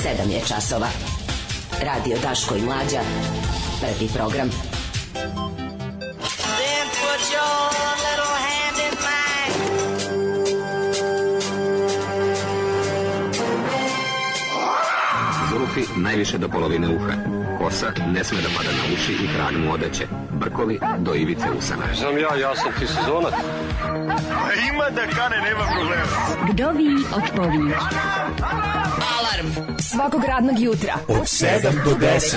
7 je časova. Radio Daško i Mlađa. Prvi program. Then put your little hand in mine. Zulufi najviše do polovine uha. Kosa ne sme da pada na uši i trag mu odeće. Brkovi do ivice usana. Znam ja sam ti sezonac. Ima da kane, nema problema. Vdovi od povijek. Alarm Svakog radnog jutra Od 7 do 10.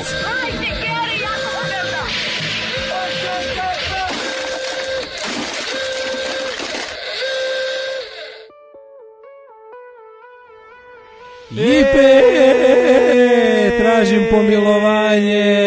Tražim pomilovanje.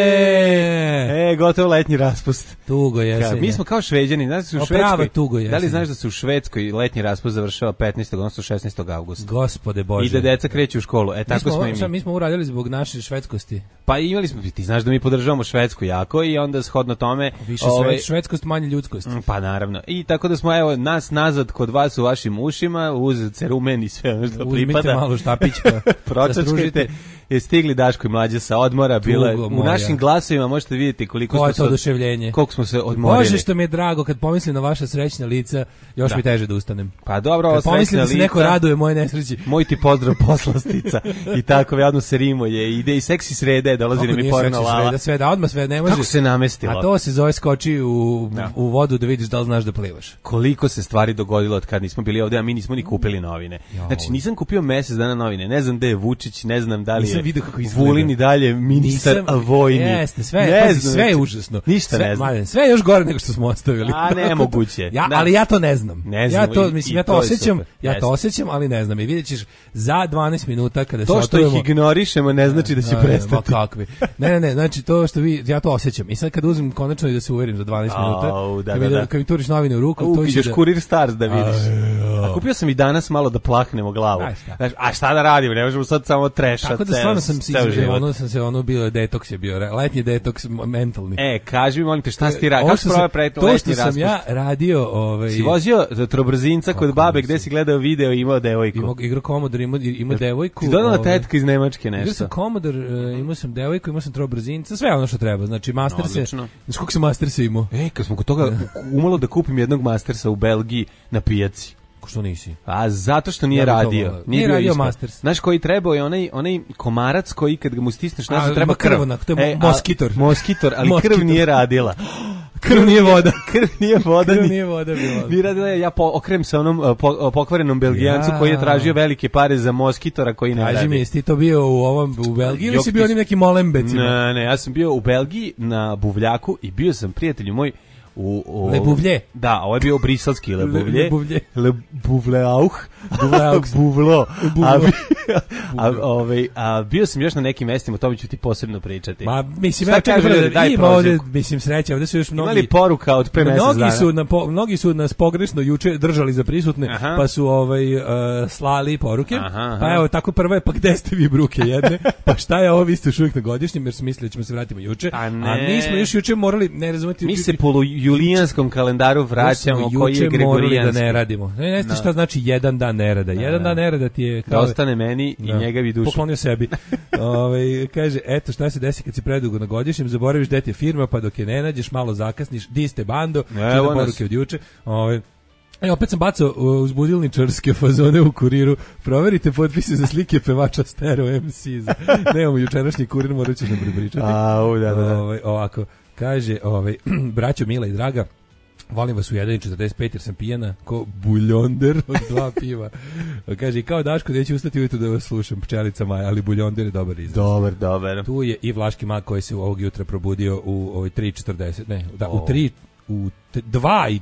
Gotovo letnji raspust. Tugo jesen. Mi smo kao Šveđani, znaš da se u Švedskoj. Tugo jesen. Da li znaš da se u Švedskoj letnji raspust završava 15. odnosno 16. avgusta? Gospode Bože. I da deca kreću u školu. Tako smo i mi. Mi smo uradili zbog naše švedskosti. Pa imali smo, ti znaš da mi podržavamo Švedsku jako i onda shodno tome više švedskost, manje ljudskost. Pa naravno. I tako da smo nas nazad kod vas u vašim ušima uz cerumen i sve ono što pripada. Uzmite malo štapićka. Pročačkajte. Je stigli Daško i Mlađa sa odmora, bila u našim glasovima možete vidjeti koliko smo se oduševljenje. Koliko smo se odmorili. Bože što mi je drago kad pomislim na vaša srećna lica, još mi teže da ustanem. Pa dobro, ovo pomislim da se neko raduje moje nesreći. Moj ti pozdrav poslastica i tako javno se rimuje. Ide i seksi srede, dolazi mi porno lala. Odmah sve ne može. Kako se namestilo? A to se zove skoči u vodu da vidiš da li znaš da plivaš. Koliko se stvari dogodilo od kad nismo bili ovdje, a mi nismo ni kupili novine. Znači nisam kupio mjesec dana novine. Ne znam gde je Vučić, ne znam da li je Vulin i dalje ministar vojni. Jeste, sve je užasno. Ništa ne znam. Sve je još gore nego što smo ostavili. A nemoguće. Ali ja to ne znam. Ja to osjećam, ali ne znam. I vidjet ćeš za 12 minuta kada se otvorimo. To što ih ignorišemo ne znači da će prestati. Kakvi. Ne, znači to što ja to osjećam. I sad kad uzmem konačno i da se uverim za 12 minuta, kad mi turiš novine u ruku, to ideš Kurir Stars da vidiš. A kupio sam i danas malo da plahnemo glavu. A šta da radimo? Ne možemo sad samo trešati. Tako da stvarno sam bio detoks je bio, letnji detoks mentalni. Kaži mi molim te šta si ti radio? Kako si probao letnji raspust? To što sam ja radio... Si vozio trobrzinca kod babe gde si gledao video i imao devojku? Igrao Commodore, imao devojku. Ti dodala tetka iz Nemačke nešto? Igrao sam Commodore, imao sam devojku, imao sam trobrzinca, sve ono što treba. Znači Masterse, znači koliko sam Masterse imao? Kad smo kod toga umalo da kupim jednog Mastersa u Belgiji na pijaci. Što nisi? A zato što nije radio. Nije radio Masters. Znaš koji trebao je onaj komarac koji kad ga mu stisneš nas treba krv. To je moskitor. Moskitor, ali krv nije radila. Krv nije voda. Krv nije voda bila. Nije radila, ja okrem sa onom pokvarenom Belgijancu koji je tražio velike pare za moskitora koji ne radi. Kaži mi, jesi ti to bio u Belgiji ili si bio onim nekim molembecima? Ne, ja sam bio u Belgiji na Buvljaku i bio sam prijatelju moj Le Buvlje. Da, ovo je bio briselski Le Buvlje. Le Buvleauch. Buvlo. A bio sam još na nekim mestima, o tome ću ti posebno pričati. Ma, mislim, ja čekaj, ima ovdje, mislim, sreća, ovdje su još mnogi... Imali poruka od pre mesec dana. Mnogi su nas pogrešno juče držali za prisutne, pa su slali poruke. Pa evo, tako prva je, pa gde ste vi bruke jedne? Pa šta je ovo, vi ste još uvijek na godišnjem, jer su mislili da ćemo se vratimo juče. A mi smo još juče morali, ne razumeti... Mi se julijanskom kalendaru vraćamo koji je gregorijanski. Da ne radimo. Ne znate šta znači jedan dan nerada. Jedan dan nerada ti je kao... Da ostane meni i njegovi dušu. Poklonio sebi. Kaže, eto šta se desi kad si predugo na godišnjem, zaboraviš gde ti je firma, pa dok je ne nađeš, malo zakasniš, di ste bando, čita poruke od juče. Opet sam bacao uz budilničarske fazone u Kuriru. Proverite potpise za slike pevača Stereo MC. Nemamo jučerašnji Kurir, morat ćeš nam prepričati. Ovako. Kaže, braćo Mila i Draga, volim vas u 1.45 jer sam pijana ko buljonder od 2 piva. Kaže, kao Daško, neću ustati ujutro da vas slušam, pčelica Maja, ali buljonder je dobar izraz. Dobar. Tu je i Vlaški mag koji se ovog jutra probudio u 3.40, ne, da, u 3... u 2 i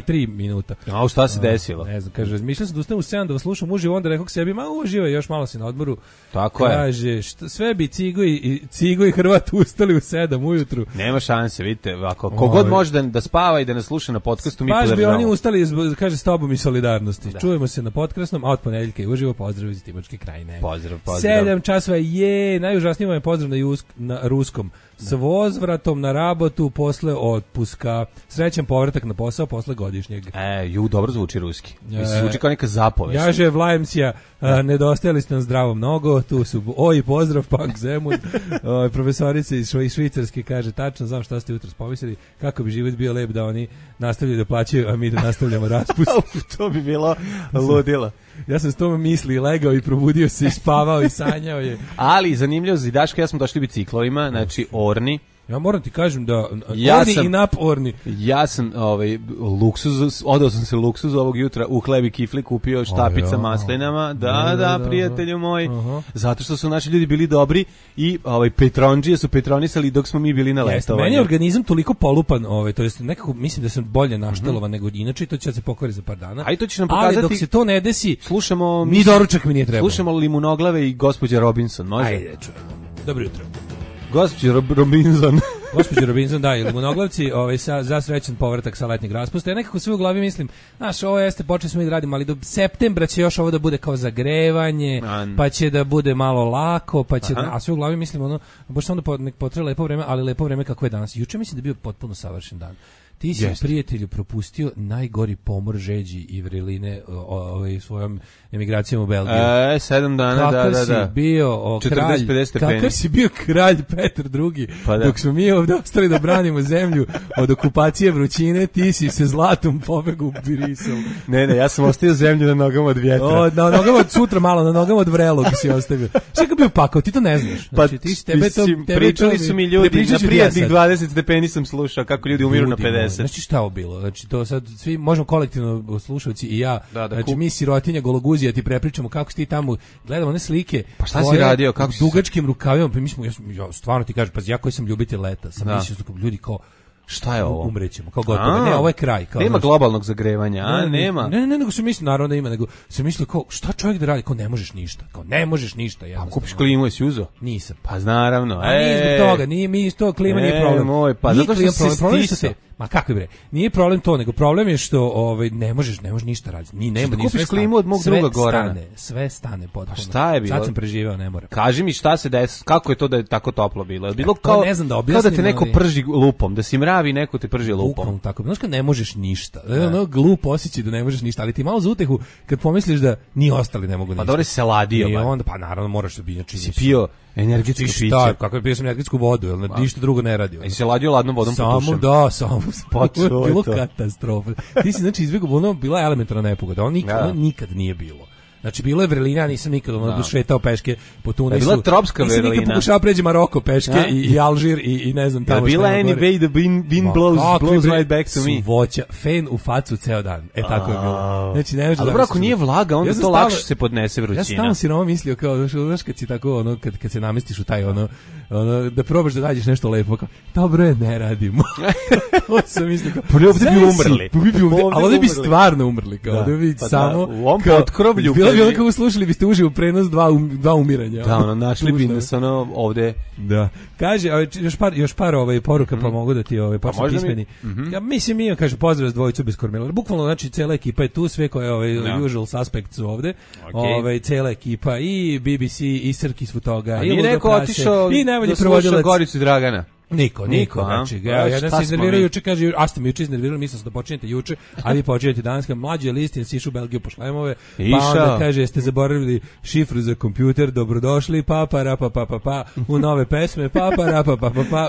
3 minuta. A šta se desilo? Ne znam, kaže, razmišljam sam da ustanem u 7 da vas slušam uživo, onda rekao sebi, uživaj, još malo si na odmoru. Tako je. Kaže, sve bi Cigo i Hrvat ustali u 7 ujutru. Nema šanse, vidite, ako kogod može da spava i da nas sluša na podcastu, mi podržavamo. Baš bi oni ustali, kaže, s tobom i solidarnosti. Da. Čujemo se na podcastom, a od ponedeljka i uživo, pozdrav iz Timočke Krajine. Pozdrav. 7 časova je, najužasniji vam je pozdrav na ruskom. S vozvratom na rabotu posle otpuska. srećan povratak na posao posle godišnjeg. Dobro zvuči ruski. Zvuči kao neka zapovest. Jaže Vlajemsija, nedostajali ste nam zdravo mnogo, tu su oj pozdrav Punk Zemun. Profesorica iz Švicarske kaže, tačno znam šta ste jutros pomislili, kako bi život bio lep da oni nastavljaju da plaćaju, a mi da nastavljamo raspust. To bi bilo ludilo. Ja sam s tome mislio, legao i probudio se i spavao i sanjao je. Ali zanimljivo za Daška, ja smo došli biciklovima, znači Orni. Ja moram ti kažem da Orni i nap Orni. Ja sam odao sam se luksuz ovog jutra u hleb i kifli, kupio štapica maslinama. Da, prijatelju moj. Zato što su naši ljudi bili dobri i Petronđije su petronisali dok smo mi bili na letovanju. Meni je organizam toliko polupan, to jest nekako mislim da sam bolje naštelovan nego inače i to će se pokvari za par dana. A i to će nam pokazati. Ali dok se to ne desi, slušamo ni doručak mi nije trebao. Slušamo Limunoglave i gospođa Robinson, može? Ajde, čujemo. Dobro jutro. Gospođa Robinson. Gospođa Robinson, da, ili Monoglavci, za srećan povratak sa letnjeg raspusta. Ja nekako sve u glavi mislim, ovo jeste, počeli smo i da radimo, ali do septembra će još ovo da bude kao zagrevanje, pa će da bude malo lako, pa će a sve u glavi mislim, baš samo da potreba lepo vreme, ali lepo vreme kako je danas. Juče mislim da je bio potpuno savršen dan. Ti si, prijatelju, propustio najgori pomor žeđi i vreline svojom emigracijom u Belgiju. 7 dana, kakav si bio kralj, kakav si bio kralj Petar II. Dok smo mi ovdje ostali da branimo zemlju od okupacije vrućine, ti si se zlatom pobegu u Birisov. Ne, ja sam ostavio zemlju na nogama od vjetra. Na nogama od sutra malo, na nogama od vrelog si ostavio. Šta je bio pakao, ti to ne znaš. Znači, pričali su mi ljudi, na prijatnih 20 stepeni sam slušao kako ljudi umiru na 50. Znači šta ovo bilo? Znači to sad svi možemo kolektivno slušalci i ja. Znači mi sirotinja gologuzija ti prepričamo kako si ti tamo gledamo one slike. Pa šta si radio? Kako dugačkim rukavima, pa mi smo ja stvarno ti kažem, pa ja koji sam ljubitelj leta, sam mislio da ljudi kao šta je ovo? Umrećemo, kao gotovo. Ne, ovo je kraj. Kao, nema globalnog zagrevanja, nema. Ne, nego se misli, naravno da ima, nego se misli kao, šta čovjek da radi? Kao ne možeš ništa. Kao ne možeš ništa. A kupiš klimu, jesi uzeo? Nisam. Pa naravno. A nije zbog toga, mi iz toga klima nije problem. Moj, pa zato što se stisao. Ma kako bre? Nije problem to, nego problem je što ne možeš ništa raditi. Ni nema ni kupiš klimu od mog druga Gorana. Sve stane potpuno. Pa šta je bilo? Sad sam preživeo, ne moram. Kaži mi šta se desilo, kako je to da je tako toplo bilo? Je bilo kao ne znam da objasnim, kao da te neko prži lupom, da si mravi, neko te prži lupom. Tako, znaš kad ne možeš ništa. Ono glup osjećaj da ne možeš ništa, ali ti malo za utehu kad pomisliš da ni ostali ne mogu ništa. Pa dobro se ladio. I onda pa naravno moraš da bi si pio energetsko piće. Da, kako je pio sam energetsku vodu, jel ništa drugo ne radi. I se ladio ladnom vodom potušem. Samo bilo katastrofa. Ti si znači izbjegao, bila elementarna nepogoda, on nikad nije bilo. Znači bilo je vrelina, nisam nikad šetao peške po Tunisu. Bila tropska vrelina. Nisam nikad pokušao pređi Maroko peške i Alžir i ne znam tamo. Bila any way the wind blows right back to me. Voća, fen u facu ceo dan. Tako je bilo. Znači ne možeš. Ali dobro, ako nije vlaga, onda to lakše se podnese vrućina. Ja sam tamo sirovo mislio kao znaš kad si tako kad se namestiš u taj da probaš da nađeš nešto lepo, kao dobro je, ne radimo. To sam mislio kao ovdje bi umrli. Ali ovdje bi stvarno umrli, kao ovdje bi samo u ovom potkrovlju. Bilo bi kako slušali biste uživo prenos dva umiranja. Da, našli bi nas ovde. Da. Kaže, još par poruka pa mogu da ti počnem pismeni. Ja mislim mi kaže pozdrav s dvojicu bez kormila. Bukvalno znači cela ekipa je tu, sve koje usual suspects su ovde. Cela ekipa i BBC i Srki su toga i neko otišao i najbolji prevodilac Goricu Dragana. Niko, znači, jedan se iznervirao juče, kaže, a ste mi juče iznervirali, mislim sam da počinjete juče, a vi počinjete danas, mlađi je listin, si išao u Belgiju po šlemove, pa onda kaže, jeste zaboravili šifru za kompjuter, dobrodošli, pa, u nove pesme, pa,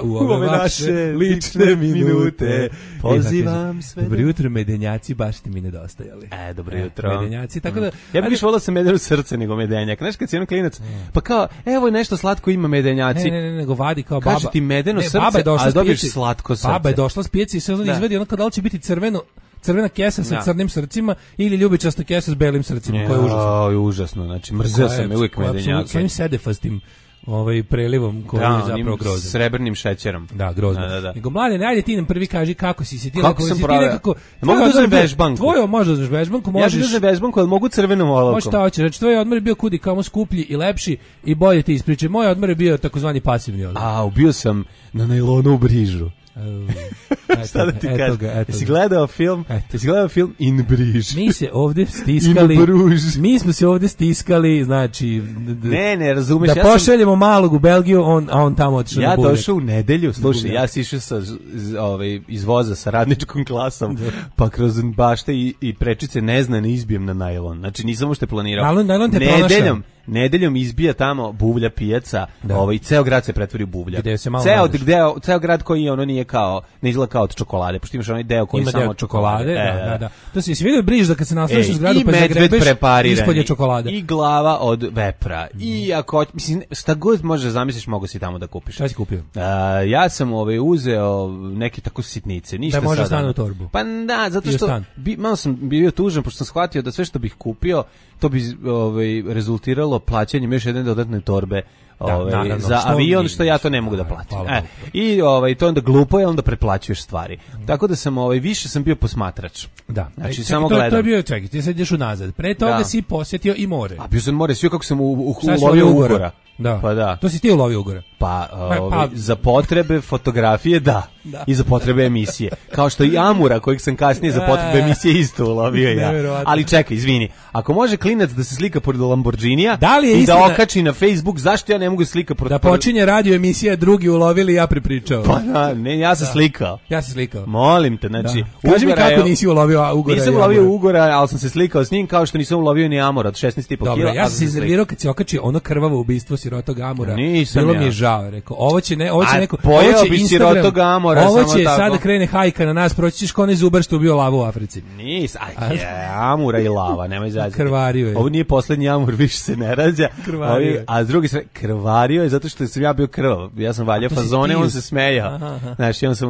u ove vaše lične minute, pozivam sve. Dobro jutro, medenjaci, baš ste mi nedostajali. Dobro jutro. Medenjaci, tako da... Ja bih više volao sam medenu srce nego medenjak, znaš kad si jedan klinac, pa kao, evo nešto slatko ima medenjaci. Ne, nego vadi kao baba. Kaže ti medeno srce, a dobiješ slatko srce. Baba je došla s pijaci i se izvedi ono da li će biti crvena kesa sa crnim srcima ili ljubičasta kesa s belim srcima, koja je užasno. Užasno, znači mrzeo sam uvijek medenjake. Svojim sedefastim prelivom koji je zapravo grozan. Srebrnim šećerom. Da, grozno. Nego mlade, ajde ti nam prvi kaži kako si se ti kako sam nekako. Mogu da uzmem vežbanku. Tvoje možeš da uzmeš vežbanku, možeš. Ja da uzmem vežbanku, al mogu crvenom olovkom. Možeš šta hoćeš, znači tvoj odmor je bio kudi kamo skuplji i lepši i bolje ti ispričaj. Moj odmor je bio takozvani pasivni odmor. Ubio sam na najlonu u Brižu. Šta da ti kažem? Jesi gledao film In Briž? Mi se ovde stiskali. Mi smo se ovde stiskali, znači ne, razumeš. Da pošaljemo malog u Belgiju, a on tamo otišao na Burek. Ja došao u nedelju, slušaj, ja si išao iz voza sa radničkom klasom, pa kroz bašte i prečice ne izbijem na najlon. Znači nisam uopšte planirao. Najlon te pronašao. Nedeljom izbija tamo buvlja pijaca, ceo grad se pretvori u buvlja. Ceo grad koji ono nije kao, ne izgleda kao od čokolade, pošto imaš onaj deo koji ima samo od čokolade. Da. To si vidio Briž da kad se nastaviš u zgradu pa zagrebeš, ispod je čokolade. I glava od vepra. I ako, mislim, šta god možeš zamisliš, mogu si tamo da kupiš. Šta si kupio? Ja sam uzeo neke tako sitnice, ništa sada. Da može stane u torbu. Pa da, zato što malo sam bio tužan, pošto sam shvatio da sve što bih kupio, to bi rezultiralo plaćanjem još jedne dodatne torbe za avion, što ja to ne mogu da platim. I to onda glupo je, onda preplaćuješ stvari. Tako da sam više sam bio posmatrač. Da. Znači samo gledam. To je bio, čekaj, ti sad ideš unazad. Pre toga si posjetio i more. A bio sam more, sve kako sam ulovio ugora. Da. Pa da. To si ti ulovio ugora. Pa za potrebe fotografije da. I za potrebe emisije. Kao što i Amura kojeg sam kasnije za potrebe emisije isto ulovio ja. Ali čekaj, izvini. Ako može klinac da se slika pored Lamborghinija i da okači na Facebook, zašto ja ne mogu slika pored... Da počinje radio emisija, drugi ulovili, ja pripričao. Pa da, ne, ja sam slikao. Ja sam slikao. Molim te, znači... Kaži mi kako nisi ulovio ugora. Nisam ulovio ugora, ali sam se slikao s njim kao što nisam ulovio ni Amura od 16,5 kg. Dobro, ja sam se iznervirao kad si okačio ono krvavo ubistvo sirotog Amura. Bilo mi je žao, rekao, ovo će neko... Pojao bi sirotog Amura, ovo će sad da krene hajka na nas, proći ćeš kao onaj zubar što ubio lavu u Africi. Amura i lava, nemoj zazati. Krvario je. Ovo nije poslednji Amur, više se ne rađa. A s druge strane, krvario je zato što sam ja bio krvav. Ja sam valjao fazone, on se smejao. Znači, on sam,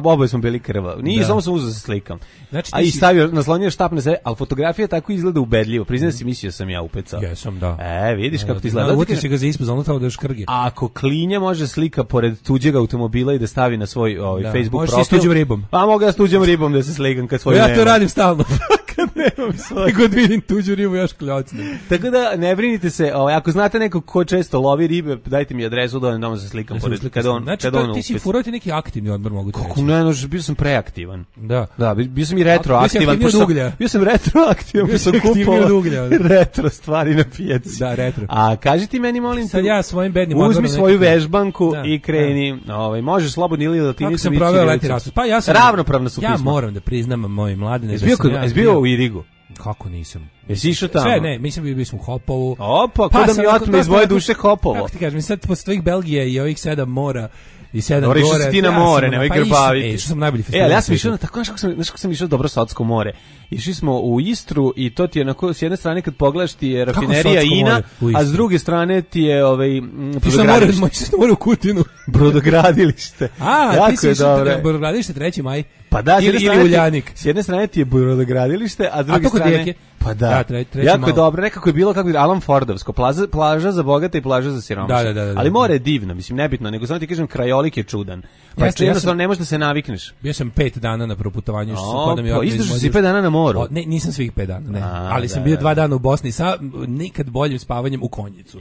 oboje smo bili krvav. Nije, samo sam uzeo se slikam. A i stavio, naslonio štap na sebe, ali fotografija tako izgleda ubedljivo. Priznam si, mislio sam ja upecao. Jesam, da. Vidiš kako ti izgleda. Uti si ga za ispod, ono tamo da još krge. Ako klinja može slika pored tuđeg automobila i da stavi na svoj Facebook profil. Možeš s tuđom ribom. Pa mogu ja s tuđom ribom da se slikam kad svoju ja to radim stalno. Kad nemam svoj. God vidim tuđu ribu, još kljocnem. Tako da ne brinite se, ako znate nekog ko često lovi ribe, dajte mi adresu da damo se slikam pored kad on. Znači ti si furao neki aktivni odmor, mogu ti reći. Kako ne, bio sam preaktivan. Da, bio sam i retroaktivan. Bio sam retroaktivan, bio sam kupovao retro stvari na pijaci. Da, retro. A kaži ti meni, molim te, sad ja svojim bednim odmorom uzmi svoju vežbanku i kreni. Možeš slobodno ili da ti nisam proveo letni raspust. Pa ja sam ravnopravno su pisma. Ja moram da priznam moj mladine. Jesi bio u Irigu? Kako nisam? Jesi išao tamo? Sve, ne, mislim bili smo u Hopovu. Opa, ko da mi otme iz moje duše Hopovo. Kako ti kažem, sad posle tvojih Belgije i ovih 7 mora i 7 gore. Išao si ti na more, nemoj grbaviti. Što sam najbolji festival. Ali ja sam išao na tako, znaš kako sam išao dobro Sotsko more. Išli smo u Istru i to ti je onako, s jedne strane kad pogledaš ti je rafinerija Ina, a s druge strane ti je brodogradilište. Ti što more u Kutinu. Brodogradilište. Ti si brodogradilište 3. maj. Pa da, ili Uljanik. S jedne strane ti je brodogradilište, a s druge strane... Pa da, jako je dobro, nekako je bilo kako je Alan Fordovsko, plaža za bogate i plaža za siromašne. Da. Ali more je divno, mislim, nebitno, nego samo ti kažem, krajolik je čudan. Pa jednostavno ne možeš da se navikneš. Bio sam 5 dana na proputovanju. Izdržao si 5 dana na moru? Ne, nisam svih 5 dana, ne. Ali sam bio 2 dana u Bosni sa nikad boljim spavanjem u Konjicu.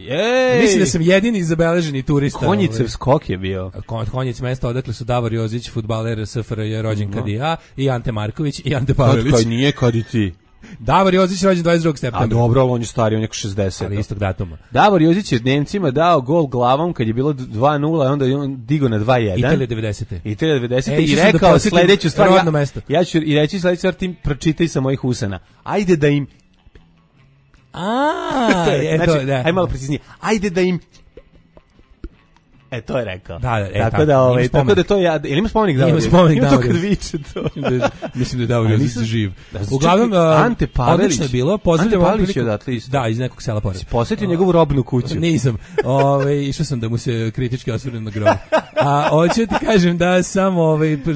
Mislim da sam jedini zabeleženi turista. Konjicev skok je bio. Konjic mesto odakle su Davor Jozić, fudbaler SFRJ, rođen kad i ja, i Ante Marković i Ante Pavelić. Kad nije kad i ti. Davor Jozić rođen 22. septembra. A dobro, on je stari, on je 60. Ali istog datuma. Davor Jozić je Nemcima dao gol glavom kad je bilo 2:0, a onda je on digo na 2:1. Italija 90. I rekao sledeću stvar. Ja ću i reći sledeću stvar, ti pročitaj sa mojih usana. Ajde da im... Znači, aj malo preciznije. Ajde da im... to je rekao. Tako da to ja, ili ima spomenik Davor? Ima spomenik Davor. To kad viče to. Mislim da je Davor Jozić živ. Uglavnom, Ante Pavelić. Odlično je bilo. Pozdravljam Ante Pavelić je odatle isto. Da, iz nekog sela pored. Si posjetio njegovu robnu kuću? Nisam. Išao sam da mu se kritički osvrnem na grob. A hoću ti kažem da sam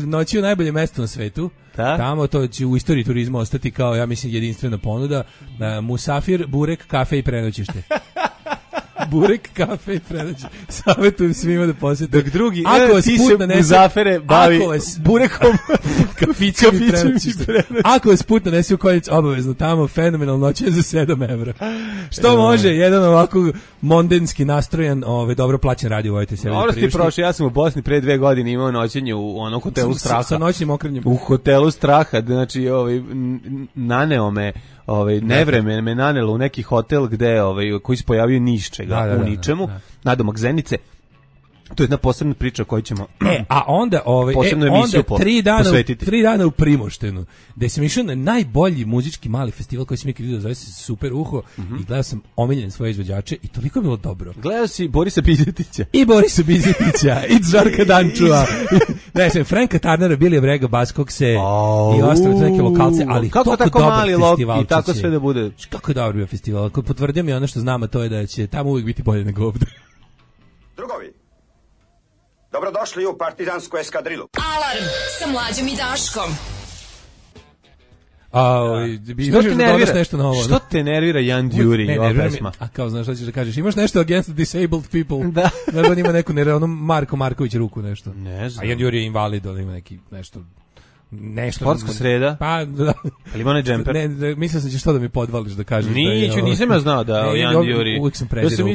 noći u najbolje mesto na svetu. Tamo to će u istoriji turizma ostati kao, ja mislim, jedinstvena ponuda. Musafir, burek, kafe i prenoćište. burek, kafe i prenađe. Savjetujem svima da posjete. Dok drugi, ti se Muzafere bavi burekom, kafićem i prenađištem. Ako vas put nanesi u Konjic, obavezno tamo, fenomenalno noćenje za 7 evra. Što može, jedan ovako mondenski nastrojen, dobro plaćen radio, vojte se. Dobro ste prošli, ja sam u Bosni pre 2 godine imao noćenje u onom hotelu Straha. Sa noćnim okrenjem. U hotelu Straha, znači naneo me, nevreme me nanelo u neki hotel gde koji se pojavio ni iz čega, u ničemu, nadomak Zenice. To je jedna posebna priča koju ćemo a onda posebnu emisiju posvetiti. 3 dana u Primoštenu, gde sam išao na najbolji muzički mali festival koji sam ikad vidio, zove se Super Uho, i gledao sam omiljene svoje izvođače i toliko je bilo dobro. Gledao si Borisa Bizetića. I Borisa Bizetića, i Žarka Dančua. Ne znam, Franka Tarnera, Bilija Brega, Baskokse i ostale neke lokalce, ali kako tako mali festival i tako sve da bude. Kako je dobro bio festival. Potvrdio mi ono što znam, a to je da će tamo uvijek biti bolje nego ovde. Drugovi, dobrodošli u partizansku eskadrilu. Alarm sa Mlađom i Daškom. Što te nervira Jan Đuri, ova pesma? A kao, znaš šta ćeš da kažeš? Imaš nešto against disabled people? Da. Znaš, on ima neku, Marko Marković ruku nešto. Ne znam. A Jan Đuri je invalid, on ima neki nešto... Sportska sreda? Pa, da. Ali ima onaj džemper? Ne, mislio sam ćeš to da mi podvališ da kažeš. Nisam ja znao da Jan Đuri. Uvijek sam prezirao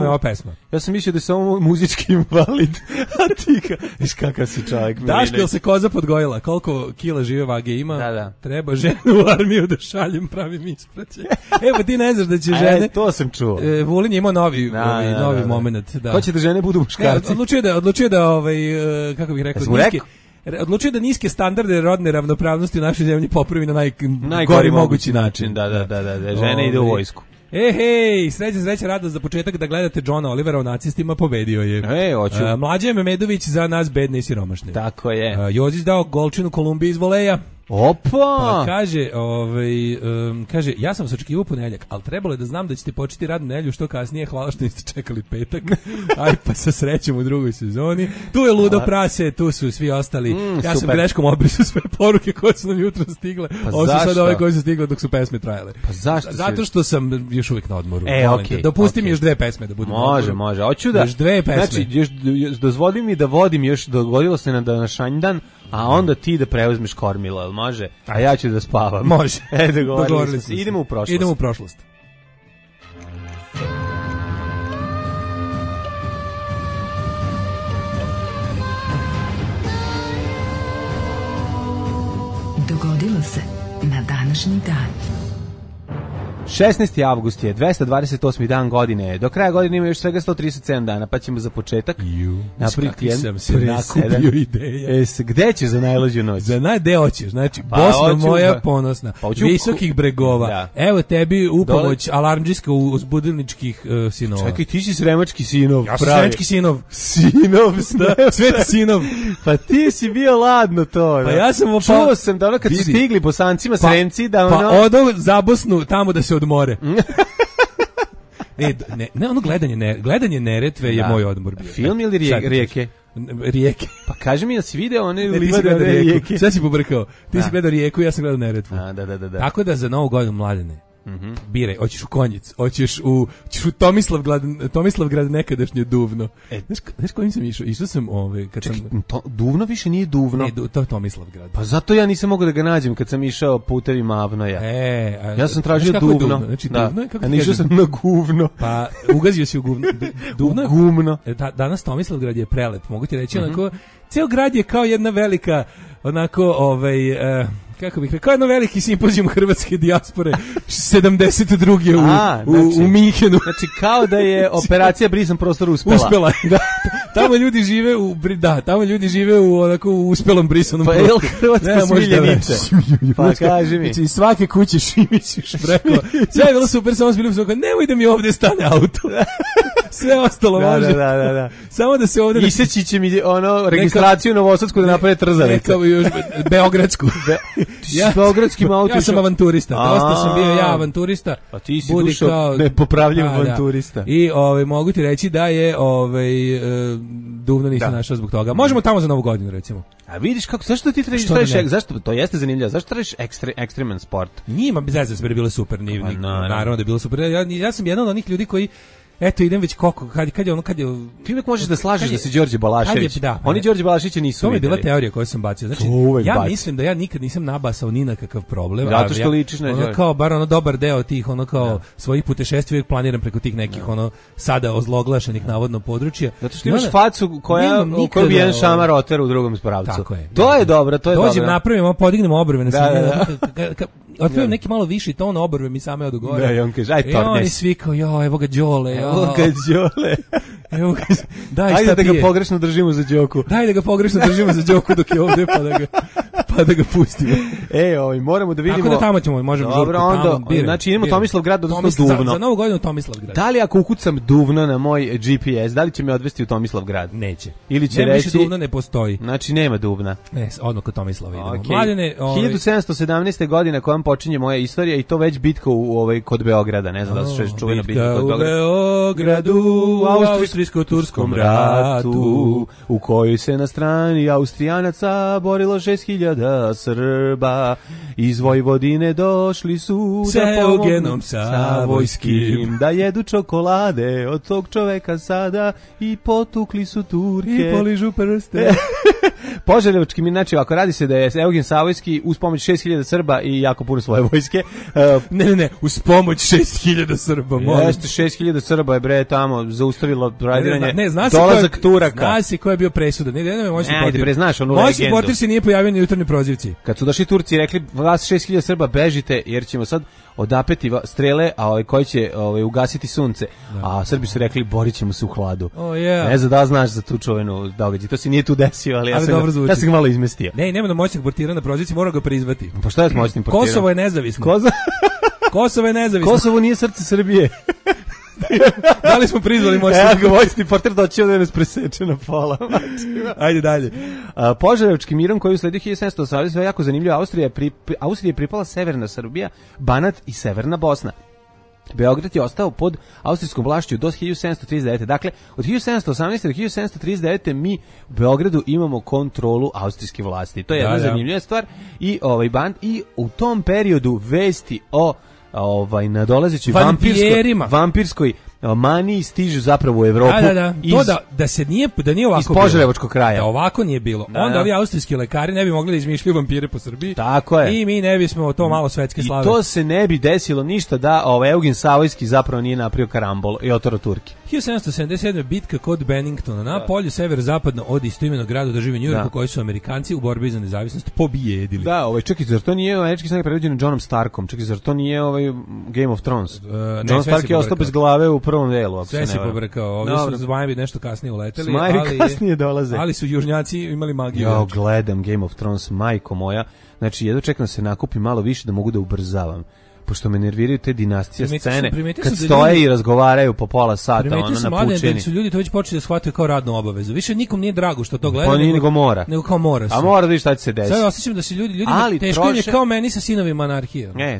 ovu pesmu. Ja sam mislio da je samo muzički invalid. A ti viš kakav si čovjek. Daško, jel se koza podgojila? Koliko kila žive vage ima? Da. Treba ženu u armiju da šaljem pravim ispraćaj. Evo ti ne znaš da će žene... To sam čuo. Vulin je imao novi moment. Ko će da žene budu muškarci? Odlučio da kako bih rekao, odlučio da niske standarde rodne ravnopravnosti u našoj zemlji popravi na najgori mogući način. Da, žene ide u vojsku. Hej, sreća radost za početak da gledate Johna Olivera o nacistima, pobedio je. Hoću. Mlađe Memedović za nas bedne i siromašne. Tako je. Jozić dao golčinu Kolumbiji iz voleja. Opa! Pa kaže, ja sam se očekivao ponedeljak, ali trebalo je da znam da ćete početi radnu nedelju što kasnije, hvala što niste čekali petak. Aj pa sa srećom u drugoj sezoni. Tu je Ludo Prase, tu su svi ostali. Ja sam greškom obrisao sve poruke koje su nam jutro stigle. Ovo su sad ove koje su stigle dok su pesme trajale. Pa zašto? Zato što sam još uvijek na odmoru. Dopusti mi još 2 pesme da budem. Može. Hoću da. Još 2 pesme. Znači, još dozvoli mi da vodim, još dogodilo se na današnji dan, a onda ti da preuzmeš kormilo, jel može? A ja ću da spavam. Može. Dogovorili smo. Idemo u prošlost. Dogodilo se na današnji dan. 16. avgust je, 228. dan godine. Do kraja godine ima još svega 137 dana, pa ćemo za početak napraviti sam se nakupio ideja. Gde ćeš za najluđu noć? Gde hoćeš? Znači, Bosna moja ponosna, visokih bregova. Da. Evo tebi u pomoć alarmdžiska uzbudilničkih sinova. Čekaj, ti si sremački sinov. Ja sam sremački sinov. Sveti sinov. Pa ti si bio ladno to. Pa ja sam čuo sam da ono kad su stigli Bosancima Sremci, da ono... Pa odo za Bosnu tamo da se odmore. Ne, ono gledanje Neretve je moj odmor bio. Film ili rijeke? Rijeke. Pa kaži mi, da si video one livade rijeke? Sve si pobrkao. Ti si gledao Rijeku, ja sam gledao Neretvu. Da. Tako da za Novu godinu, Mladene, biraj, hoćeš u Konjic, hoćeš u Tomislavgrad, nekadašnje Duvno. Znaš kojim sam išao? Išao sam kad sam... Duvno više nije Duvno. Ne, to je Tomislavgrad. Pa zato ja nisam mogao da ga nađem kad sam išao putevima Avnoja. Ja sam tražio Duvno. Znači Duvno je, kako ti kažem? Išao sam na Guvno. Pa ugazio si u Guvno. Duvno? Gumno. Danas Tomislavgrad je prelep. Mogu ti reći, onako, ceo grad je kao jedna velika, onako, kako bih rekao, jedno veliki simpozijum hrvatske dijaspore 72. u Minhenu. Znači, kao da je operacija Brisan prostor uspela. Da. Tamo ljudi žive u onako u uspelom brisanom prostoru. Pa je Hrvatsko smiljenice? Pa kaži mi. Znači, svake kuće šimićiš preko. Sve je bilo super, samo bili su nemoj da mi ovdje stane auto. Sve ostalo može. Da. Samo da se ovdje... Iseći će mi registraciju Novosadsku da naprave trzalice. Kao još Beogradsku. Beogradskim autom. Ja sam avanturista. Dosta sam bio ja avanturista. A ti si dušo nepopravljiv avanturista. I mogu ti reći da je Duvno nisam našao zbog toga. Možemo tamo za Novu godinu, recimo. A vidiš kako, zašto ti tražiš, zašto, to jeste zanimljivo, zašto tražiš ekstreman sport? Njima bez veze, sve je bilo super, naravno da je bilo super. Ja sam jedan od onih ljudi koji eto idem već koliko, kad je ono, ti uvijek možeš da slažeš da si Đorđe Balašević. Oni Đorđe Balaševića nisu videli. To je bila teorija koju sam bacio. Znači, ja mislim da ja nikad nisam nabasao ni na kakav problem. Zato što ličiš na Đorđe. Kao, bar ono dobar deo tih, ono kao svojih putešestvija uvijek planiram preko tih nekih, ono, sada ozloglašenih navodno područja. Zato što imaš facu koja bi jedan šamar otera u drugom pravcu. Tako je. To je dobro, to je dobro. Dođem, napravimo, podignemo obrve na otkrivam neki malo viši ton obrve mi same od gore. Da, i on kaže, aj tornes. I oni svi kao, evo ga Đole. Evo ga Đole. Evo ga, daj ajde da ga pogrešno držimo za Đoku. Daj da ga pogrešno držimo za Đoku dok je ovde, pa da ga pustimo. Moramo da vidimo. Tako da tamo ćemo, možemo žurku. Dobro, onda, znači idemo Tomislavgrad, odnosno Duvno. Za Novu godinu Tomislavgrad. Da li ako ukucam Duvno na moj GPS, da li će me odvesti u Tomislavgrad? Neće. Ili će reći... Više Duvna ne postoji. Znači nema Duvna. Ne, odmah kod Tomislava idemo. Okay. Mladene, 1717. godine kojom počinje moja istorija i to već bitka kod Beograda. Ne znam da se čuvena bitka kod Beograda. Beogradu, u austrijsko-turskom ratu, u kojoj se na strani Austrijanaca borilo 6000 Srba. Iz Vojvodine došli su sa Eugenom Savojskim da jedu čokolade od tog čoveka sada i potukli su Turke. I poližu prste. Požarevčki mi, znači, ako radi se da je Eugen Savojski uz pomoć 6000 Srba i jako puno svoje vojske. Ne, uz pomoć 6000 Srba. Jeste, 6000 Srba je bre tamo zaustavilo radiranje. Ne, dolazak Turaka. Zna si ko je bio presudan. Ne, moj supporter. Znaš onu legendu. Moj supporter se nije pojavio na jutarnjoj prozivci. Kad su došli Turci i rekli, vas 6000 Srba bežite, jer ćemo sad odapeti strele, a koji će ugasiti sunce. A Srbi su rekli, borit ćemo se u hladu. Ne znam da znaš za tu čuvenu događaj. To se nije tu desio, ali ja sam ga malo izmestio. Ne, nema da moćnog portira na prozivci, mora ga prizvati. Pa šta je s moćnim portirom? Kosovo je nezavisno. Kosovo je nezavisno. Kosovo nije srce Srbije. Da li smo prizvali moćnog? Evo ga, moćni portir doći ovdje nas preseče na pola. Ajde dalje. Požarevčki mirom koji usledio 1718. je jako zanimljivo. Austriji je pripala severna Srbija, Banat i severna Bosna. Beograd je ostao pod austrijskom vlašću do 1739. Dakle, od 1718. do 1739. mi u Beogradu imamo kontrolu austrijske vlasti. To je jedna zanimljiva stvar. I u tom periodu vesti o nadolazećoj vampirskoj maniji stižu zapravo u Evropu. Da se nije ovako iz Požarevačkog kraja. Da ovako nije bilo. Onda ovi austrijski lekari ne bi mogli da izmišljaju vampire po Srbiji. Tako je. I mi ne bismo to malo svetske slave. I to se ne bi desilo ništa da Eugen Savojski zapravo nije napravio karambol i otoro Turki. 1777. bitka kod Benningtona na polju severozapadno od istoimenog grada u državi New Yorku koji su Amerikanci u borbi za nezavisnost pobijedili. Da, čekaj, zar to nije američki snage predvođen Johnom Starkom? Čekaj, zar to nije Game of Thrones? John Stark je ostao bez glave u prvom delu. Sve se pobrkao. Ovdje su zmajevi nešto kasnije uleteli. Zmajevi kasnije dolaze. Ali su južnjaci imali magiju. Ja gledam Game of Thrones, majko moja. Znači, jedno čekam se nakupi malo više da mogu da ubrzavam. Pošto me nerviraju te dinastije scene, kad stoje i razgovaraju po pola sata, ono na pučini. Da su ljudi to već počeli da shvataju kao radnu obavezu. Više nikom nije drago što to gleda. Pa nije nego mora. Nego kao mora se. A mora da vidiš šta će se desiti. Sad osjećam da se ljudi teško im je kao meni sa sinovima anarhije. Ne,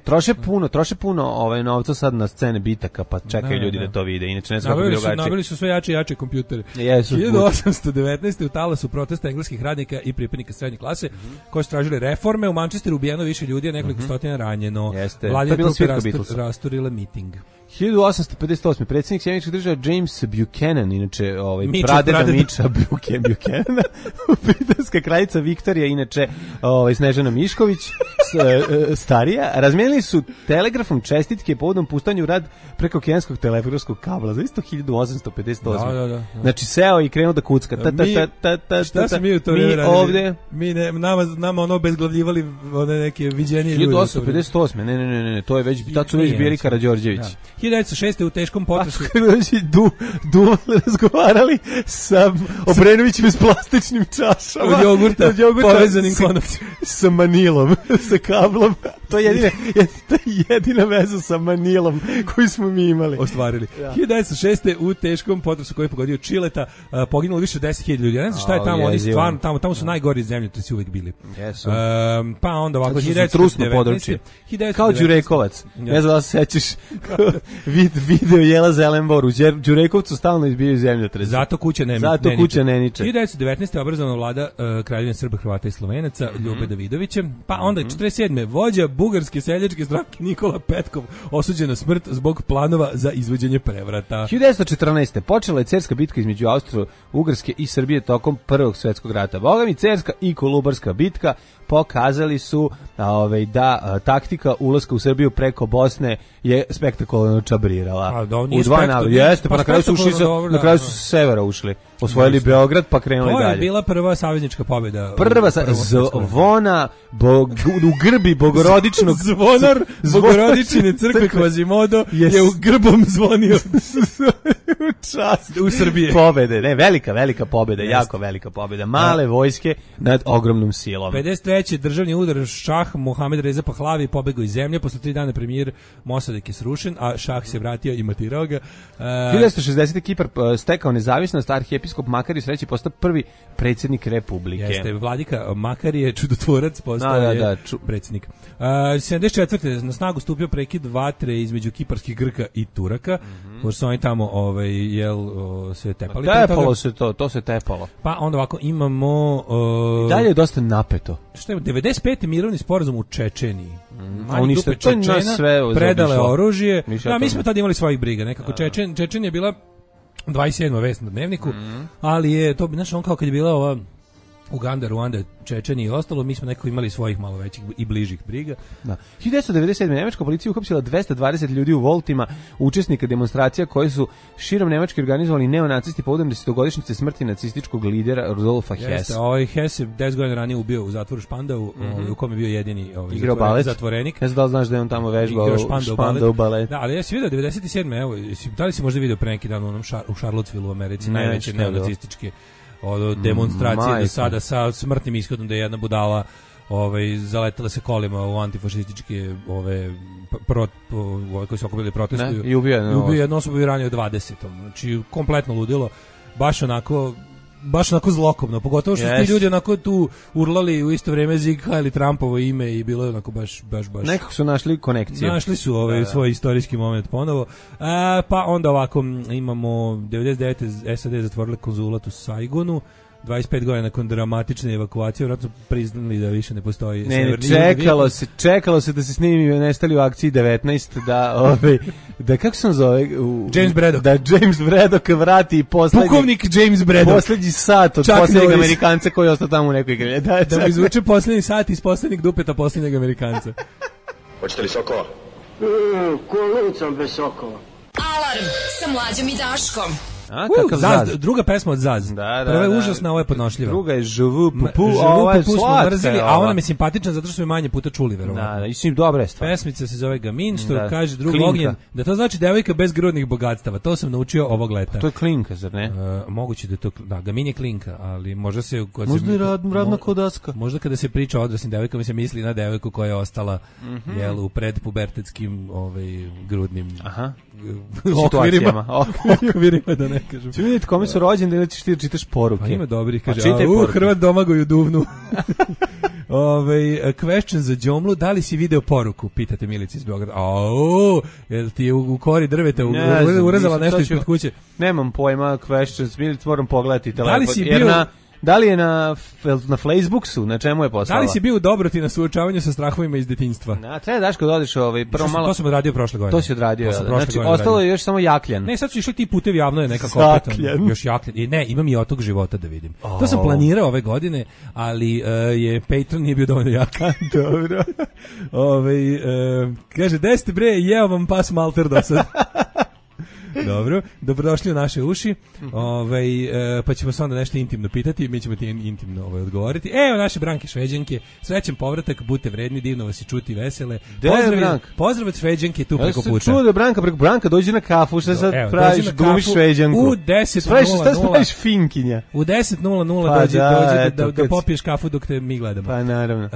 troše puno novca sad na scene bitaka, pa čekaju ljudi da to vide. Inače ne znam kako bi drugačije. Nabili su sve jače i jače kompjutere. 1819. u talasu protesta engleskih radnika i pripadnika srednje klase koji su tražili reforme. U Manchesteru ubijeno više ljudi, nekoliko stotina ranjeno. Rasturile miting. 1858. predsjednik Sjedinjenih Država James Buchanan, inače pradeda Miča Buchanana, britanska kraljica Viktorija, inače Snežana Mišković, starija, razmijenili su telegrafom čestitke povodom puštanju u rad preko okeanskog telegrafskog kabla za isto 1858. Da. Znači seo i krenuo da kucka. Šta se mi u to vreme radili? Ovdje? Nama ono obezglavljivali one neke viđenije ljudi. 1858. Ne, to je već, tad su već bili Karađorđević. 1906. u teškom potresu. Razgovarali sa Obrenovićem s plastičnim čašama. Od jogurta povezanim konopcima. Sa manilom, sa kablom. To je jedina veza sa manilom koju smo mi imali. Ostvarili. 1906. u teškom potresu koji je pogodio Čileta poginulo više od 10.000 ljudi. Ja ne znam šta je tamo, oni stvarno tamo su najgori zemljotresi uvek bili. Jesu. Pa onda ovako 1919. Kao Đureko. Đurekovac. Ne znam da se sećaš video Jela Zelenbor u Đurekovcu stalno izbijaju zemljotrese. Zato kuća ne niče. 1919. obrazovana vlada Kraljevine Srba, Hrvata i Slovenaca Ljube Davidovićem, pa onda 47. vođa bugarske seljačke stranke Nikola Petkov osuđen na smrt zbog planova za izvođenje prevrata. 1914. počela je Cerska bitka između Austro-Ugarske i Srbije tokom Prvog svjetskog rata. Boga mi, Cerska i Kolubarska bitka pokazali su da taktika ulaska u Srbiju preko Bosne je spektakularno čabrirala. U dva naroda. Jeste, pa na kraju su sa severa ušli. Osvojili Beograd, pa krenuli dalje. To je bila prva saveznička pobjeda. Zvona u grbi bogorodičnog zvonar bogorodičine crkve Kvazimodo je u grbom zvonio u Srbiji. Pobede, ne, velika pobeda, jako velika pobeda. Male vojske nad ogromnom silom. 53. državni udar šah Mohamed Reza Pahlavi pobegao iz zemlje, posle 3 dana premijer Mossadegh je srušen, a šah se vratio i matirao ga. 1960. Kipar stekao nezavisnost, arhijepiskop Makari sreći postao prvi predsjednik Republike. Jeste, vladika Makari je čudotvorac, postao je predsjednik. 74. na snagu stupio prekid vatre između kiparskih Grka i Turaka, pošto su oni tamo se tepali. Tepalo se to se tepalo. Pa onda ovako imamo... I dalje je dosta napeto. Što je 95. mirovni sporazum u Čečeniji. Oni što Čečena predale oružje. Da, mi smo tada imali svojih briga. Nekako Čečen je bila 27. vest na Dnevniku, ali je to, znaš, on kao kad je bila ova Uganda, Ruanda, Čečenija i ostalo, mi smo nekako imali svojih malo većih i bližih briga. Da. 1997. Nemačka policija uhapsila 220 ljudi u Voltima, učesnika demonstracija koje su širom Nemačke organizovali neonacisti povodom 10-godišnjice smrti nacističkog lidera Rudolfa Hessa. Hess je 10 godina ranije ubio u zatvoru Špandau, u kom je bio jedini zatvorenik. Ne znam da li znaš da je on tamo vežbao Špandau balet. Da, ali ja si vidio 97. Evo, da li si možda vidio pre neki dan u Charlottesville u Americi, najveće neonacističke demonstracije do sada sa smrtnim ishodom, da je jedna budala zaletala se kolima u antifašističke koji su okupili protestuju i ubio jednu osobu i ranio 20. Znači kompletno ludilo, baš onako zlokobno, pogotovo što su ti ljudi onako tu urlali u isto vrijeme Zig Heil Trumpovo ime i bilo je onako baš... Nekako su našli konekcije. Našli su svoj istorijski moment ponovo. Pa onda ovako imamo 99. SAD zatvorili konzulat u Saigonu, 25 godina nakon dramatične evakuacije, vjerojatno priznali da više ne postoji. Čekalo se da se snimi Nestali u akciji 19, da kako se on zove? James Braddock. Da James Braddock vrati pukovnik James Braddock. Poslednji sat od poslednjeg Amerikanca koji je ostao tamo u nekoj igrali. Da mu izvuče poslednji sat iz poslednjeg dupeta poslednjeg Amerikanca. Hoćete li sokova? Kolucom bez sokova. Alarm sa Mlađom i Daškom. Zaz, druga pesma od Zaz. Prva je užasna, ovo je podnošljiva. Druga je Žuvu Pupu, ovo je slatka. A ona mi je simpatična zato što smo manje puta čuli, verovatno. Da, i dobra je stvar. Pesmica se zove Gamin, što kaže drug Ognjen, da to znači devojka bez grudnih bogatstava. To sam naučio ovog leta. To je klinka, zar ne? Moguće da je to, da, Gamin je klinka, ali možda se... Možda je radna kodaska. Možda kada se priča o odraslim devojkama se misli na devojku koja je ostala u predpubertetskim grudnim okvirima, da ne kažem. Ču vidjeti kome su rođeni ili ćeš ti čitaš poruke? Pa ima dobrih, kaže, Hrvat Domagoju Duvnu. Question za Đomlu, da li si video poruku? Pitate Milica iz Beograda. Jel ti je u kori drveta urezala nešto ispred kuće? Nemam pojma, questions, Milica, moram pogledati telefon. Da li je na Facebooku, na čemu je poslala? Da li si bio Dobroti na suočavanju sa strahovima iz detinjstva? Treba Daško da odeš prvo malo... To sam odradio prošle godine. To si odradio, znači ostalo je još samo Jakljan. Ne, sad su išli ti putevi, javno je nekako opet. Još Jakljan. Ne, imam i otok života da vidim. To sam planirao ove godine, ali je Patreon nije bio dovoljno jak. Dobro. Kaže, deste bre, jeo vam pas malter do sad. Dobro, dobrodošli u naše uši. Pa ćemo se onda nešto intimno pitati, mi ćemo ti intimno odgovoriti. Evo naše Branke Šveđanke, srećan povratak, budite vredni, divno vas i čuti vesele. Pozdrav od Šveđanke tu preko puta. Čuo da Branka dođi na kafu, šta sad praviš, glumiš Šveđanku. U 10:00. Šta praviš finkinja? U 10:00 dođi da popiješ kafu dok te mi gledamo. Pa naravno.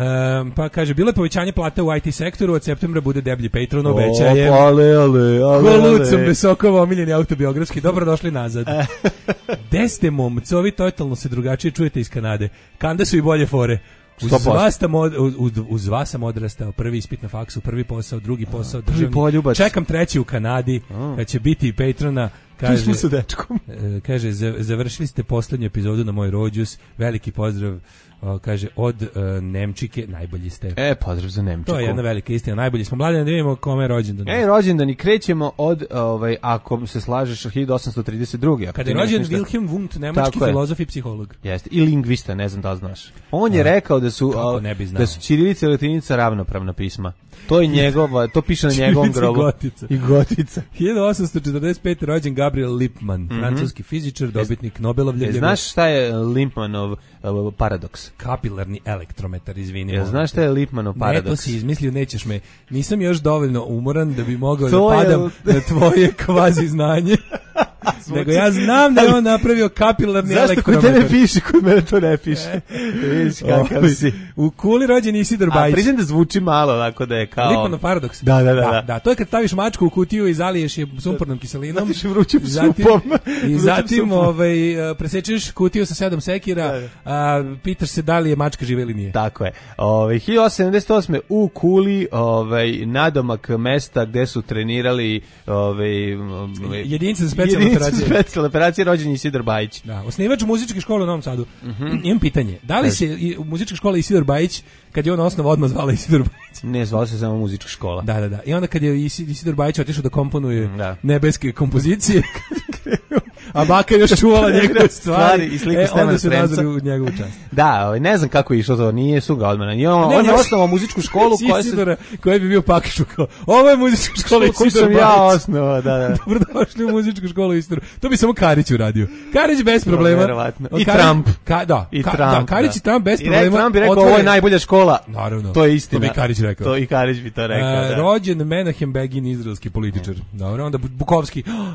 Pa kaže, bilo je povećanje plata u IT sektoru, od septembra bude deblji Patreon, obećajem. Kolucom bez sokova, omiljeni autobiografski, dobrodošli nazad. Gde ste momcovi, totalno se drugačije čujete iz Kanade. Kanda su i bolje fore. Uz vas sam odrastao, prvi ispit na faksu, prvi posao, drugi posao, državni. Čekam treći u Kanadi, kad će biti patrona. Kaže, sa dečkom. Kaže, završili ste poslednju epizodu na moj rođus, veliki pozdrav, kaže, od Nemčike, najbolji ste. Pozdrav za Nemčiku. To je jedna velika istina, najbolji smo. Mladine, da vidimo kome je rođendan. Rođendan i krećemo od, ako se slažeš, 1832. Kada je rođen Wilhelm Wundt, nemački filozof i psiholog. Jeste, i lingvista, ne znam da li znaš. On je rekao da su ćirilica i latinica ravnopravna pisma. To je njegova, to piše na njegovom grobu. I gotica. 1845. rođen Gabriel Lippmann, francuski fizičar, dobitnik Nobelovlje. Znaš šta je Lippmannov paradoks? Kapilarni elektrometar, izvini. Znaš šta je Lippmannov paradoks? Ne, to si izmislio, nećeš me. Nisam još dovoljno umoran da bi mogao da padam na tvoje kvazi znanje. Nego ja znam da je on napravio kapilarni elektrometar. Zašto kod tebe piše, kod mene to ne piše? Vidiš kakav si. U Kuli rođen Isidor Bajić. A priznam da zvuči malo, tako da je kao... Lippmannov paradoks. Da. To je kad staviš mačku u kutiju i zaliješ je sumpornom kiselinom. Zatiš vrućim supom. I zatim presečeš kutiju sa 7 sekira, pitaš se da li je mačka živa ili nije. Tako je. 1878. u Kuli, nadomak mesta gde su trenirali jedinice za specijalne operacije rođen Isidor Bajić. Da, osnivač muzičke škole u Novom Sadu. Imam pitanje, da li se muzička škola Isidor Bajić, kad je on osnov odmah zvala Isidor Bajić? Ne, zvala se samo muzička škola. Da. I onda kad je Isidor Bajić otišao da komponuje nebeske kompozicije, a baka još čuvala njegove stvari i sliku Stevana onda su nazvali u njegovu čast. Da, ne znam kako je išlo to, nije su ga odmah. On je osnovao muzičku školu koja bi bio Pakišu kao, ovo je muzička škola Isidor Bajić. Ja osnovao, da. Dobrodošli u muzičku školu Isidor. To bi samo Karić uradio. Karić bez problema. I Trump. Karić i Trump bez problema. I Trump bi rekao, ovo je najbolja škola. Naravno. To je istina. To bi Karić rekao. To i Karić bi to rekao, da. Rođen Menahem Begin, izraelski političar. Dobro, onda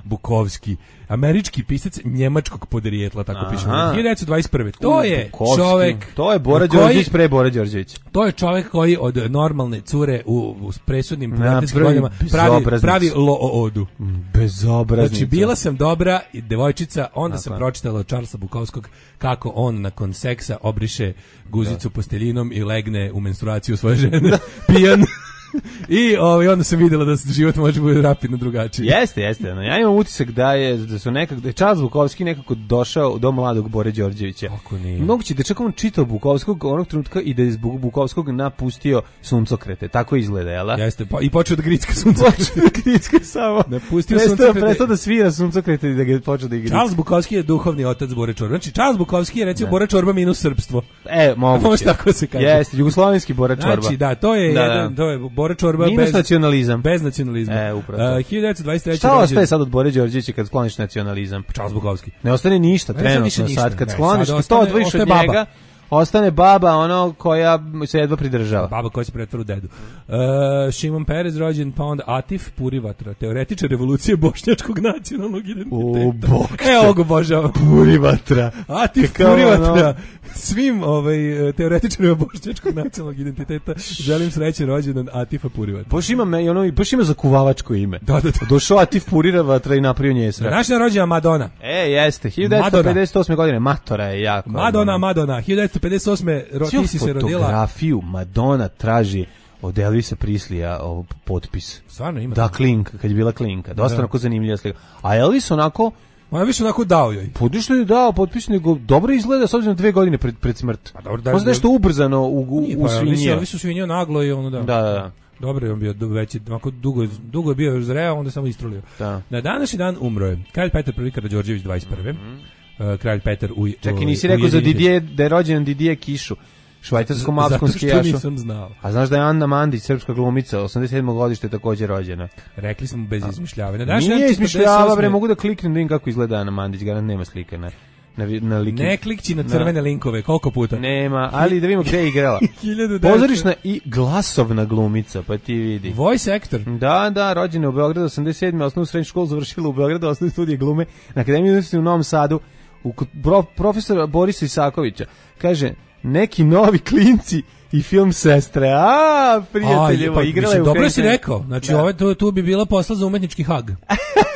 Bukovski, američki pisac njemačkog podrijetla, tako piše. 1921. To je čovek... To je Bora Đorđević pre Bora Đorđević. To je čovek koji od normalne cure u presudnim pubertetskim godinama pravi lo-o-odu. Bezobraznica. Znači, bila sam dobra devojčica, onda sam pročitala od Charlesa Bukovskog kako on nakon seksa obriše guzicu posteljinom i legne u menstruaciju svoje žene, pijan. I onda sam vidjela da život može biti rapidno drugačiji. Jeste. Ja imam utisak da je Charles Bukovski nekako došao do mladog Bore Đorđevića. Kako nije? Moguće da čak on čitao Bukovskog onog trenutka i da je zbog Bukovskog napustio suncokrete. Tako izgleda, jel? Jeste, i počeo da gricka suncokrete. Samo. Napustio suncokrete. Prestao da svira suncokrete i da ga počeo da igra. Charles Bukovski je duhovni otac Bore Čorba. Znači, Charles Bukovski je recimo Bora Čorba minus srpstvo. Moguće. Može tako se kaže. Jeste, jugoslovenski Bora Čorba. Znači, da, to je jedan, to je Bora Čorba minus nacionalizam. Bez nacionalizma. Upravo. 1923. Šta ostaje sad od Bore Đorđevića kad skloniš nacionalizam? Charles Bukovski. Ne ostane ništa trenutno sad kad skloniš, kad to odvojiš od njega. Ostane baba koja se jedva pridržava. Baba koja se pretvara u dedu. Šimon Perez rođen, pa onda Atif Purivatra, teoretičar revolucije bošnjačkog nacionalnog identiteta. Evo ga obožavam. Purivatra. Atif Purivatra. Svim teoretičarima bošnjačkog nacionalnog identiteta želim srećan rođendan Atifa Purivatra. Baš ima zakuvavačko ime. Da. Došao Atif Purivatra i napravio njesra. Današnja rođena Madonna. Jeste. 1958. godine. Matora je jako. Madonna. 1958. Ti si se rodila. Fotografiju Madonna traži od Elvisa Prislija potpis. Stvarno ima. Da, klinka, kad je bila klinka. Dosta onako zanimljiva slika. A Elvis onako... Elvis onako dao joj. Što je dao potpis, nego dobro izgleda s obzirom 2 godine pred smrt. Možda nešto ubrzano u svinjio. Elvis u svinjio naglo i ono da. Da. Dobro je on bio veći, onako dugo je bio zreo, onda samo istrulio. Da. Na današnji dan umro je Kralj Petar I Karađorđević 21. Kralj Petar Čekaj, nisi rekao za da je rođen Didier Kišu, švajcarskom alpskom skijašu. Zato što nisam znao. A znaš da je Anna Mandić, srpska glumica, 87. godište također rođena. Rekli smo bez izmišljavanja. Nije izmišljava, bre, mogu da kliknem da vidim kako izgleda Anna Mandić, garant nema slike, ne. Ne klikći na crvene linkove, koliko puta? Nema, ali da vidimo gde je igrala. Pozorišna i glasovna glumica, pa ti vidi. Voice actor. Da, rođena u Beogradu 87. Osnovnu srednju školu završila u Beogradu, osnovne studije glume na Akademiji umetnosti u Novom Sadu u profesora Borisa Isakovića. Kaže, neki novi klinci i film Sestre. Prijateljevo, igrala je u dobro si rekao. Znači, tu bi bila posla za umetnički hag.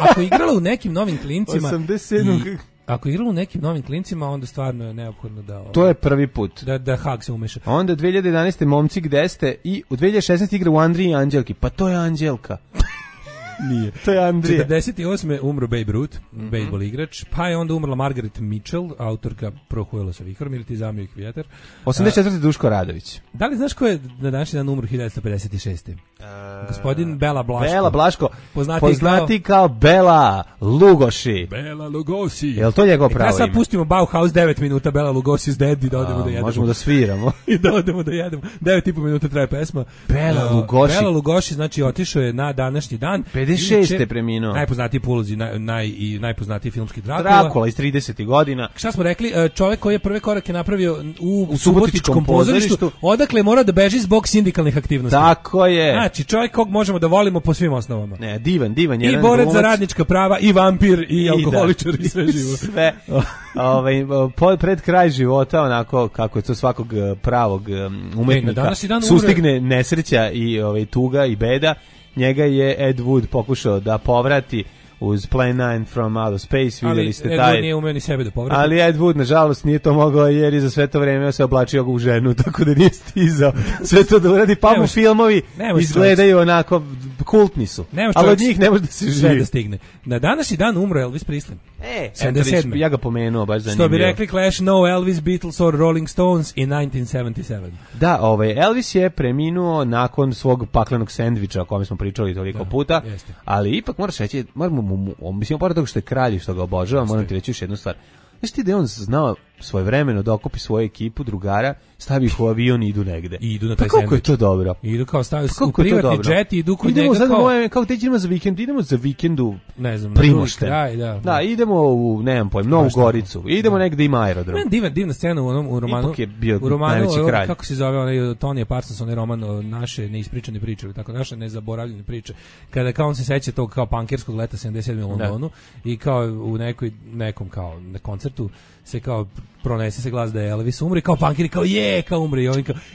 Ako igrala u nekim novim klincima 87. ako igramo u nekim novim klincima, onda stvarno je neophodno da... To je prvi put. Da Hag se umeša. Onda 2011. Momci gde ste i u 2016. igra u Andriji i Anđelki. Pa to je Anđelka. Nije. To je Andrija. 48. umro Babe Ruth, bejsbol igrač, pa je onda umrla Margaret Mitchell, autorka Prohujelo sa vihrom ili Ti zamio ih vjetar. 84. Duško Radović. Da li znaš ko je na današnji dan umro 1956. Gospodin Bela Blaško. Bela Blaško, poznati kao Bela Lugoši. Bela Lugosi. Je li to njegov pravo ime? Sad pustimo Bauhaus 9 minuta, Bela Lugosi s Dead i da odemo da jedemo. Možemo da sviramo. I da odemo da jedemo. 9,5 minuta traje pesma. Bela Lugoši. Bela Lugoši, znači otišao je na današnji dan. 56. preminuo. Najpoznatiji po ulozi, najpoznatiji filmski Drakula. Drakula iz 30. godina. Šta smo rekli? Čovjek koji je prve korake napravio u Subotičkom pozorištu, odakle je morao da beži zbog sindikalnih aktivnosti. Tako je. Znači, čovjek kog možemo da volimo po svim osnovama. Ne, divan. I borac za radnička prava, i vampir, i alkoholičar, i sve živo. Sve. Pred kraj života, onako, kako je to svakog pravog umetnika, sustigne nesreća i tuga i beda. Njega je Ed Wood pokušao da povrati uz Plan 9 from Outer Space, vidjeli ste taj. Ali Ed Wood nije umeo ni sebe da povrati. Ali Ed Wood, nažalost, nije to mogao jer je za sve to vreme se oblačio u ženu, tako da nije stizao sve to da uradi. Pa mu filmovi izgledaju onako, kultni su. Ali od njih ne može da se živi. Sve da stigne. Na današnji dan umro Elvis Presley. 77. Ja ga pomenuo, baš zanimljivo. Što bi rekli Clash, no Elvis, Beatles or Rolling Stones in 1977. Da, Elvis je preminuo nakon svog paklenog sendviča o kome smo pričali toliko puta, ali ipak moraš reći, mislim, pored toga što je kralj, što ga obožava, moram ti reći još jednu stvar. Znaš ti da je on znao svojevremeno da okupi svoju ekipu drugara, stavi ih u avion i idu negde. I idu na taj sendvič. Kako je to dobro? Idu kao stavio u privatni jet i idu kod njega kao gde idemo za vikend? Idemo za vikendu ne znam, Primošten. Da, idemo u, nemam pojma, Novu Goricu. Idemo negde ima aerodrom. Divna scena u romanu. Ipak je bio najveći kralj. Kako se zove onaj Tonija Parsons, onaj roman Naše neispričane priče, tako naše nezaboravljene priče. Kada kao on se seća tog kao pankerskog leta 77. u Londonu i kao u nekom kao na koncertu se kao pronese se glas da je Elvis umre, kao pankeri kao kao umre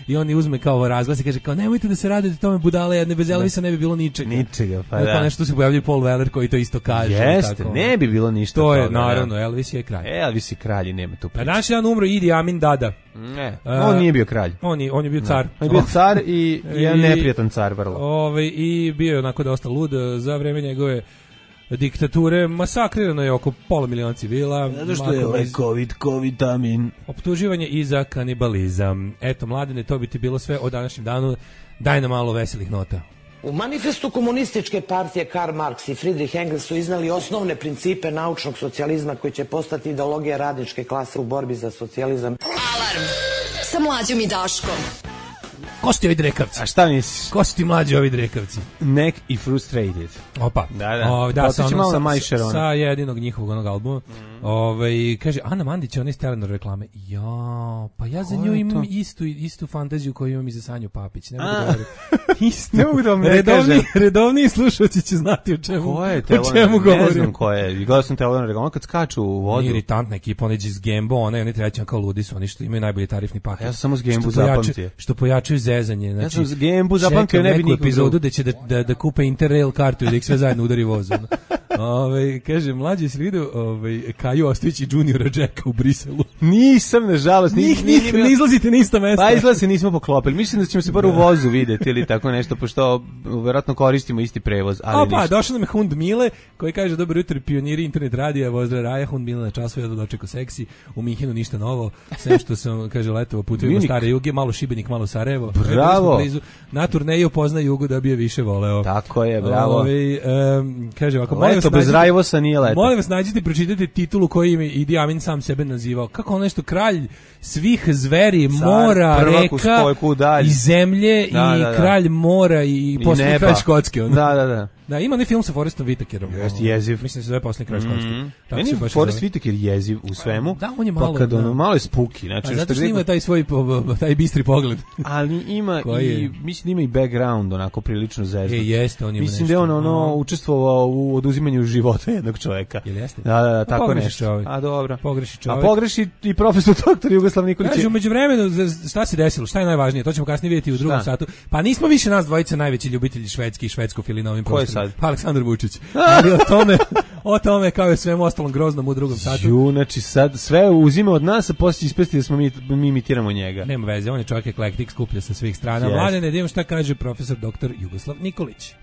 i oni uzme kao razglas i kaže kao nemojte da se radite tome budale jedne, bez Elvisa ne bi bilo ničega. Pa da. Nešto se pojavljuje Paul Weller koji to isto kaže. Jeste, ne bi bilo ništa. To je naravno, Elvis je kralj. Elvis je kralj i nema tu priče. A današnji dan umro Idi Amin Dada. Ne, on nije bio kralj. On je bio car. On je bio car i jedan neprijatan car vrlo. I bio je onako dosta lud za vreme njegove diktature, masakrirano je oko pola miliona civila. Zato što je lekovit vitamin. Optuživanje i za kanibalizam. Eto, Mladene, to bi ti bilo sve o današnjem danu. Daj nam malo veselih nota. U manifestu komunističke partije Karl Marx i Friedrich Engels su iznali osnovne principe naučnog socijalizma koji će postati ideologija radničke klase u borbi za socijalizam. Alarm sa Mlađom i Daškom. Ko su ti ovi drekavci? A šta misliš? Ko su ti mlađi ovi drekavci? Neck i Frustrated. Opa. Da, sa jedinog njihovog onog albuma. Kaže, Ana Mandić, ona iz Telenor reklame. Pa ja za nju imam istu fantaziju koju imam i za Sanju Papić. Ne mogu da govorim. Istu. Ne mogu da vam ne kažem. Redovni slušalci će znati o čemu govorim. Ne znam ko je. Gledao sam Telenor reklame kad skaču u vodu. Iritantna ekipa, oni iz Gembo, oni treći kao ludi su, oni što imaju najbolji tarifni paket. Ja sam samo s Gembu zapamtio. Što pojačaju zezanje. Znači, ja sam s Gembu zapamtio, ne bi nikog epizodu da će da kupe Interrail kartu i da ih sve zajedno udari vozom. Kaže, mlađi si vidio Kaju Ostojić i Juniora Jacka u Briselu? Nisam, nažalost. Ne izlazite na ista mesta. Pa izgleda se nismo poklopili. Mislim da ćemo se bar u vozu vidjeti ili tako nešto, pošto verovatno koristimo isti prevoz. Pa, došao nam je Hund Mile, koji kaže, dobro jutro, pioniri internet radija, Vozdra Raja, Hund Mile na času, jedno dočeko seksi, u Minhenu ništa novo, sve što sam, kaže, letovo putujem stare Juge, malo Šibenik, malo Sarajevo. Bravo. Na turneju pozna Jugu da bi je više voleo. Tako je, bravo. Kaže ovako, leto bez Rajvosa nije leto. Molim vas, nađite i pročitajte titulu koji im Idi Amin sam sebe nazivao. Kako on nešto, kralj svih zveri, mora, reka i zemlje i kralj mora i posljednji kralj Škotske. Da, ima onaj film sa Forrestom Whitakerom. Jeziv. Mislim da se zove Posljednji kralj Škotske. Meni je Forrest Whitaker jeziv u svemu. Da, on je malo. Pa kad ono malo je spooky. Znači, zato što ima taj bistri pogled. Ali ima mislim da ima i background onako prilično zezno. Jeste, on ima mislim da je on učestvovao u oduzimanju života jednog čovjeka. Jel jeste? Da, tako nešto. A dobro. Pogreši čovjek. A pogreši i profesor doktor Jugoslav Nikolić. Kaže, u međuvremenu šta se desilo? Šta je najvažnije? To ćemo kasnije vidjeti u drugom satu. Pa nismo više nas dvojice najveći ljubitelji švedski i švedskofili na ovim prostorima. sad? Pa Aleksandar Vučić. Ali o tome kao i svemu ostalom groznom u drugom satu. Znači sad sve uzima od nas, a poslije ispesti da smo mi imitiramo njega. Nema veze, on je čovjek eklektik, skuplja sa svih strana. Yes. Mladene, idemo šta kaže profesor dr. Jugoslav Nikolić.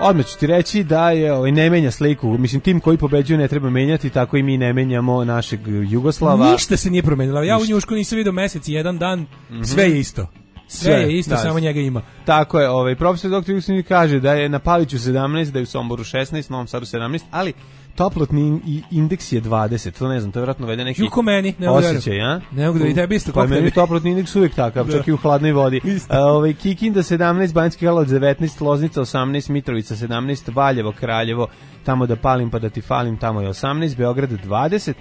Odmah ću ti reći da je ne menja sliku. Mislim, tim koji pobeđuju ne treba menjati, tako i mi ne menjamo našeg Jugoslava. Ništa se nije promenilo. Ja u Njušku nisam vidio mesec i jedan dan, sve je isto. Sve je isto, da, samo njega ima. Tako je, profesor dr. Jugoslav kaže da je na Paliću 17, da je u Somboru 16, Novom Sadu 17, ali toplotni indeks je 20, to ne znam, to je vjerojatno vede neki osjećaj, a? Ne mogu da i tebi isto. Pa meni toplotni indeks uvijek takav, čak i u hladnoj vodi. Kikinda 17, Banjski Karlovac 19, Loznica 18, Mitrovica 17, Valjevo, Kraljevo, tamo da palim pa da ti falim, tamo je 18, Beograd 20,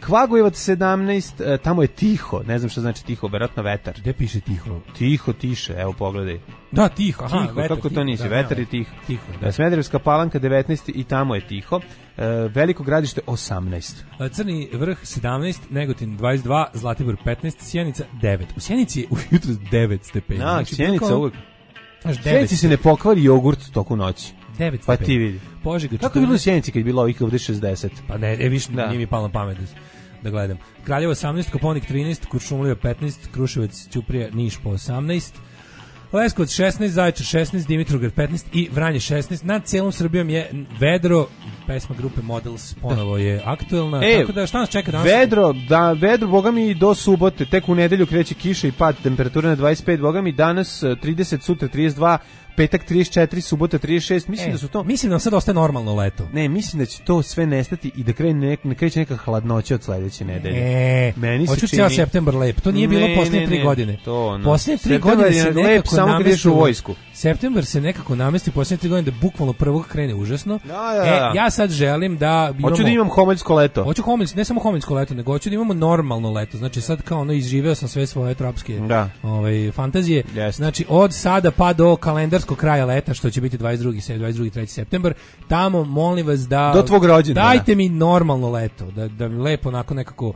Kvagojevac 17, tamo je tiho, ne znam šta znači tiho, vjerojatno vetar. Gde piše tiho? Tiho, tiše, evo pogledaj. Da, tiho, aha, tiho, vetar, kako to nisi, da, vetar je tiho. Da. Smederevska Palanka 19 i tamo je tiho. Veliko Gradište 18. Crni vrh 17, Negotin 22, Zlatibor 15, Sjenica 9. U Sjenici je ujutro 9 stepeni. Da, Sjenica uvijek. Sjenici se ne pokvari jogurt toku noći. 9 stepeni. Pa ti vidi. Požega, kako je bilo u Sjenici kad je bilo ovih ovdje 60? Pa ne, više nije mi palo na pamet da gledam. Kraljevo 18, Koponik 13, Kuršumlija 15, Kruševac, Ćuprija, Niš po 18, Leskovac 16, Zaječar 16, Dimitrovgrad 15 i Vranje 16. Nad cijelom Srbijom je vedro, pesma grupe Models ponovo je aktuelna, tako da šta nas čeka danas? Vedro, boga mi do subote, tek u nedelju kreće kiša i pad temperature na 25, boga mi danas 30, sutra 32, petak 34, subota 36, mislim da su to... Mislim da nam sad ostaje normalno leto. Ne, mislim da će to sve nestati i da kreće neka hladnoća od sledeće nedelje. Meni hoću cijel septembar lep, to nije bilo posljednje 3 godine. Posljednje 3 godine se lep samo kad ideš u vojsku. Septembar se nekako namesti posljednje 3 godine da bukvalno prvog krene užasno. Ja sad želim da imamo... Hoću da imam homoljsko leto. Hoću ne samo homoljsko leto, nego hoću da imamo normalno leto. Znači sad kao izživeo sam sve svoje tropske fantazije. Znači od sada pa do kalendarskog kraja leta, što će biti 22. 3. septembar, tamo molim vas da... Do tvog rođendana. Dajte mi normalno leto, da lepo onako nekako...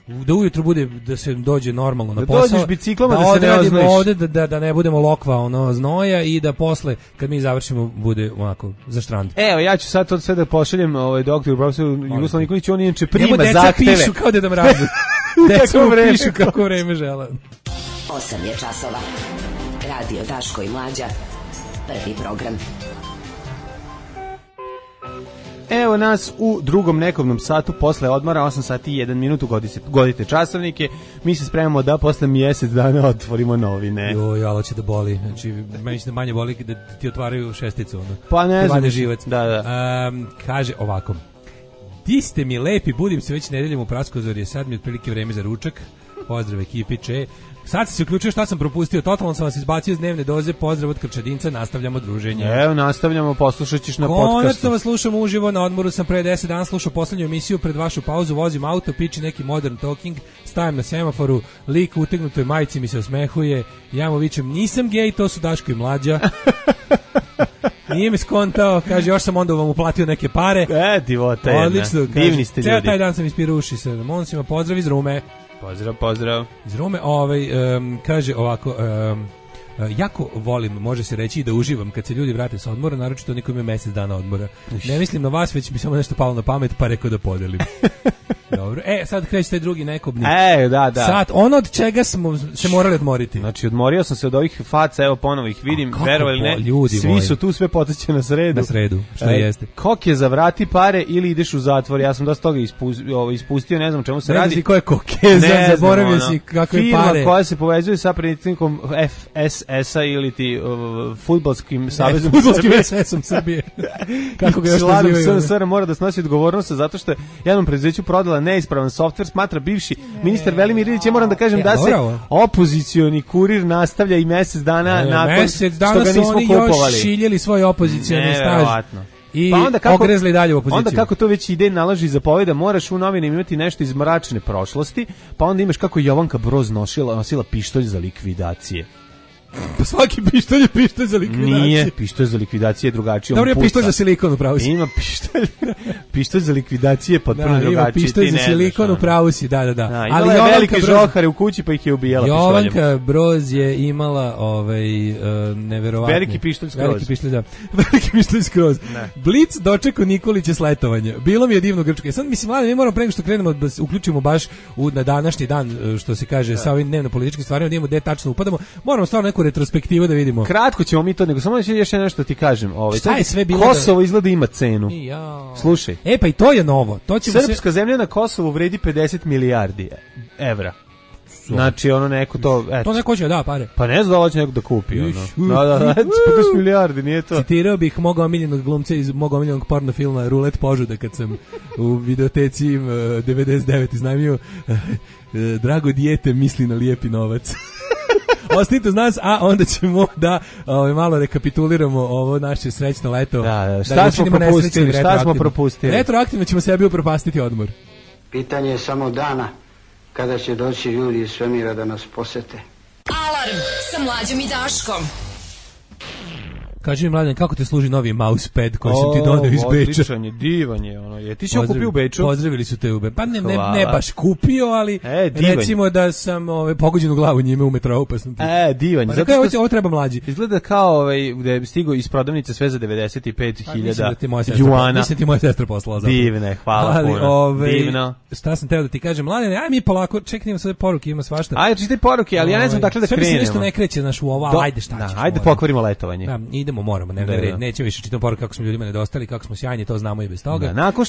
Da ujutro bude, da se dođe normalno na posao. Da dođeš biciklama da se ne oznojiš. Ovde da ne budemo lokva znoja i da posle, kad mi završimo, bude onako za štrand. Evo, ja ću sad to sve da pošaljem doktoru profesoru Jugoslavu Nikoliću, on inače prima zahteve. Deca pišu kao Deda Mraz. Deca pišu kako vreme žele. 8 je časova. Radio Daško i Mlađa. Prvi program. Evo nas u drugom nekovnom satu posle odmora, 8 sati i 1 minut, godite časovnike. Mi se spremamo da posle mjesec dana otvorimo novine. Joj, alo će da boli. Znači, meni će da manje boli da ti otvaraju šesticu. Pa ne znam. Živac. Da. Kaže ovako. Di ste mi lepi, budim se već nedeljom u Praskozorje, sad mi je otprilike vreme za ručak. Pozdrav ekipi, Sad se uključio šta sam propustio, totalno sam vas izbacio iz dnevne doze, pozdrav od Krčadinca, nastavljamo druženje. Evo, nastavljamo, poslušat ćeš na podcastu. Konačno vas slušam uživo, na odmoru sam pre 10 dana slušao poslednju emisiju, pred vašu pauzu vozim auto, piči neki modern talking, stavim na semaforu, lik u utegnutoj majici mi se osmehuje, ja mu vičem, nisam gej, to su Daško i Mlađa. Nije mi skontao, kaže, još sam onda vam uplatio neke pare. Divota jedna. Odlično, divni ste ljudi. Ceo taj dan sam ispirao uši sa Monsima, pozdrav iz Rume. Pozdrav. Iz Rume, kaže ovako, jako volim, može se reći, da uživam kad se ljudi vrate sa odmora, naročito oni koji imaju mjesec dana odmora. Ne mislim na vas, već mi samo nešto palo na pamet, pa rekao da podelim. Dobro. Sad kreće taj drugi nekobni. Da. Sad, ono od čega smo se morali odmoriti. Znači, odmorio sam se od ovih faca, evo ponovo ih vidim, verovali ne, ljudi svi moji su tu, sve poteće na sredu. Na sredu, što jeste. Kok je za vrati pare ili ideš u zatvor, ja sam dosta toga ispustio, ne znam čemu se radi. Ne znam ko je kokeza, zaboravio si kakve pare. Firma koja se povezuje sa predsjednikom FSS-a ili ti fudbalskim savezom fudbalskim SS-om Srbije. Kako ga još nazivaju? SR mora da snosi odgovornost zato što jednom preduzeću prodala neispravan softver, smatra bivši ministar Velimir Ilić. Ja moram da kažem da se opozicioni kurir nastavlja i mjesec dana nakon što ga nismo kupovali. Mesec dana su oni još šiljeli svoj opozicioni staž. I ogrezli dalje u opoziciju. Onda kako to već ide nalaži zapoveda, moraš u novinama imati nešto iz mračne prošlosti, pa onda imaš kako Jovanka Broz nosila pištolj za likvidacije. Pa svaki pištolj je pištolj za likvidaciju. Nije, pištolj za likvidacije je drugačije. Dobro, je pištolj za silikon u pravu si. Ima pištolj za likvidacije potpuno drugačije. Ima pištolj za silikon u pravu si, da. Ali je velike žohare u kući pa ih je ubijala pištoljem. Jovanka Broz je imala neverovatne. Veliki pištolj skroz. Veliki pištolj skroz. Blic dočekao Nikolića s letovanja. Bilo mi je divno Grčka. Sad mislim, mlade, mi moramo pre nego što krenemo da se uključimo baš na današnji dan, što se kaže, sa ovim dnevno-političkim stvarima, da imamo gde tačno upadamo. Moramo stvarno neku retrospektivu da vidimo. Kratko ćemo mi to, nego samo još nešto ti kažem. Šta je sve bilo? Kosovo izgleda ima cenu. Slušaj. Pa i to je novo. To ćemo Srpska zemlja na Kosovu vredi 50 milijardi evra. Znači ono neko to... To neko će da pare. Pa ne znam da će neko da kupi. Da, 50 milijardi, nije to. Citirao bih mog omiljenog glumca iz mog omiljenog porno filma Rulet požuda kad sam u videoteci 99 iznajmio drago dijete misli na lijepi novac. Ostanite uz nas, a onda ćemo da malo rekapituliramo ovo naše srećno leto. Šta smo propustili? Retroaktivno ćemo sebi upropastiti odmor. Pitanje je samo dana kada će doći ljudi iz svemira da nas posete. Alarm sa Mlađom i Daškom. Kaži mi, Mladen, kako te služi novi mousepad koji sam ti doneo iz Beča? Odličan je, divan je. Je ti si ho kupio u Beču? Pozdravili su te u Beču. Pa ne baš kupio, ali recimo da sam pogođen u glavu njime u metrou, pa sam ti... Divan je. Zato što ovo treba mlađi. Izgleda kao da je stigao iz prodavnice sve za 95.000 juana. Mislim ti moja sestra poslala. Divne, hvala puno. Divno. Šta sam teo da ti kažem, Mladen, aj mi polako, čekaj, sve poruke, ima svašta. Ajde, čitaj poruke, ali ja ne znam dakle da krenemo. Sve mi se nešto ne kreće, znaš, u ovo, ajde šta ćeš. Ajde pokvarimo letovanje. Moramo, nećemo više čitati poruke kako smo ljudima nedostali, kako smo sjajni, to znamo i bez toga. Nakon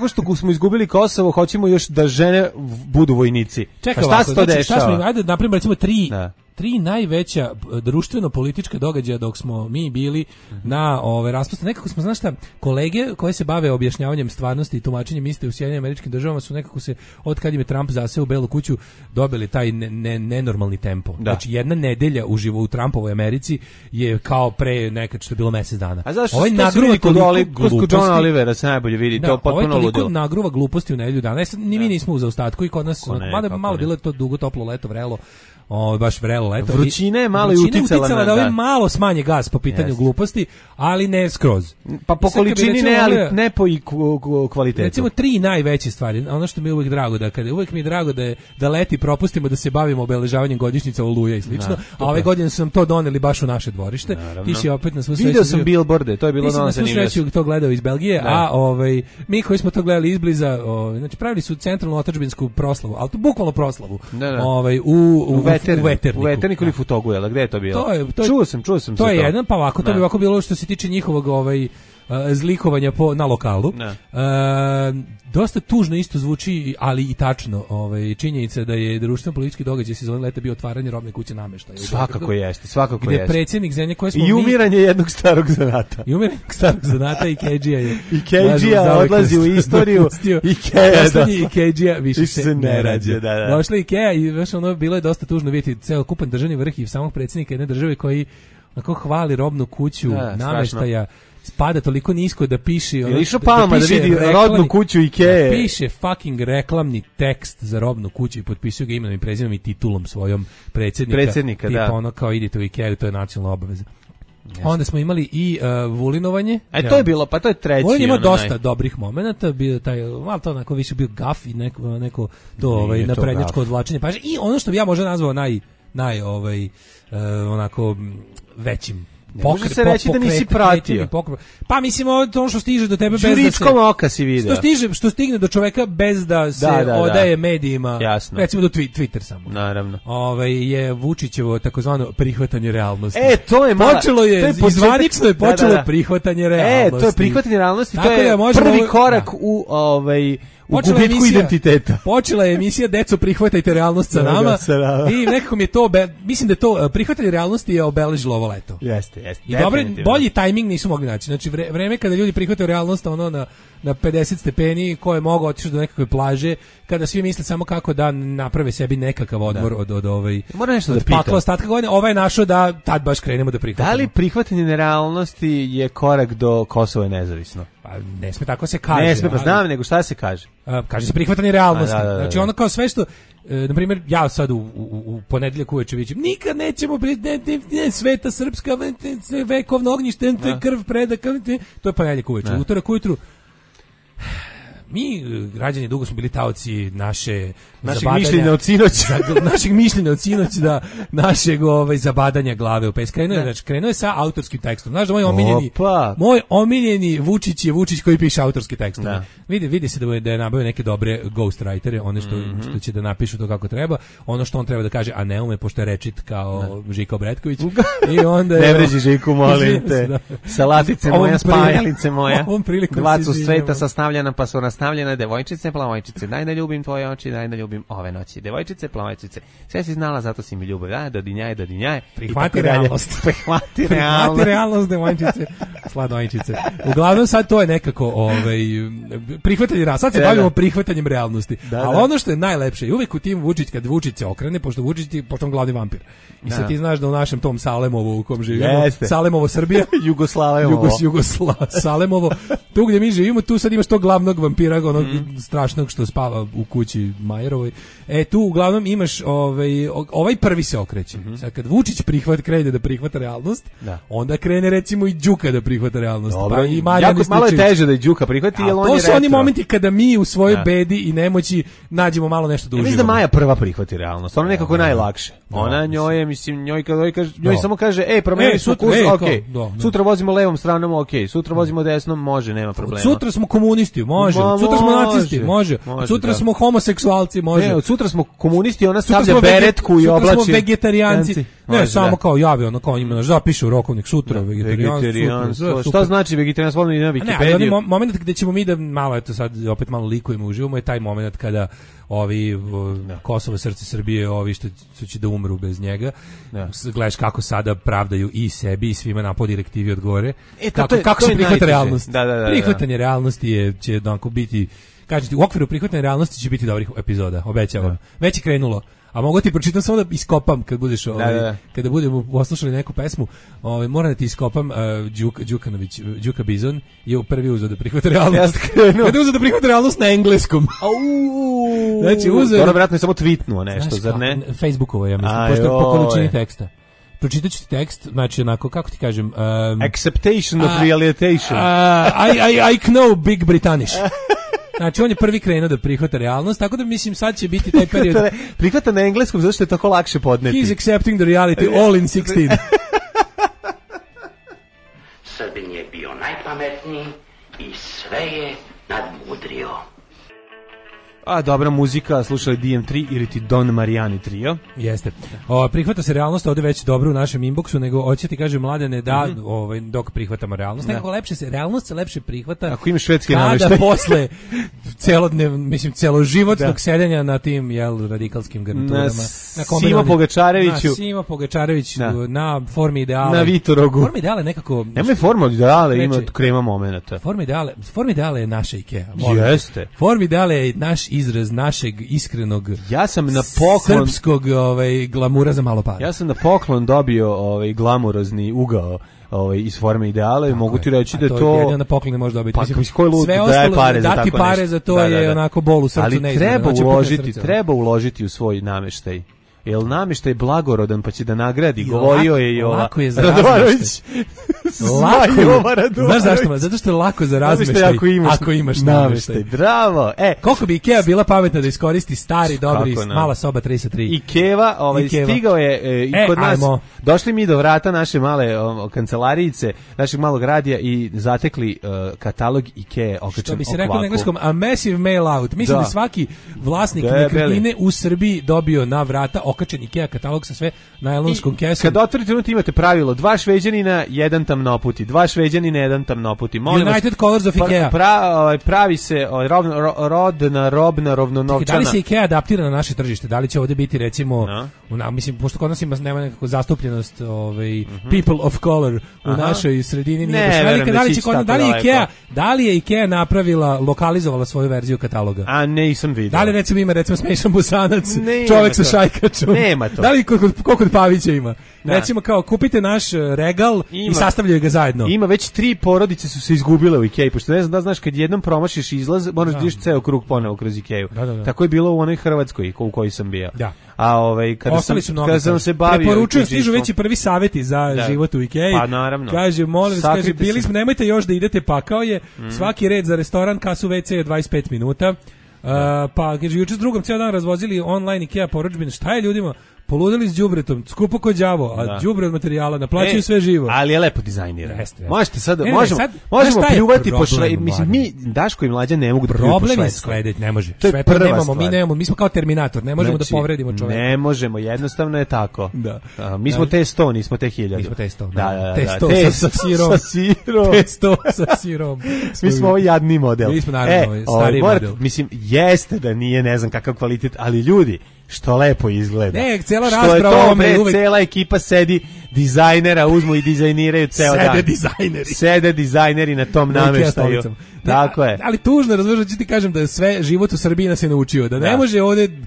što smo izgubili Kosovo, hoćemo još da žene budu vojnici. Čekaj, šta se to dešava? Ajde, naprimjer, recimo tri najveća društveno-politička događaja dok smo mi bili na raspustu. Nekako smo, znaš šta, kolege koje se bave objašnjavanjem stvarnosti i tumačenjem iste u Sjedinjenim Američkim Državama su nekako se, od kad im je Trump zaseo u Belu kuću, dobili taj nenormalni tempo. Znači, jedna nedelja uživo u Trumpovoj Americi je kao pre nekad što je bilo mesec dana. A zašto ovaj nagruva kod Johna Olivera se najbolje vidi, to potpuno ludilo. Ovaj nagruva gluposti u nedelju dana. Ni mi nismo u zaostatku i kod nas, malo bilo je to dugo, toplo leto, vrelo. Baš vrelo leto. Vrućina je malo i uticala da ovi malo smanje gas po pitanju gluposti, ali ne skroz. Pa po količini ne, ali ne po i kvalitetu. Recimo tri najveće stvari. Ono što mi je uvijek drago uvijek mi je drago da leti propustimo da se bavimo obeležavanjem godišnjica Oluja i slično. A ove godine su nam to doneli baš u naše dvorište. Ti si opet na svu sreću. Video sam billboarde, to je bilo na svu sreću to gledao iz Belgije, a mi koji smo to gledali izbliza, znači pravili su centralnu otadžbinsku proslavu, al to bukvalno proslavu. U Veterniku ili Futogu, jel? Gde je to bilo? Čuo sam. To je jedan, pa ovako, to bi ovako bilo što se tiče njihovog zlikovanja na lokalu. Dosta tužno isto zvuči, ali i tačno. Činjenica da je društveno-politički događaj sezone leta bio otvaranje robne kuće nameštaja. Svakako jeste. Gde predsjednik zemlje koje smo i umiranje jednog starog zanata. I Keđija je. I Keđija odlazi u istoriju. I Keđija više se ne rađe. Došla Ikea i bilo je dosta tužno vidjeti ceo kupan državni vrh i samog predsjednika jedne države koji onako hvali robnu kuću nameštaja. Spada toliko nisko da piše... Je išao Palma da vidi rodnu kuću Ikee? Da piše fucking reklamni tekst za robnu kuću i potpisuje ga imenom i prezimenom i titulom svojom predsjednika, tipa ono kao idete u Ikeu, to je nacionalna obaveza. Onda smo imali i vulinovanje. To je bilo, pa to je treći. Vulin ima dosta dobrih momenata, bio taj, malo to onako više bio gaf i neko to naprednjačko odvlačenje pažnje. I ono što bi ja možda nazvao onako većim. Može se reći da nisi pratio. Pa mislim ono što stiže do tebe bez da se... Žuritskom oka si vidio. Što stigne do čoveka bez da se odaje medijima. Jasno. Recimo do Twitter samo. Naravno. Je Vučićevo takozvano prihvatanje realnosti. To je počelo je, izvanično je počelo prihvatanje realnosti. To je prihvatanje realnosti, to je prvi korak u gubitku identiteta. Počela je emisija Deco prihvatajte realnost sa nama i nekako mi je to, mislim da je to prihvatanje realnosti je obeležilo ovo leto. Jeste. I bolji tajming nisu mogli naći. Znači vreme kada ljudi prihvataju realnost na 50 stepeni, ko je mogao otići do nekakve plaže, kada svi misle samo kako da naprave sebi nekakav odmor od pakla ostatka godine, ovaj je našao da tad baš krenemo da prihvatimo. Da li prihvatanje nerealnosti je korak do Kosova je nezavisno? Pa ne sme tako se kaže. Ne sme, pa znam, nego šta se kaže? Kaže se prihvatanje realnosti. Znači ono kao sve što na primjer, ja sad u ponedeljak uveče vidim, nikad nećemo sveta srpska, vekovno ognjište, krv predaka, to je ponedeljak uveče. Utorak ujutru, mi, građani, dugo smo bili taoci našeg mišljenja od sinoć. Našeg mišljenja od sinoć, da, našeg zabadanja glave u pes. Krenuo je sa autorskim tekstom. Znaš da moj omiljeni Vučić je Vučić koji piše autorski tekst. Vidi se da je nabavio neke dobre ghostwritere, one što će da napišu to kako treba, ono što on treba da kaže, a ne ume, pošto je rečit kao Žika Obretković. I onda ne vređi Žiku, molim te. Salatice moja, spajalice moja. Dva su sveta sastavljena, pa su nastavljene, devojčice, plavojčice, daj da ljubim tvoje oči, daj da ljubim ove noći. Devojčice, plavojčice, sve si znala, zato si mi ljubav. Dodinjaje. Prihvati realnost. Prihvati realnost, devojčice, sladojčice. Uglavnom sad to je nekako prihvatanje realnosti. Sad se bavimo prihvatanjem realnosti. Ali ono što je najlepše, i uvek u tim Vučić, kad Vučić se okrene, pošto Vučić je potom glavni vampir. I sad ti znaš da u našem tom Salemovu u kom živimo, Salemovo Srbija, Salemovo, tu gdje mi živimo, tu sad imaš tog glavnog vampira, onog strašnog što spava u kući Majerovoj. Tu uglavnom imaš ovaj prvi se okreće. Sad kad Vučić krene da prihvata realnost, onda krene recimo i Đuka da prihvata realnost. Dobro, malo je teže da i Đuka prihvati, jer on je to su oni momenti kada mi u svojoj bedi i nemoći nađemo malo nešto da uživamo. Mislim da Maja prva prihvati realnost, ona nekako najlakše. Ona njoj samo kaže, promenili su kurs, okej. Sutra vozimo levom stranom, okej. Sutra vozimo desnom, može, nema problema. Sutra smo komunisti, može. Sutra smo nacisti, može. Sutra smo homoseksualci, može. Od sutra smo komunisti, ona stavlja beretku i oblači. Sutra smo vegetarijanci. Ne, samo kao javi, ono kao njima zapiše u rokovnik sutra vegetarijanstvo. Šta znači vegetarijanstvo? Ono na Wikipediju. Ne, moment gde ćemo mi da malo, eto sad opet malo likujemo, uživamo, je taj moment kada ovi Kosovo, srce Srbije, ovi što će da umru bez njega. Gledaš kako sada pravdaju i sebi i svima na po direktivi odgovore. Kako se prihvata realnost? Prihvatanje realnosti će onako biti, kažete, u okviru prihvatanja realnosti će biti dobrih epizoda, obećavam. Već je krenulo. A mogu ti pročitam samo da iskopam kad budeš kada budemo poslušali neku pesmu, moram da ti iskopam Đuka Bizon je prvi uzeo da prihvata realnost. Kada uzeo da prihvata realnost na engleskom. Znači uzeo. Dobro, vjerojatno je samo tweetnuo nešto, zar ne? Facebookovo, ja mislim, pošto po količini teksta. Pročitat ću ti tekst, znači onako, kako ti kažem... Acceptation of realization. I know Big British. Znači, on je prvi krenuo da prihvata realnost, tako da mislim sad će biti taj period... Prihvata na engleskom, zato što je tako lakše podneti. He's accepting the reality all in 16. Srbin je bio najpametniji i sve je nadmudrio. A dobra muzika, slušali DM3 ili ti Don Marijani trio. Jeste. Prihvata se realnost ovdje već dobro u našem inboxu, nego hoće ti kaže mladene da dok prihvatamo realnost. Nekako realnost se lepše prihvata ako imaš švedski nameštaj. Kada posle celoživotnog sedenja na tim radikalskim garniturama. Na Simo Pogačareviću. Na Simo Pogačarević, na Formi ideale. Na Vitorogu. Formi ideale nekako... Nemoj Forma ideale, ima krema momenata. Formi ideale je naša Ikea. Jeste. Formi ideale je naš izraz našeg iskrenog, ja sam na poklon srpskog glamura za malo para. Ja sam na poklon dobio glamurozni ugao iz Forme ideale, mogu ti reći da je to jedino na poklon ne može dobiti. Pa koji lud daje pare za tako nešto. Dati pare za to je onako bol u srcu. Ali treba uložiti u svoj nameštaj. Jel namještaj blagorodan pa će da nagradi, govorio je i lako je za Radovarović. Znaš zašto? Zato što je lako za razmeštaj ako imaš namještaj. Bravo. Koliko bi Ikea bila pametna da iskoristi stari, dobri, mala soba 33. Ikeva, stigao je i kod nas. Došli mi do vrata naše male kancelarijice, našeg malog radija i zatekli katalog Ikea okačen što bi se rekao na engleskom, a massive mail out. Mislim da svaki vlasnik nekretnine u Srbiji dobio na vrata okačen Ikea katalog sa sve najlonskom kesom. Kad otvorite unutra imate pravilo 2 Šveđanina, 1 tamnoputi, 2 Šveđanina, 1 tamnoputi. United Colors of Ikea. Pravi se rodna, robna, rovnonovčana. Da li se Ikea adaptira na naše tržište? Da li će ovdje biti recimo, mislim, pošto kod nas nema nekako zastupljenost people of color u našoj sredini. Da li je Ikea napravila, lokalizovala svoju verziju kataloga? A nisam vidio. Da li recimo Smešan Bosanac, čovjek sa šajkačom? Nema to. Da li koliko kod Pavića ima? Recimo kao kupite naš regal i sastavljate ostavljaju ga zajedno. Ima već 3 porodice su se izgubile u Ikeji, pošto ne znam da znaš kad jednom promašiš izlaz, moraš da ideš ceo krug ponovo kroz Ikeju. Tako je bilo u onoj Hrvatskoj u kojoj sam bio. Da. A kada sam se bavio, preporučujem, stižu već i prvi savjeti za život u Ikeji. Pa naravno. Kaže, molim vas, kaže, bili smo, nemojte još da idete, pakao je. Svaki red za restoran, kasu WC je 25 minuta. Pa kaže, juče s drugom cijel dan razvozili online Ikea porudžbine. Šta je ljudima? Poludili s đubretom, skupo kod đavo, a đubre od materijala, naplaćuju sve živo. Ali je lepo dizajnirano. Možete sad, možemo šta pljuvati po šledu. Mislim, mi, Daško i Mlađa, ne mogu da pljuju po šledu. Problem je sledeći, ne može. To je prva stvar. Mi smo kao Terminator, ne možemo da povredimo čoveka. Ne možemo, jednostavno je tako. Mi smo te 100, nismo te 1000. Mi smo te 100. Da. Te 100 sa sirom. Te 100 sa sirom. Mi smo ovaj jadni model. Mi smo naravno stari model. Mislim, jeste da nije ne znam kakav kvalitet, ali ljudi, što lepo izgleda. Ne, cijela rasprava o tome uvek. Cela ekipa sedi, dizajnera uzmu i dizajniraju ceo dan. Sede dizajneri na tom nameštaju. Tako je. Ali tužno, razumiješ, ću ti kažem da je sve život u Srbiji nas je naučio. Da ne može ovdje...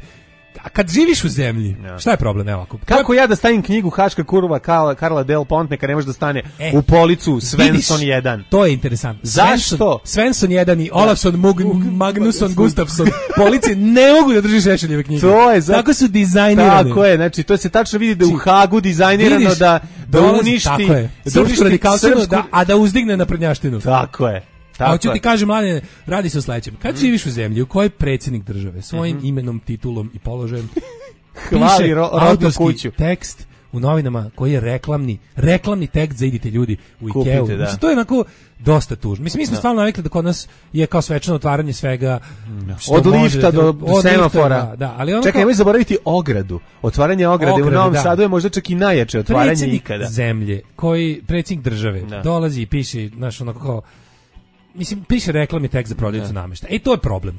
A kad živiš u zemlji, šta je problem? Evo ovako. Kako ja da stavim knjigu Haška kurva Karla Del Ponte kad ne može da stane u policu Svensson 1? To je interesantno. Zašto? Svensson 1 i Olafsson, Magnusson, Gustafsson polici ne mogu da drži Šešeljeve knjige. To je tako su dizajnirane. Tako je, znači to se tačno vidi da u Hagu dizajnirano da uništi srpsku radikalštinu, a da uzdigne naprednjaštinu. Tako je. A hoću ti kažem, mlade, radi se o sledećem. Kad živiš u zemlji u kojoj predsjednik države svojim imenom, titulom i položajem piše autorski tekst u novinama koji je reklamni tekst za idite ljudi u Ikeu. Mislim, to je onako dosta tužno. Mislim, mi smo stvarno navikli da kod nas je kao svečano otvaranje svega. Od lifta do semafora. Ali čekaj, nemoj zaboraviti ogradu. Otvaranje ograde u Novom Sadu je možda čak i najjače otvaranje ikada. Zemlje, predsjednik države dolazi i piše, znaš, onako kao, mislim, piše reklamni tekst za prodavnicu namještaja. To je problem.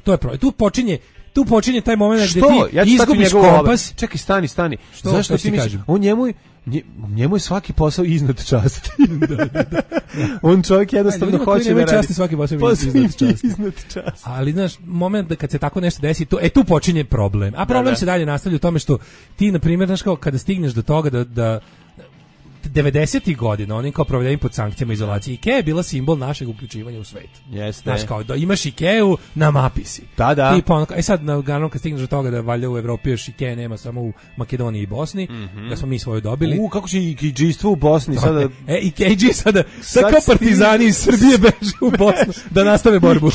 Tu počinje taj moment gdje ti izgubiš kompas. Čekaj, stani. Zašto ti misliš? Njemu je svaki posao iznad časti. On čovjek jednostavno hoće da radi. Svaki posao iznad časti. Ali znaš, moment da kad se tako nešto desi, tu počinje problem. A problem se dalje nastavlja u tome što ti, na primjer, znaš, kao kada stigneš do toga da 90-ih godina, oni kao provedeni pod sankcijama izolacije. Ikea je bila simbol našeg uključivanja u svet. Jeste. Znaš, kao da imaš Ikeu, na mapi si. Da. Sad, naravno, kad stigneš do toga da valjda u Evropi još Ikea nema samo u Makedoniji i Bosni, da smo mi svoju dobili. Kako će Ikeđistvo u Bosni sada? Ikeđi sada kao partizani iz Srbije beže u Bosnu da nastave borbu.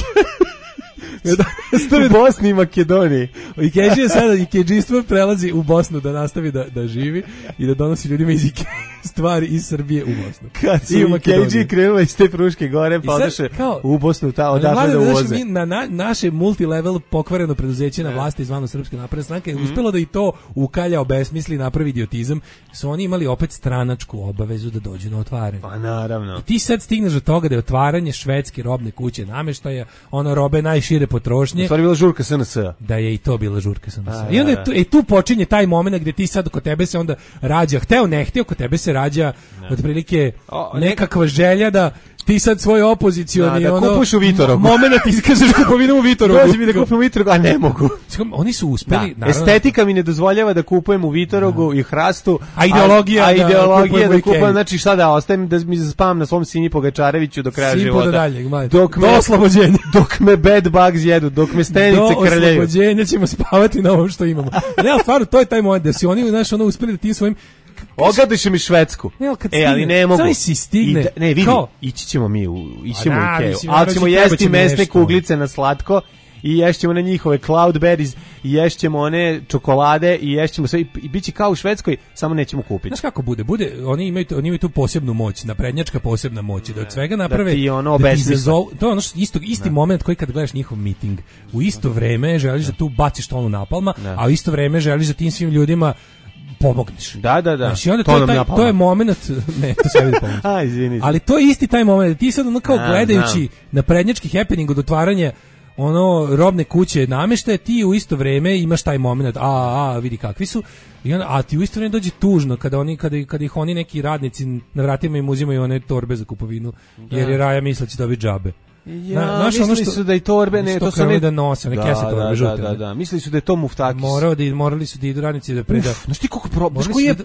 U Bosni i Makedoniji. Ikeđistvo prelazi u Bosnu da nastavi da živi i da donosi ljudima iz Ike stvari iz Srbije u Bosnu. Kad su Ikeđi krenula iz te Fruške gore, pa odaše u Bosnu odatle da uvoze. Naše multilevel pokvareno preduzeće na vlasti zvano Srpska napredna stranka je uspelo da i to ukalja, obesmisli, napravi idiotizam. Su oni imali opet stranačku obavezu da dođu na otvaranje. Pa naravno. I ti sad stigneš do toga da je otvaranje švedske robne kuće namještaja, ono robe najšire potrošnje. U stvari bila žurka SNS. Da je i to bila žurka SNS. I onda tu počinje taj moment gdje ti sad kod tebe se onda rađa, hteo ne hteo, kod tebe se rađa otprilike nekakva želja da ti sad svoj opozicioni kupuš u Vitorogu. Moment iskažeš kupovinu u Vitorogu. Dođi mi da kupim u Vitorogu, a ne mogu. Oni su uspeli. Estetika mi ne dozvoljava da kupujem u Vitorogu i Hrastu. A ideologija da kupujem, znači šta da ostajem da mi spavam na svom Sini Pogačareviću do kraja života. Do oslobođenja. Dok me bed bugs jedu, dok me stenice krljaju. Do oslobođenja ćemo spavati na ovom što imamo. Ne, stvarno, to je taj moment da si oni, znaš, uspeli da ti svojim ogadiš mi Švedsku. Ali ne mogu. Si stigne. Ne, vidi, ići ćemo mi u Ikeu. Ali ćemo jesti mesne kuglice na slatko i ješćemo na njihove cloudberries i ješćemo one čokolade i ješćemo sve i biće kao u Švedskoj, samo nećemo kupiti. Znaš kako bude? Oni imaju tu posebnu moć, naprednjačka posebna moć, da od svega naprave. To je ono isti moment koji kad gledaš njihov miting. U isto vreme želiš da tu baciš tonu napalma, a u isto vreme želiš da tim svim ljudima pomogneš. Da. Znači, onda to je moment, ne, to se vidi pomoć. Ali to je isti taj moment, ti sad ono kao gledajući naprednjački happening od otvaranja robne kuće namještaja, ti u isto vreme imaš taj moment, vidi kakvi su, i onda, a ti u isto vreme dođe tužno kada ih oni neki radnici na vratima im uzimaju one torbe za kupovinu, jer je Raja misla će dobiti džabe. Mislili su da i torbe ne, to su ne da nose, one kese torbe žute. Da. Mislili su da je to muftakis. Morali su da idu radnici da preda. Znaš ti koliko je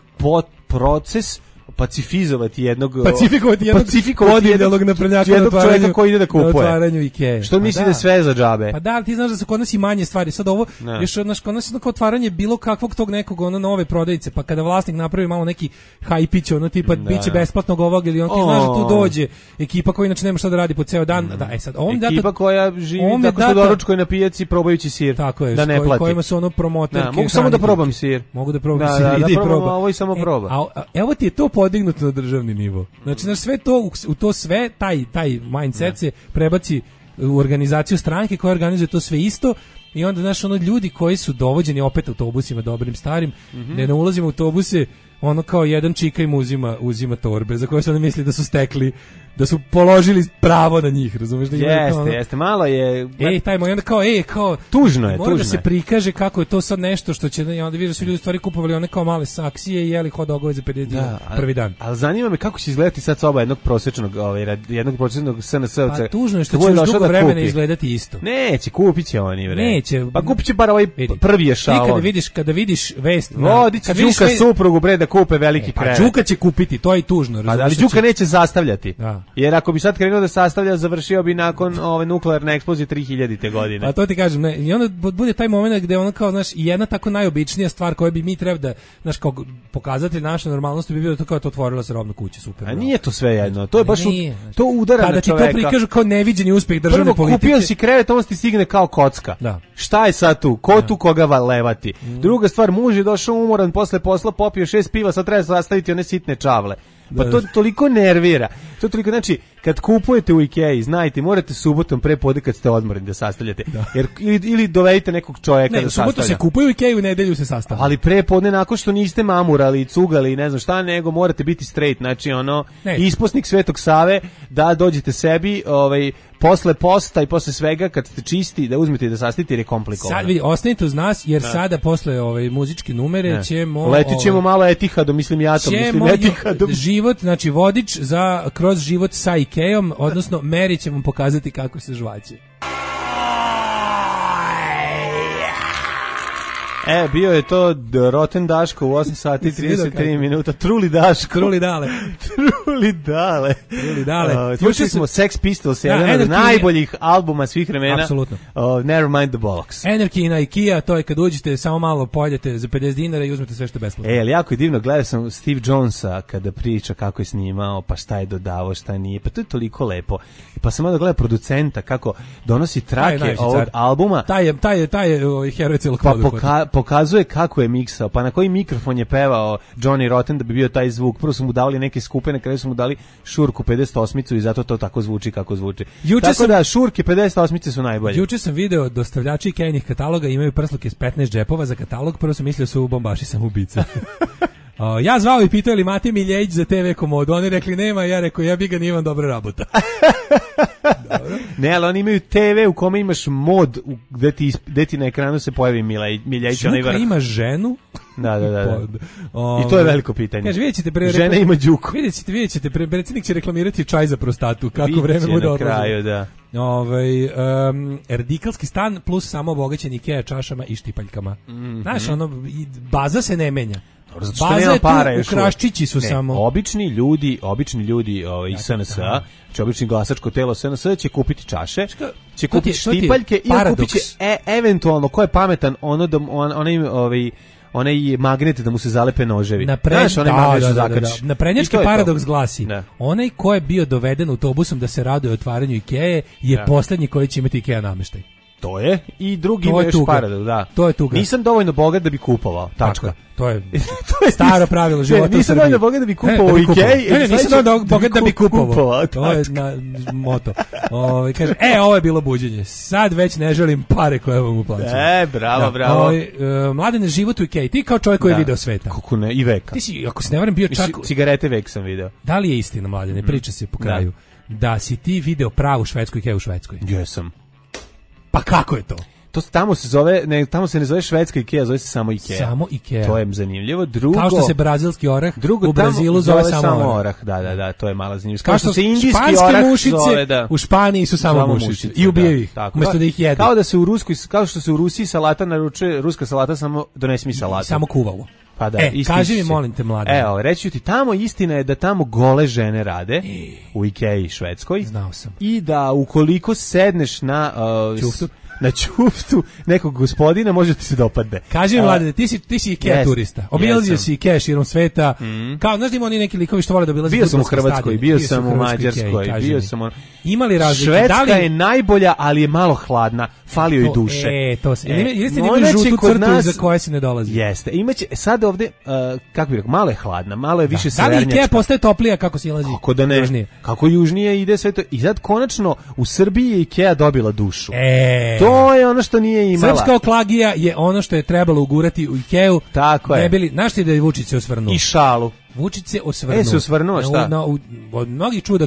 proces pacifizovati jednog odijelog naprednjaka na čovjeka koji ide da kupuje. Na otvaranju Ikee. Što misli da sve za džabe? Pa da, ti znaš da su kod nas i manje stvari. Sad ovo, još kod nas je otvaranje bilo kakvog tog nekog nove prodavnice, pa kada vlasnik napravi malo neki hajpić, tipa biće besplatnog ovog ili ti znaš da tu dođe ekipa koja inače nema šta da radi po ceo dan. Da, sad ekipa koja živi tako što doručkuje na pijaci probajući sir. Tako je, da ne plati. Kojima su promoterke. Mogu samo da probam sir. Mogu da probam sir. Da probam, ovo i samo proba. Evo ti je to podignuto na državni nivo. Znači, sve to, u to sve, taj mindset se prebaci u organizaciju stranke koja organizuje to sve isto i onda, znaš, ljudi koji su dovođeni opet autobusima dobrim starim, ne ulazimo u autobuse, kao jedan čika im uzima torbe za koje su oni misli da su stekli, da su položili pravo na njih, razumeš? Da jeste, malo je... taj moj, onda kao... Tužno je. Mora da se prikaže kako je to sad nešto što će, onda vidiš da su ljudi stvari kupovali kao male saksije i jeli hot dogove za 50 dinara prvi dan. Ali zanima me kako će izgledati sad soba jednog prosječnog SNS-ovca. Pa tužno je što će još dugo vremena izgledati isto. Neće, kupit će oni, bre. Neće. Pa kupit će bar ovaj prvi ešalon. Kada vidiš vest... Vodić Đuka suprugu, bre, da kupe veliki krevet. Pa Đuka će kupiti, to je i tužno. Ali Đuka neće sastavljati. Jer ako bi sad krenuo da sastavlja, završio bi nakon nuklearne eksplozije 3000. godine. Pa to ti kažem, ne. I onda bude taj moment gde kao, znaš, jedna tako najobičnija stvar koju bi mi treba da, znaš, kao pokazati našu normalnost bi bilo to kao to otvorila se robna kuća, super. A nije to sve jedno. To je baš to udara na čoveka. Kada ti to prikažu kao neviđeni uspeh državne politike. Kupio si krevet, on ti stigne kao kocka. Da. Šta je sad tu? Ko tu koga levati? Druga stvar, muž je došao umoran posle posla, popio 6 piva, sad treba sastaviti one sitne čavle. Pa to toliko nervira. To toliko, znači, kad kupujete u Ikei, znajte, morate subotom pre podne kad ste odmorni da sastavljate. Jer ili dovedite nekog čovjeka da sastavlja. Ne, subotom se kupuje u Ikei, u nedelju se sastavlja. Ali pre podne, nakon što niste mamurali, cugali, ne znam šta, nego morate biti straight, znači isposnik Svetog Save, da dođete sebi, posle posta i posle svega, kad ste čisti, da uzmete i da sastavite jer je komplikovano. Sad vidi, ostanite uz nas, jer sada posle muzičke numere ćemo... Letit ćemo malo Etihadom, mislim Etihadom. Život, znači vodič kroz život sa Ikeom, odnosno Meri će vam pokazati kako se žvaće. Bio je to Roten Daško u 8 sati 33 minuta. Truli Daško. Truli Dale. Slušali smo Sex Pistols, jedan od najboljih albuma svih vremena. Apsolutno. Never mind the bollocks. Energy na Ikea, to je kad uđete, samo malo pojedete za 50 dinara i uzmete sve što je besplatno. Ali jako je divno, gledao sam Steve Jonesa kada priča kako je snimao, pa šta je dodavao, šta nije. Pa to je toliko lepo. Pa sam onda gledao producenta kako donosi trake ovog albuma. Taj je heroj celog područja. Pokazuje kako je miksao, pa na koji mikrofon je pevao Johnny Rotten da bi bio taj zvuk. Prvo su mu dali neke skupe, na kraju su mu dali šurku 58-icu i zato to tako zvuči kako zvuči. Da, šurke 58-ice su najbolje. Juče sam video dostavljači Ikeinih kataloga imaju prsluke s 15 džepova za katalog, prvo sam mislio su bombaši samoubice. Ja zvao i pitao li Mati Miljević za TV komodu, oni rekli nema, ja rekao ja bi ga nijem dobra rabota. Ne, ali oni imaju TV u kome imaš mod gde ti na ekranu se pojavi Miljević. Đuka ima ženu? Da. I to je veliko pitanje. Kaže, vidjet ćete žena ima Đuku. Vidjet ćete, predsjednik će reklamirati čaj za prostatu, kako vreme bude odlazi. Na kraju, da. Radikalski stan plus samo obogaćen Ikea čašama i štipaljkama. Znaš, baza se ne menja. Baza je tu, u Kraščići su samo. Obični ljudi iz SNS-a, znači obični glasačko telo SNS-a će kupiti čaše, će kupiti štipaljke i kupit će eventualno, ko je pametan, onaj magnet da mu se zalepe noževi. Naprednjački paradoks glasi, onaj ko je bio doveden autobusom da se raduje otvaranju Ikeje je posljednji koji će imati Ikea namještaj. To je, i drugi ima još paradoks, da. To je tuga. Nisam dovoljno bogat da bi kupovao, tačka. To je staro pravilo života u Srbiji. Nisam dovoljno bogat da bi kupovao Ikej. Nisam dovoljno bogat da bi kupovao. To je moto. Kaže, ovo je bilo buđenje. Sad već ne želim pare koje vam uplaćam. Bravo. Mladene, život u Ikeji. Ti kao čovjek koji je video sveta. Kako ne, i veka. Ti si, ako se ne varam, bio čak... Cigarete vek sam video. Da li je istina, Mladene, priča se po kraju, da si ti video pravu švedsku Ikeju u Švedskoj? Jesam. Pa kako je to? Tamo se ne zove švedska Ikea, zove se samo Ikea. Samo Ikea. To je zanimljivo. Drugo, kao što se brazilski orah u Brazilu zove samo orah. Da, to je mala zanimljivost. Kao što se indijski orah zove, u Španiji su samo mušice. I ubijaju ih, umjesto da ih jedu. Kao što se u Rusiji salata naručuje, ruska salata samo donesi mi salatu. Samo kuvalo. Pa da, kaži mi, molim te, mlade. Evo, reći ti, tamo istina je da tamo gole žene rade u Ikei Švedskoj. Znao sam. I da ukoliko sedneš na ćuftu nekog gospodina, može ti se dopadne. Kaži mi, mlade, ti si Ikea turista. Obilazio si Ikea širom sveta. Kao, znaš da ima oni neki likovi što vole da obilazi. Bio sam u Hrvatskoj, bio sam u Mađarskoj, bio sam u... Ima li razlike? Švedska je najbolja, ali je malo hladna. Falio i duše. To se. Jeste li imali žutu crtu za koje se ne dolazi? Jeste. Imaće, sad ovde, kako bih rekao, malo je hladna, malo je više severnjačka. Da li Ikea postaje toplija kako silazi? Kako da ne? Južnije. Kako južnije ide sve to. I sad konačno u Srbiji je Ikea dobila dušu. To je ono što nije imala. Srpska oklagija je ono što je trebalo ugurati u Ikeu. Tako je. Ne bili, znaš ti da je Vučić se osvrnuo? I šalu. Vučić se osvrnuo. Se osvrnuo, šta? Od mnogih čuda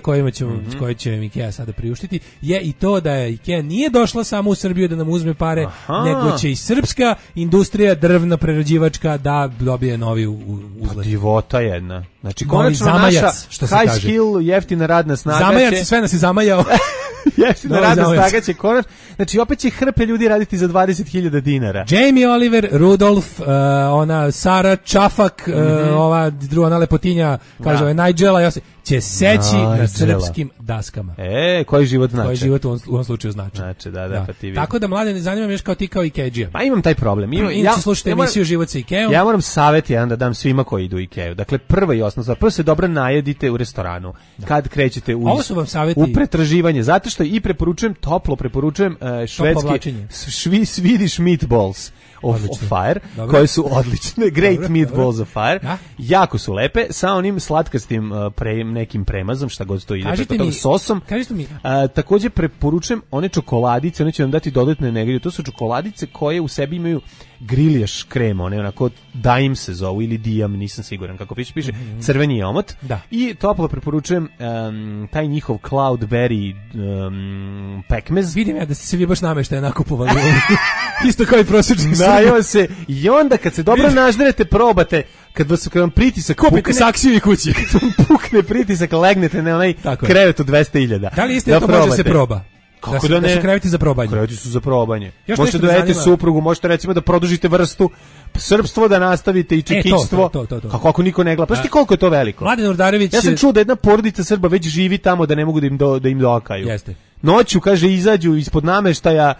koje će Ikea sada priuštiti je i to da je Ikea nije došla samo u Srbiju da nam uzme pare, nego će i srpska industrija drvna prerađivačka da dobije novi uzlet. Pa divota jedna. Znači, konačno naša high skill, jeftina radna snaga Zamajac, sve nas je zamajao. Jeftina radna snaga će konačno. Znači, opet će hrpe ljudi raditi za 20.000 dinara. Jamie Oliver, Rudolf, ona Sara Čafak, ova druga lepotinja, kaže Nigela, će seći na srpskim daskama. Koji život znači? Koji život u ovom slučaju znači. Znači, da, pa ti vidim. Tako da, mlade, ne zanima me još kao ti kao Ikeđija. Pa imam taj problem. Inače slušajte emisiju Život sa Ikeom. Ja moram savjet jedan da dam svima koji idu u Ikeu. Dakle, prva i osnovna, prvo se dobro najedite u restoranu. Kad krećete u pretraživanje. Zato što i toplo preporučujem švedski Swedish meatballs of fire, koje su odlične, great meatballs of fire, jako su lepe, sa onim slatkastim nekim premazom, šta god to ide, preko sosom. Također preporučujem one čokoladice, one će vam dati dodatne energije, to su čokoladice koje u sebi imaju griljaš krem, one onako Daim se zovu, ili Dijam, nisam siguran kako piše, crveni je omot. I toplo preporučujem taj njihov Cloudberry pekmez. Vidim ja da ste se vi baš nameštaje nakupovali. Isto kao i prosječni se. I onda kad se dobro nažderete, probate, kad vam pritisak kupite saksiju i kući. Kad vam pukne pritisak, legnete na onaj krevet od 200.000. Da li isto to može se proba? Kako da ne? Da su kreveti za probanje. Kreveti su za probanje. Možete da dajete suprugu, možete recimo da produžite vrstu, srpstvo da nastavite i čekićstvo. Kako ako niko ne gleda. Pa šti koliko je to veliko? Mladen Urdarević. Ja sam čuo da jedna porodica Srba već živi tamo da ne mogu da im dokaju. Jeste. Noću, kaže, izađu ispod nameštaja.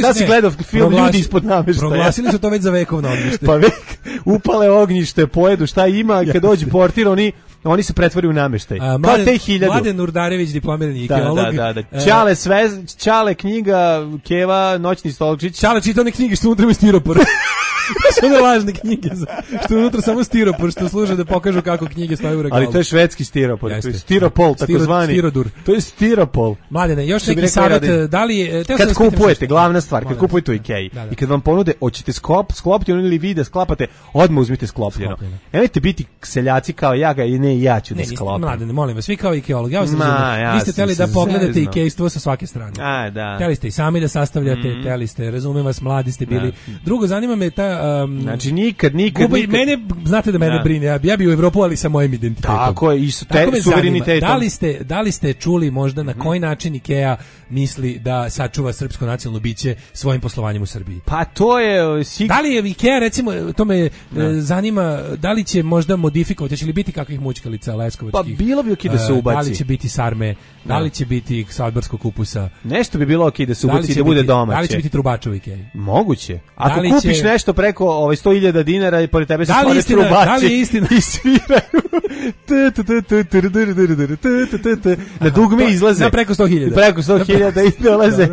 Da si gledao film Ljudi ispod nameštaja. Proglasili su to već za vekovno ognjište. Pa upale ognjište, pojedu šta ima i kad dođe portir, oni se pretvori u nameštaj. Kao te 1000. Mladen Urdarević, diplomirani ikeolog. Da. Čale knjiga, Keva, noćni stolčić. Čale čita one knjige što unutra ima stiropor. Što ne lažne knjige, što unutra samo stiropor, što služe da pokažu kako knjige stoje u regalu. Ali to je švedski stiropor, to je stiropol, takozvani. Stirodur. To je stiropol. Mladene, još neki savjet, da li... Kad kupujete, glavna stvar, kad kupujete u Ikei i kad vam ponude, hoćete sklopiti ili vi da sklapate, odmah uzmite sklopljeno. Nemojte biti seljaci kao ja ga i ne ja ću da sklopim. Mladene, molim vas, svi kao ikeolog, ja vas razumem. Vi ste teli da pogledate ikejstvo sa svake strane. Teli ste i sami da sastavljate, teli ste, razumem vas, mladi ste bili. Drugo, zanima me ta znači nikad. Mene, znate da mene brine, ja bi u Evropu, ali sa mojim identitetom. Tako je, i suverenitetom. Da li ste čuli možda na koji način Ikea misli da sačuva srpsko nacionalno biće svojim poslovanjem u Srbiji? Pa to je... Da li je Ikea, recimo, to me zanima, da li će možda modifikovati, će li biti kakvih mućkalica leskovačkih? Pa bilo bi okej da se ubaci. Da li će biti sarme, da li će biti salbarskog kupusa? Nešto bi bilo okej da se ubaci, da bude domaće. Da li će biti trubača u Ikei? Moguće. Ako kupiš nešto preko 100.000 dinara i pored tebe se stvore trubači. Da li je istina? I sviraju. Na dugme izlaze. Preko 100.000. Preko 100.000 i dolaze.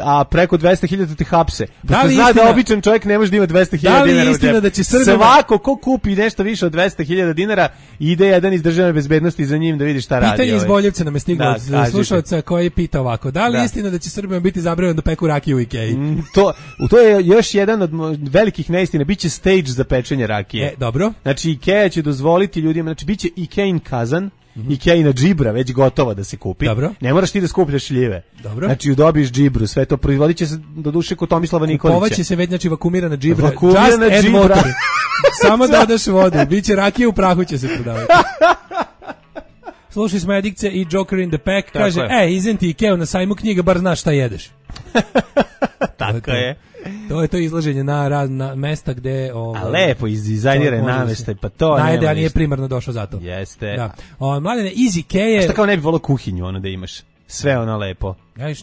A preko 200.000 te hapse. Da li zna da običan čovjek ne može da ima 200.000 dinara. Da li je istina da će Srbija... Svako ko kupi nešto više od 200.000 dinara, ide jedan iz državne bezbednosti za njim da vidi šta radi. Pitanje iz Boljevca nam je stiglo od slušalca koji pita ovako. Da li je istina da će Srbija biti zabranjeno da peku rakiju u Ikeji? To je još jedan od velikih neistina. Biće stage za pečenje rakije. Dobro. Znači Ikea će dozvoliti ljudima, znači biće Ikein kazan, Ikeina džibra već gotova da se kupi. Dobro. Ne moraš ti da skupljaš šljive. Dobro. Znači dobiješ džibru, sve to proizvodit će se do duše kod Tomislava Nikolića. Kupovaće se već, znači vakumirana džibra. Just add water. Samo dodaš vodu. Biće rakije u prahu će se prodavati. Slušaj smo Edikce i Joker in the Pack. Kaže, isn't ti Ikea na sajmu knjiga, bar znaš šta jedeš. Tako je. To je to izlaženje na razna mesta gde... A lepo izdizajniraj nameštaj, pa to nema ništa. Nije ništa. Primarno došao zato. Jeste. Da. Mladene, iz Ikeje... A šta kao ne bi volao kuhinju, ono da imaš? Sve ono lepo.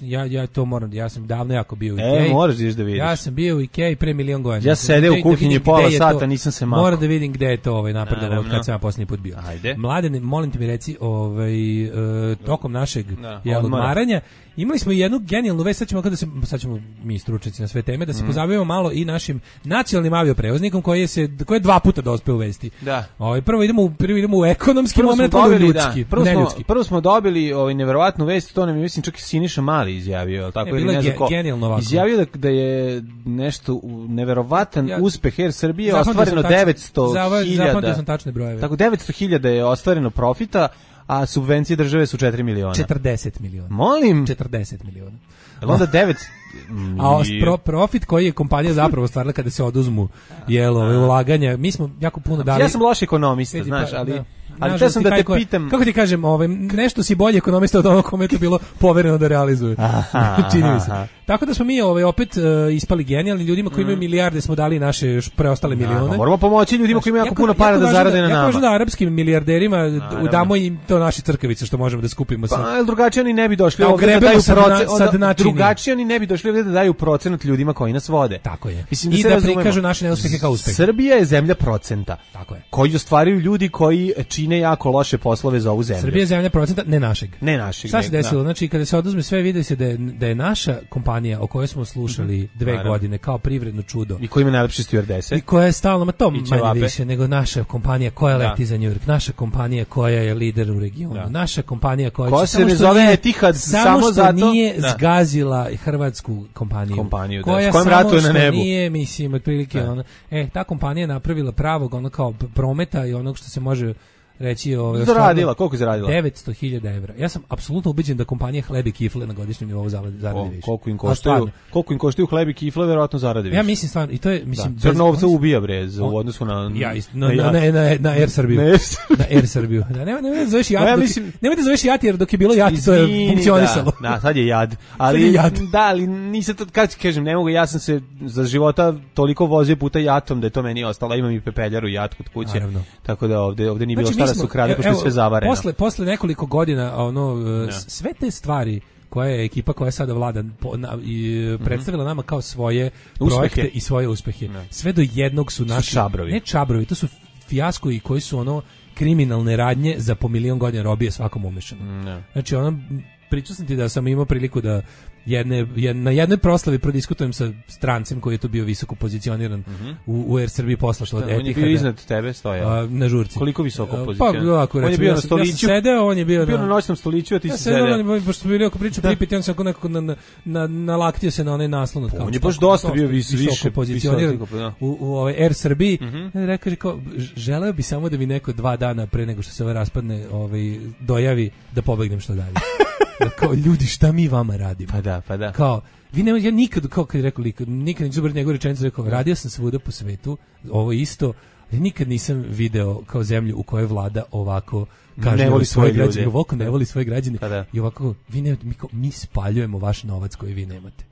Ja to moram, ja sam davno jako bio u Ikeji. Moraš da vidiš. Ja sam bio u Ikeji pre milion godina. Ja sede u kuhinji pola sata, nisam se makao. Moram da vidim gde je to napredovalo kad sam ja posljednji put bio. Ajde. Mladene, molim te mi reci, tokom našeg odmaranja imali smo jednu genijalnu vest, sad ćemo mi stručnjaci na sve teme, da se pozabavimo malo i našim nacionalnim avioprevoznikom koji je 2 puta dospeo u vesti. Da. Prvo idemo u ekonomski moment, onda u ljudski. Prvo smo dobili neverovatnu vest, to nam je mislim čak i Siniša Mali izjavio, tako ili ne znam ko. Izjavio da je nešto neverovatan uspeh Air Srbije, ostvareno 900.000. Zapamtio sam tačne brojeve. Tako 900.000 je ostvareno profita, a subvencije države su 4 miliona. 40 miliona. Molim? 40 miliona. Jel onda 9... A profit koji je kompanija zapravo stvarila kada se oduzmu ulaganja, mi smo jako puno dali. Ja sam loš ekonomista, znaš, ali te sam da te pitam... Kako ti kažem, nešto si bolji ekonomista od onog kome je to bilo povereno da realizuje. Čini mi se. Tako da smo mi opet ispali genijalni, ljudima koji imaju milijarde smo dali naše preostale milione. Moramo pomoći ljudima koji imaju jako puno para da zarade na nama. Ja kažem da arapskim milijarderima damo im to naše crkavice što možemo da skupimo. Pa drugačije oni ne bi došli ovdje da daju procenat. Drugačije oni ne bi došli ovdje da daju procenat ljudima koji nas vode. Tako je. I da prikažu naše neuspehe kao uspehe. Srbija je zemlja procenta. Tako je. Koji ostvaruju ljudi koji čine jako loše poslove za ovu zemlju. Srbija je zemlja procenta, ne našeg. Šta se desilo? Znači, kada se oduzme sve, vidi se da je naša kompanija o kojoj smo slušali 2 godine kao privredno čudo. I koja ima najlepše stjuardese. I koja je stalno, to manje više nego naša kompanija koja leti za New York, naša kompanija koja je lider u regionu, naša kompanija koja se ne zove Etihad samo zato nije zgazila hrvatsku kompaniju koja s kojom ratuje na nebu. Nije, mislim, otprilike ta kompanija je napravila pravog kao prometa i onog što se može reći zaradila, koliko je zaradila? 900.000 evra. Ja sam apsolutno ubeđen da kompanija Hleb i kifle na godišnjem nivou zaradi više. Koliko im koštaju Hleb i kifle, verovatno zaradi više. Ja mislim stvarno, i to je, mislim, Crnovca ubija bre u odnosu na na Air Srbiju. Na Air Srbiju. Nemoj da zoveš Jat. Nemoj da zoveš Jat jer dok je bilo Jat to je funkcionisalo. Da, sad je Jad. Ali ali nisam to kad kažem, ne mogu, ja sam se za života toliko vozio puta Jatom da je to meni ostalo, imam i pepeljaru Jat kod kuće. Tako da ovde nije bilo da su krade, pošto je sve zavareno. Posle nekoliko godina sve te stvari koja je ekipa koja sada vlada predstavila nama kao svoje projekte i svoje uspehe. Sve do jednog su naši čabrovi. Ne čabrovi, to su fijasko i koji su kriminalne radnje za po milion godina robije svakom umešano. Znači pričao sam ti da sam imao priliku da na jednoj proslavi prodiskutujem sa strancem koji je tu bio visoko pozicioniran u Air Srbiji poslašao od Etihada. On je bio iznad tebe, stoja. Na žurci. Koliko visoko pozicioniran? Pa, ako on je bio na stoliću. Ja sam sedeo, on je bio na noćnom stoliću, a ti si sedeo. Pošto smo bili oko priču pripiti, on se nekako nalaktio se na onaj naslon. On je baš dosta bio više pozicioniran u Air Srbiji. Rekao, želeo bi samo da mi neko 2 dana pre nego što se ovo raspadne dojavi da pobegnem što dalje. Kao, ljudi, šta mi vama radimo? Pa da. Kao, ja nikad, kao kad je rekao, nikad neću zabrati njegovu rečenicu, rekao, radio sam svuda po svetu, ovo isto, ali nikad nisam video kao zemlju u kojoj vlada ovako kaže ne voli svoje građane, ovako ne voli svoje građane i ovako, mi spaljujemo vaš novac koji vi nemate.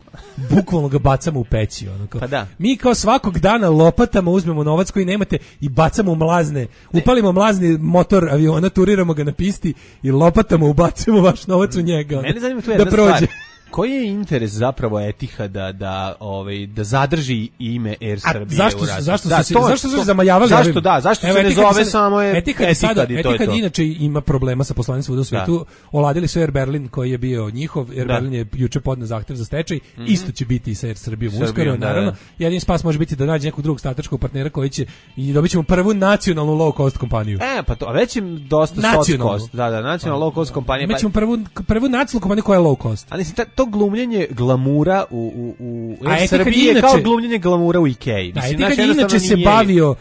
Bukvalno ga bacamo u peći. Mi kao svakog dana lopatama uzmemo novac koji nemate i bacamo u mlazne, upalimo mlazni motor aviona, turiramo ga na pisti i lopatama ubacimo vaš novac u njega. Mene zanima tu jedna stvar. Koji je interes zapravo Etihada da zadrži ime Air Srbije u radu? Zašto su se zamajavali? Zašto se ne zove samo Etihad i to je to? Etihad inače ima problema sa poslovanjem svuda u svetu. Oladili su Air Berlin koji je bio njihov. Air Berlin je juče podneo zahtev za stečaj. Isto će biti i sa Air Srbijom uskoro, naravno. Jedini spas može biti da nađe nekog drugog strateškog partnera koji će i dobit ćemo prvu nacionalnu low cost kompaniju. Pa to, a već im dosta soft cost. Da, nacionalna low cost kompanija. Imaćemo prvu nacionalnu kompaniju koja je low cost. Ali to glumljenje glamura u Air Srbiji je kao glumljenje glamura u Ikeji. Etihad inače se bavio,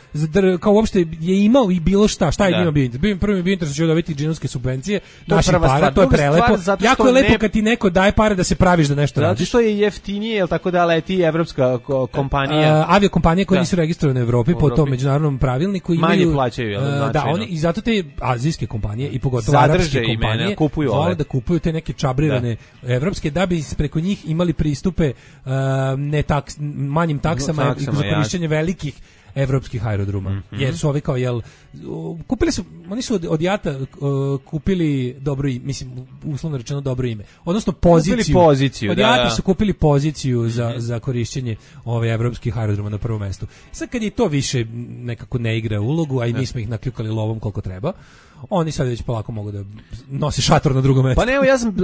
kao uopšte je imao i bilo šta je njima bio. Prvi bio interes da će dobiti džinovske subvencije, naši para, to je prelepo. Jako je lepo kad ti neko daje pare da se praviš da nešto radiš. Zato što je jeftinije, jel tako da leti evropska kompanija. Aviokompanije koje nisu registrovane u Evropi po tom međunarodnom pravilniku imaju manje plaćaju, jel značajno. Da, oni i zato te azijske kompanije i pogotovo arapske kompanije vole da kupuju te neke čabrirane evropske da da bi preko njih imali pristupe manjim taksama i za korišćenje velikih evropskih aerodroma. Jer su ovi kao oni su od JAT-a kupili dobro ime, mislim uslovno rečeno dobro ime. Odnosno poziciju. Od JAT-a su kupili poziciju za korišćenje ove evropskih aerodroma na prvom mestu. Sad kad je to više nekako ne igra ulogu, a i mi smo ih nakljukali lovom koliko treba, oni sad već polako mogu da nose šator na drugom mestu. Pa ne, ja sam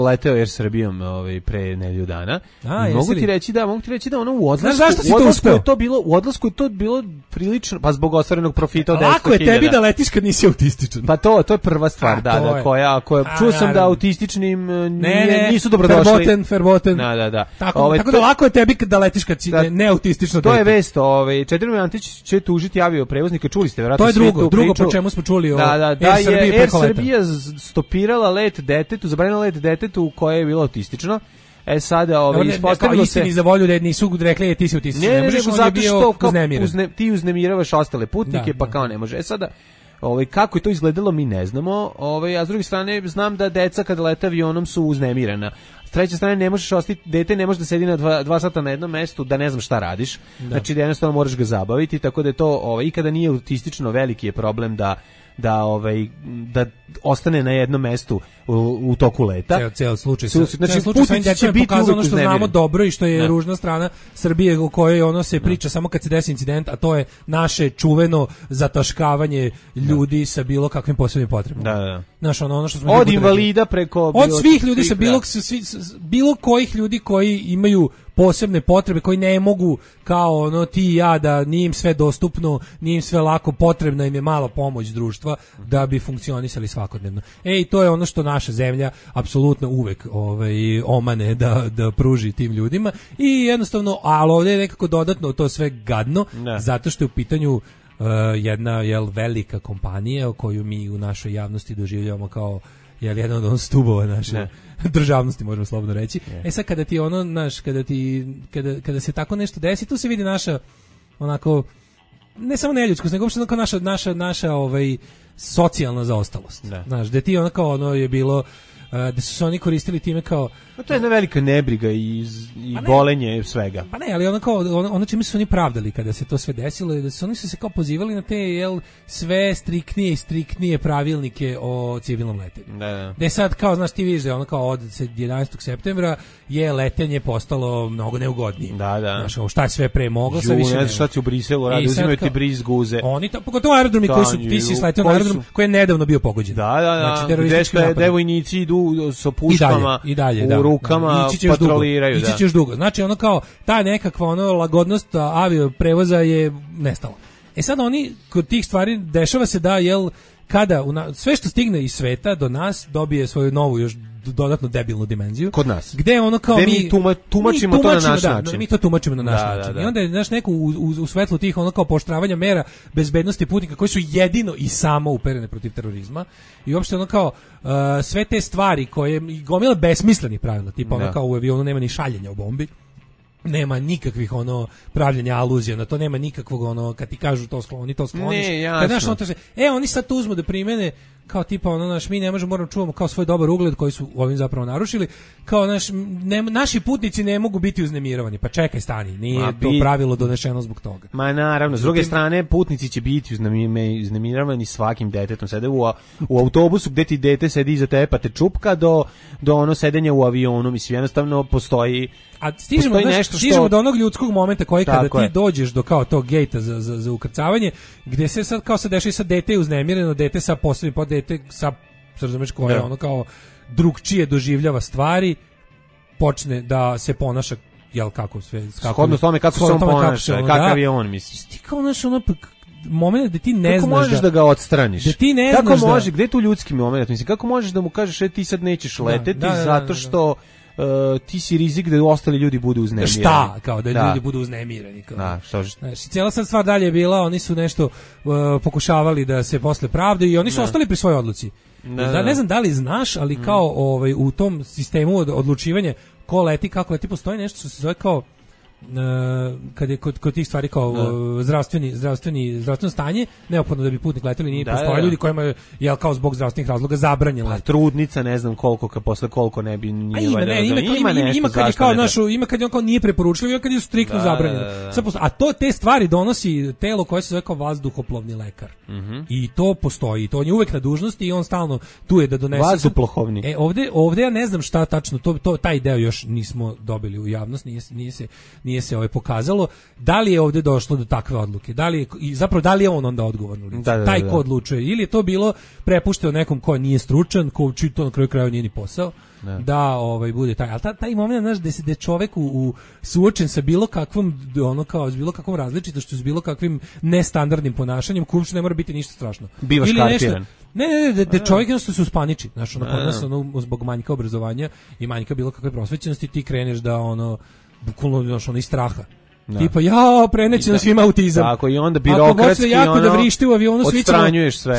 leteo Air Srbijom pre nedelju dana. Mogu ti reći da ono u odlasku je to bilo prilično, pa zbog ostvarenog profita od 10.000. Lako je tebi da letiš kad nisi autističan. Pa to je prva stvar, koja čuo sam da autističnim nisu dobrodošli. Verboten. Da. Tako da lako je tebi da letiš kad si neautistično. To je vest, Čedomir Antić će tužiti avioprevoznika, čuli ste verovatno. To je drugo po čemu smo čuli da je Air Srbija stopirala let detetu, zabranila let detetu koje je bilo autistično. Sada ispostavilo se istini za volju da nisu rekli ti si autističan. Ne možeš, zato što ti uznemiravaš ostale putnike, pa kao ne može. Sada kako je to izgledalo mi ne znamo, a s druge strane znam da deca kada lete avionom su uznemirena. S treće strane ne možeš ostati, dete ne može da sedi na 2 sata na jednom mestu da ne znam šta radiš. Znači da jednostavno moraš ga zabaviti, tako da je to i kada nije autistično veliki je problem da ostane na jednom mestu u toku leta. Ceo slučaj. Znači putnici će biti pokazano ono što znamo dobro i što je ružna strana Srbije u kojoj ono se priča samo kad se desi incident, a to je naše čuveno zataškavanje ljudi sa bilo kakvim posebnim potrebama. Znaš, ono što smo od invalida preko od svih ljudi sa bilo kojih ljudi koji imaju posebne potrebe, koji ne mogu kao ti i ja da nije im sve dostupno, nije im sve lako, potrebna im je mala pomoć društva da bi funkcionisali svakodnevno. To je ono što naša zemlja apsolutno uvek omane da pruži tim ljudima i jednostavno, ali ovdje je nekako dodatno to sve gadno, zato što je u pitanju jedna velika kompanija koju mi u našoj javnosti doživljavamo kao jedan od stubova naše državnosti, možemo slobodno reći. Sad kada ti kada se tako nešto desi, tu se vidi naša onako ne samo neljudskost, nego uopšte naša socijalna zaostalost. Znaš, da ti je bilo da su se oni koristili time kao to je jedna velika nebriga i bolenje svega. Pa ne, ali ono čime su oni pravdali kada se to sve desilo je da su oni se kao pozivali na te sve striktnije pravilnike o civilnom letenju. Da je sad kao, znaš, ti vidiš da kao od 11. septembra je letenje postalo mnogo neugodnije. Znaš, šta je sve pre moglo, sad više ne znam šta ti u Briselu radi, uzimaju ti bris guze. Oni pogotovo aerodromi koji su, ti si sletio na aerodrom koji je nedavno bio pogođen. Znači, gde vojnici idu sa puškama i dalje, u rukama, patroliraju. Ići ćeš dugo. Znači ono kao ta nekakva lagodnost avioprevoza je nestala. Sad oni kod tih stvari dešava se da kada sve što stigne iz sveta do nas dobije svoju novu još dodatno debilnu dimenziju. Kod nas. Gde ono kao mi tumačimo to na naš način. Mi to tumačimo na naš način. I onda je neko u svetlu tih ono kao pooštravanja mera bezbednosti putnika koji su jedino i samo uperene protiv terorizma i uopšte ono kao sve te stvari koje gomila besmislenih pravila, tipa ono kao u avionu nema ni šaljenja u bombi. Nema nikakvih pravljenja aluzija na to, nema nikakvog kad ti kažu to skloni, to skloniš. Kad znaš oni sad to uzmu da primene kao tipa mi ne možemo, moramo čuvamo kao svoj dobar ugled koji su ovim zapravo narušili, kao naši putnici ne mogu biti uznemiravani. Pa čekaj, stani, nije to pravilo donešeno zbog toga. Ma naravno, s druge strane putnici će biti uznemiravani svakim detetom. Sede u autobusu gde ti dete sedi iza tebe pa te čupka do sedenja u avionu, mislim jednostavno postoji. A stižemo do onog ljudskog momenta koji kada ti dođeš do kao tog gejta za ukrcavanje, gde se sad kao se dešava sad dete je uznemireno, dete sa posebnim dete sa razumeš koje ono kao drugčije doživljava stvari, počne da se ponaša kako sve shodno tome kako se on ponaša, kakav je on, misliš. Ti kao moment da ti ne kako znaš možeš da ga odstraniš. Da ti ne kako znaš može, gde je tu ljudski moment, mislim, kako možeš da mu kažeš ti sad nećeš leteti zato što ti si rizik da ostali ljudi budu uznemireni. Šta? Kao da ljudi budu uznemireni. Cijela sad stvar dalje je bila, oni su nešto pokušavali da se posle pravde i oni su ostali pri svojoj odluci. Ne znam da li znaš, ali kao u tom sistemu odlučivanja ko leti, kako leti, postoji nešto što se zove kao kad je kod tih stvari kao zdravstveno stanje, neophodno da bi putnik leteli, nije postoje ljudi kojima je kao zbog zdravstvenih razloga zabranjeno. Pa trudnica, ne znam koliko, posle koliko ne bi nije ima kad je kao ima kad je on kao nije preporučljivo, kad je striktno zabranjeno. A te stvari donosi telo koje se zove kao vazduhoplovni lekar. I to postoji, to on je uvek na dužnosti i on stalno tu je da donese vazduhoplovni. Ovde ja ne znam šta tačno, taj deo još nismo dobili u javnost, nije se pokazalo. Da li je ovde došlo do takve odluke? Da li je on onda odgovorno lice? Taj ko odlučuje? Ili je to bilo prepušteno nekom ko nije stručan, ko to na kraju krajeva nije ni posao? Da bude taj, ali taj moment, znaš, da je čovek suočen sa bilo kakvom s bilo kakvom različitošću, s bilo kakvim nestandardnim ponašanjem, uopšte ne mora biti ništa strašno. Bivaš kartiran. Da čovjek jednostavno se uspaniči, znaš, kod nas zbog manjka obrazovanja i manjka bilo kakve prosvećenosti ti kreneš da bukvalno, znaš, iz straha. Tipa, preneće na svima autizam. Tako, i onda birokratski jako da vrišti u avionu,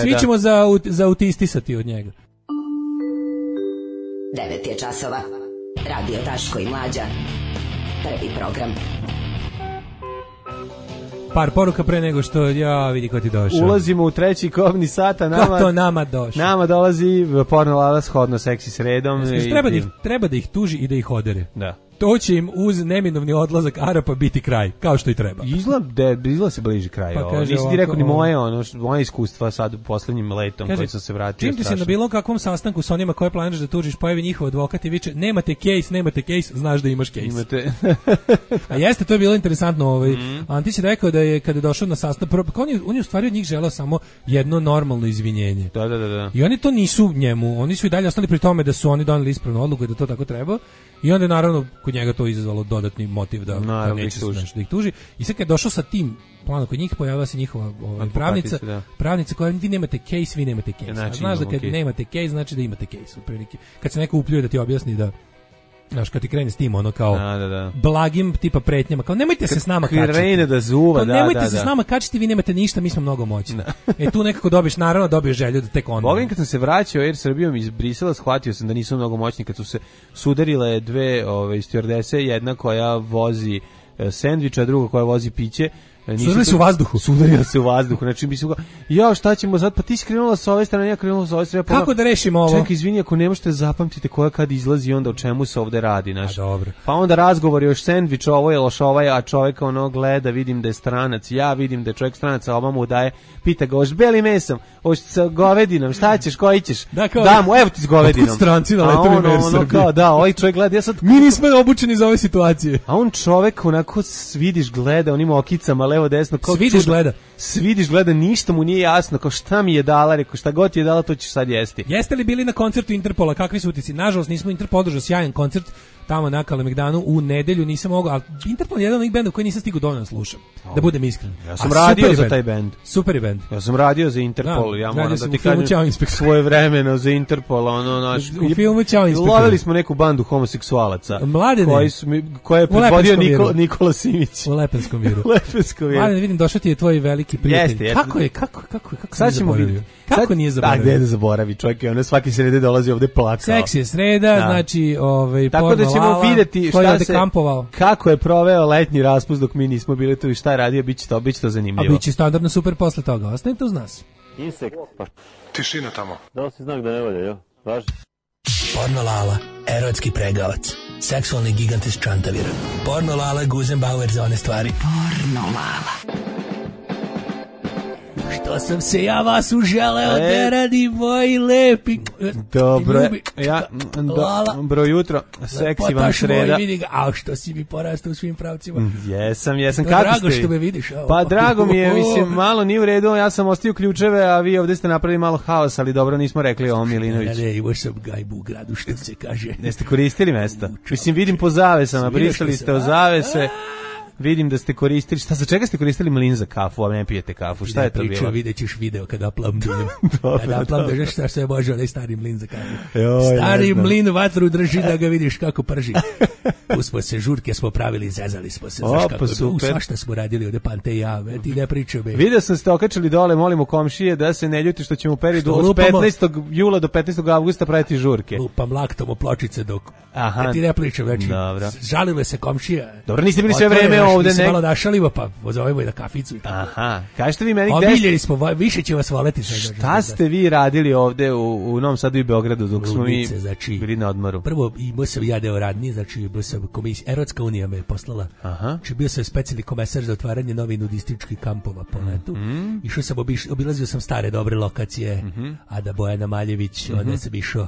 svi ćemo za autistisati od njega. 9 je časova. Radio Daško i Mlađa. Prvi program. Par poruka pre nego što vidi ko ti došao. Ulazimo u treći kobni sat, a ko to nama došao? Nama dolazi porno lala shodno seksi sredom. Treba da ih tuži i da ih odere. Da. To će im uz neminovni odlazak Arapa biti kraj, kao što i treba. Izgleda se bliži kraj. Nisi ti rekao ni moje iskustva sad u poslednjim letom koji sam se vratio. Čim ti se na bilo kakvom sastanku sa onima koje planiraš da tužiš, pojavi njihov advokat i viče nemate case, znaš da imaš case. A jeste, to je bilo interesantno. Antić je rekao da je kada je došao na sastanak, on je u stvari od njih želeo samo jedno normalno izvinjenje. Da. I oni to nisu njemu, oni su i dalje ostali pri tome da su oni doneli ispravnu odluku i da to tako treba. I onda je naravno kod njega to izazvalo dodatni motiv da neće da ih tuži. I sad kad je došao sa tim planom kod njih, pojavila se njihova pravnica koja vi nemate case. Znači, znaš da kad nemate case, znači da imate case. Otprilike. Kad se neko upljuje da ti objasni da, znaš, kad ti krene s tim, kao blagim tipa pretnjama, kao nemojte se s nama kačiti. Krene da zuva, nemojte se s nama kačiti, vi nemate ništa, mi smo mnogo moćni. Tu nekako dobiješ želju da tek onda. Bogim, kad sam se vraćao Air Srbijom iz Brisela, shvatio sam da nisu mnogo moćni, kad su se sudarile dve stewardese, jedna koja vozi sendviča, druga koja vozi piće. Sudarili se u vazduhu. Znači bi se šta ćemo sad, pa ti si krenula sa ove strane, ja krenula sa ove strane. Kako da rešimo ovo? Čekaj, izvini, ako ne možete zapamtite koja kad izlazi, onda o čemu se ovde radi, znaš. Dobro. Pa onda razgovor još sendvič, ovo je loš ovaj, a čovjek gleda, vidim da je stranac, ja vidim da je čovjek stranac, a ova mu daje, pita ga, hoćeš belim mesom, hoćeš sa govedinom, šta ćeš, koji ćeš? Da mu, evo ti s govedinom. Otkud stranci na letovima Air Srbije? Ovaj čovjek gleda, ja sad... Mi nismo obučeni za ove situacije. A on čovjek onako vidiš gleda, onim okicama levo desno, kao Svidiš gleda, ništa mu nije jasno, kao šta mi je dala, rekao šta god ti je dala, to ćeš sad jesti. Jeste li bili na koncertu Interpola, kakvi su utisci? Nažalost nismo Interpol održao sjajan koncert tamo na Kalemegdanu u nedelju, nisam mogao, ali Interpol je jedan od onih benda koji nisam stigao dovoljno slušam, da budem iskren. Ja sam radio za taj bend. Super je bend. Ja sam radio za Interpol, ja moram da ti kažem svoje vremeno za Interpol, u filmu Ćao inspektor. Lovili smo neku bandu homoseksualaca. Mladene. Koje je predvodio Nikola Simić. U Lepenskom viru. Mladene, vidim, došao ti je tvoj veliki prijatelj. Kako nije zaboravio? Gde da zaboravi, čovjek je svaki srede dolazi ovde plakao. Seks je sreda, znači tako da ćemo vidjeti kako je proveo letnji raspust dok mi nismo bili tu i šta je radio, bit će to zanimljivo. A bit će standardno super posle toga, ostanite uz nas. Insekt, pa tišina tamo. Da li si znak da ne valja, jo? Važi. Porno Lala, erotski pregavac, seksualni gigant iz Čantavira. Porno Lala, Guzenbauer za one stvari. Porno Lala. Što sam se ja vas uželeo da radi moji lepi. Dobro jutro, seksi vam sreda. A što si mi porastao u svim pravcima. Jesam, kako drago što me vidiš. Pa drago mi je, mislim, malo nije u redu, ja sam ostio ključeve, a vi ovdje ste napravili malo haos, ali dobro nismo rekli o Milinović. Ne, imao sam gajbu u gradu, što se kaže. Jeste koristili mesta? Mislim, vidim po zavesama, brisali ste o zavese. Vidim da ste koristili, za čega ste koristili mlin za kafu, a ne pijete kafu, šta je to bilo? Vidjet ćeš video kada uploadujem. Kada uploadujem, šta se može, onaj stari mlin za kafu. Stari mlin vatru drži da ga vidiš kako prži. Tu smo se, žurke smo pravili, zezali smo se. Svašta smo radili od Pante i ja, ti ne pričam. Vidio sam ste okačili dole, molimo komšije da se ne ljuti što ćemo u periodu od 15. jula do 15. avgusta praviti žurke. Lupam laktom o pločice dok... Aha. Ti ne pričam, znači, žalile se komšija. Dobro, niste bili sve vreme ovde. Mi se malo našalimo, pa pozovemo i na kaficu. Aha, kažete vi meni omiljeni smo, više će vas voleti. Šta ste vi radili ovde u Novom Sadu i Beogradu dok smo mi bili na odmoru? Prvo, imao sam ja deo radnije, znači bio sam komisija, Erotska unija me je poslala. Znači bio sam specijalni komesar za otvaranje novih nudističkih kampova po letu. Išao sam, obilazio sam stare dobre lokacije, Ada Bojana Maljević, onda sam išao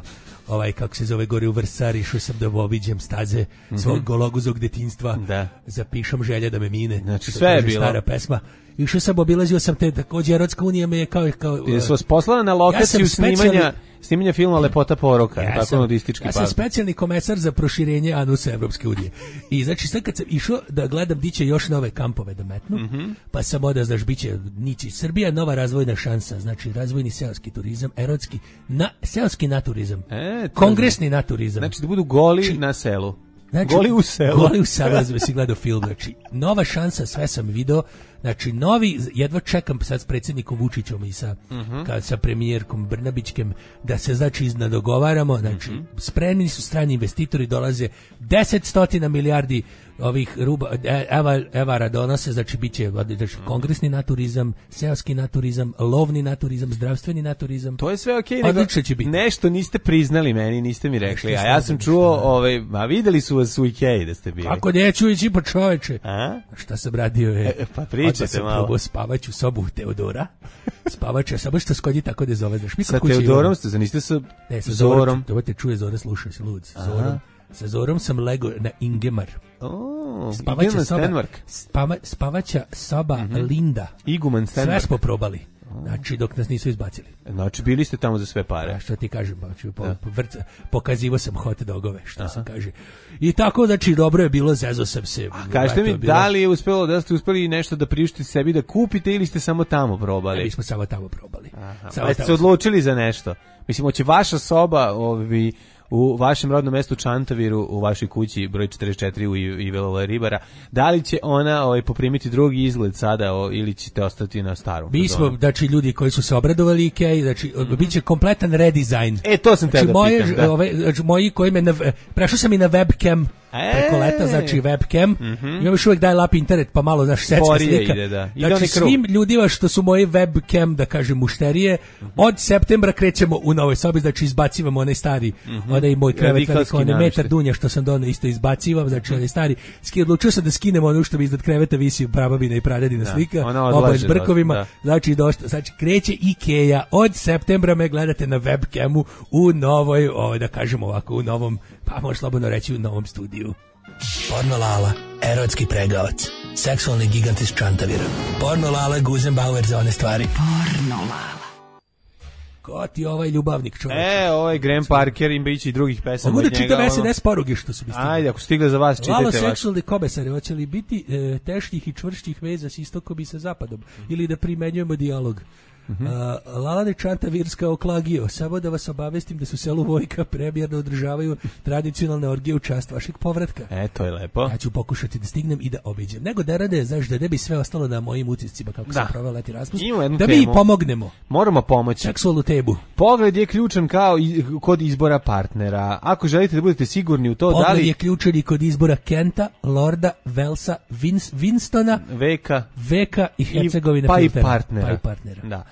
kako se zove, gore u Vrsar, išao sam da obiđem staze svog gologuzog detinjstva, zapišem želje da me mine. Znači sve je bilo. Stara pesma. Išao sam, obilazio sam te, također Erotska unija me je kao jesu vas poslala na lokaciju snimanja filma Lepota poroka, tako nudistički. Ja sam specijalni komesar za proširenje anusa Evropske unije. I znači sad kad sam išao da gledam di će još nove kampove da metnu, pa sam odao, znaš, bit će nići Srbija, nova razvojna šansa, znači razvojni seoski turizam, erotski, seoski naturizam, kongresni naturizam. Znači da budu goli na selu. Znači, goli u selu. Goli u selu, da si gledao film. Znači, nova šansa, sve sam video. Znači, novi, jedva čekam sad s predsjednikom Vučićom i sa premijerkom Brnabićkem da se, znači, dogovaramo. Znači, spremni su strani investitori, dolaze 10 milijardi ovih evara donose, znači bit će kongresni naturizam, seoski naturizam, lovni naturizam, zdravstveni naturizam. To je sve okej, nego nešto niste priznali meni, niste mi rekli, a ja sam čuo, a videli su vas u Ikeji da ste bili. Ako neću ići po čoveče. Šta sam radio je? Pa pričajte malo. Probao spavaću sobu Teodora. Spavaću, samo što skodi tako da zove. Sa Teodorom ste, niste sa Zorom? Ovo te čuje Zora, slušaj se, lud. Sa Zorom sam lego na Ingemar. Spavaća soba Linda. Iguman Stenmark. Sve smo probali. Znači, dok nas nisu izbacili. Znači, bili ste tamo za sve pare. Što ti kažem, pokazivo sam hot dogove, što se kaže. I tako, znači, dobro je bilo, zezo sam se. A kažete mi, da li je uspelo, da ste uspeli nešto da priuštite sebi da kupite ili ste samo tamo probali? Mi smo samo tamo probali. Pa ste se odlučili za nešto? Mislim, hoće vaša soba, u vašem rodnom mestu Čantaviru, u vašoj kući broj 44 u Ivela Ribara, da li će ona poprimiti drugi izgled sada ili ćete ostati na starom? Mi smo, znači, ljudi koji su se obradovali Ikei, znači, bit će kompletan redizajn. To sam te da pitam, moji koji prešao sam i na webcam preko leta, znači webcam, imam još uvijek dial-up internet, pa malo, znaš, setska slika. Znači, svim ljudima što su moji webcam, da kažem, mušterije, od septembra krećemo u novoj sobi, znači izbacivamo onaj stari, onaj moj krevet, onaj metar dunja što sam donao, isto izbacivam, znači onaj stari, odlučio sam da skinem ono što mi iznad kreveta visi prababina i pradedina slika, oba s brkovima, znači kreće Ikea, od septembra me gledate na webcamu u novoj, da kažem ovako, u novom, pa možeš slobodno reći u novom studiju. Porno Lala, erotski pregavac, seksualni gigant iz Čantavira. Porno Lala, Guzenbauer za one stvari. Porno Lala. Ko ti ovaj ljubavnik čovjek? Ovaj Graham Parker, ima ići i drugih pesama od njega. Mogu da čitam SNS poruge što su mi stigle. Ajde, ako stigle za vas, čitajte vas. Lalo seksualni komesari, hoće li biti teških i čvršćih veza s istokom i sa zapadom? Ili da primenjujemo dijalog? Lalane Čantavirska oklagio, samo da vas obavestim da su selu Vojka premijerno održavaju tradicionalne orgije u čast vašeg povratka. To je lepo. Ja ću pokušati da stignem i da obiđem. Nego da rade, znaš, da ne bi sve ostalo na mojim utiscima kako sam proveo leti raspust. Da mi pomognemo. Moramo pomoći. Seksualnu tebu. Pogled je ključan kao kod izbora partnera. Ako želite da budete sigurni u to, pogled je ključan i kod izbora Kenta, Lorda, Velsa, Winstona, Veka i Hercegovina pa i partnera. Da.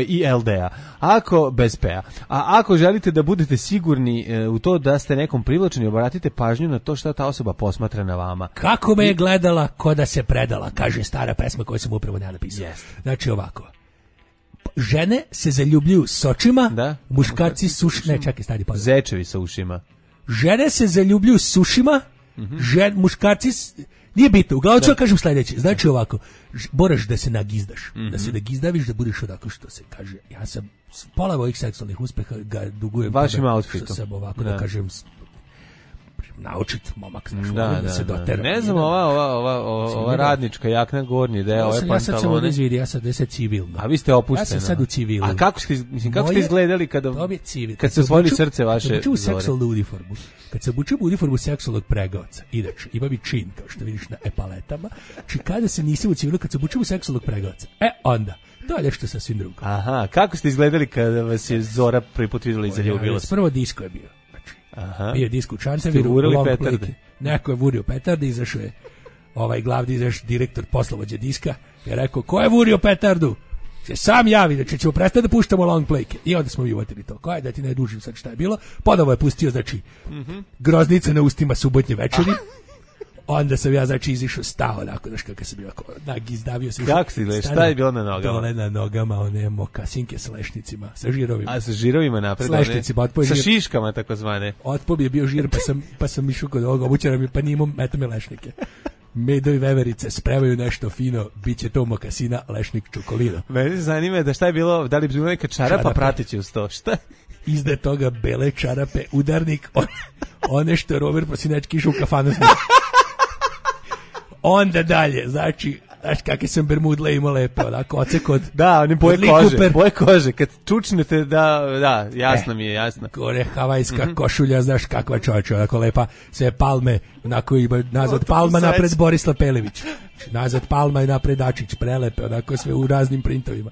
I LDA. Ako bez PA. A ako želite da budete sigurni u to da ste nekom privlačeni, obratite pažnju na to šta ta osoba posmatra na vama. Kako me je gledala, ko da se predala, kaže stara pesma koju sam upravo napisao. Znači ovako. Žene se zaljubljuju s očima, muškarci s ušima. Ne, čekaj, stari pozdrav. Zečevi sa ušima. Žene se zaljubljuju s ušima, muškarci nije bitno, uglavnom ću kažem sljedeće. Znači ovako, moraš da se nagizdaš, da se nagizdaviš, da budeš odako što se kaže. Ja sam pola mojih seksualnih uspeha ga dugujem vašim outfitom. Što sam ovako da kažem naučit momak, znaš, da se dotera. Ne znam, ova radnička jakna gornji deo, ove pantalone. Ja sad sam ovdje zvidi, ja sad civilno. A vi ste opušteni. Ja sam sad u civilu. A kako ste izgledali kad se osvojili srce vaše Zore? Kad se obuču u seksualnu uniformu, kad se obuču u uniformu seksualnog pregaoca, inače, ima mi čin, kao što vidiš na epaletama, či kada se nisam u civilu, kad se obuču u seksualnog pregaoca, onda, to je nešto sasvim drugo. Aha, kako ste izgledali kada vas je Zora prvi put vidjela i zaljubila se? Prvo disko je bio. Aha. Bio disko u Čantaviru, long plate. Neko je vurio petarde, izašao je glavni direktor poslovođe diska je rekao, ko je vurio petardu? Se sam javi, znači ćemo prestati da puštamo long play. I onda smo mi uvatili to. Ko je da ti ne dužim sad šta je bilo? Ponovo je pustio, znači, groznice na ustima subotnje večeri. Onda sam ja, znači, izišao, stao onako, znaš kako sam bio, izdavio se. Kako si gledao, šta je bilo na nogama? Dole na nogama, one mokasinke s lešnicima, sa žirovima. A sa žirovima napred? S lešnicima, otpoj sa šiškama, tako zvane. Otpoj je bio žir, pa sam išao kod ovog obućara, pa nije imao metame lešnike. Medo i veverice spremaju nešto fino, bit će to mokasina, lešnik, čokolina. Mene se zanima da šta je bilo, da li bi bilo neka čarapa pratići uz to, šta? Izde toga bele čarape, udarnik, one što Robert Prosinečki išao u kafanu s njim. Onda dalje, znači, znaš kakve sam bermudle imao lepe, onako, ocek od... Da, oni boje kože, kad čučnete, da, jasno mi je, jasno. Gore havajska košulja, znaš kakva čovječa, onako lepa, sve palme, onako ima nazad Palma napred Borislav Pelević, nazad Palma i napred Dačić, prelepe, onako sve u raznim printovima.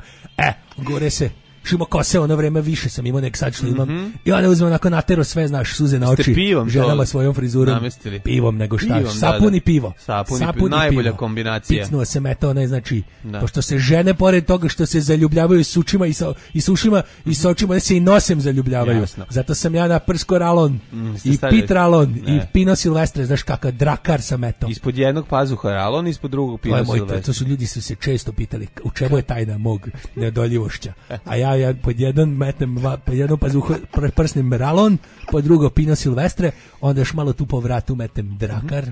Gore se... Šimo kose, ono vreme više sam imao nek sad što imam. I onda uzmem onako natero sve, znaš, suze na oči. Ženama svojom frizurom. Namestili. Pivom nego šta. Sapun i pivo. Sapun najbolja kombinacija. Picnuo se meta, onaj, znači, pošto se žene, pored toga što se zaljubljavaju s ušima i s ušima i s očima, se i nosem zaljubljavaju. Jasno. Zato sam ja na prsko ralon i pit ralon i Pino Silvestre, znaš kakav drakar sam eto. Ispod jednog pazuha ralon, ispod drugog Pino Silvestre. To su ljudi su se često pitali u čemu je tajna mog neodoljivošća. A ja pod jedan metem, pod jedno pazuho prsnim ralon, pod drugo Pino Silvestre, onda još malo tu po vratu metem drakar,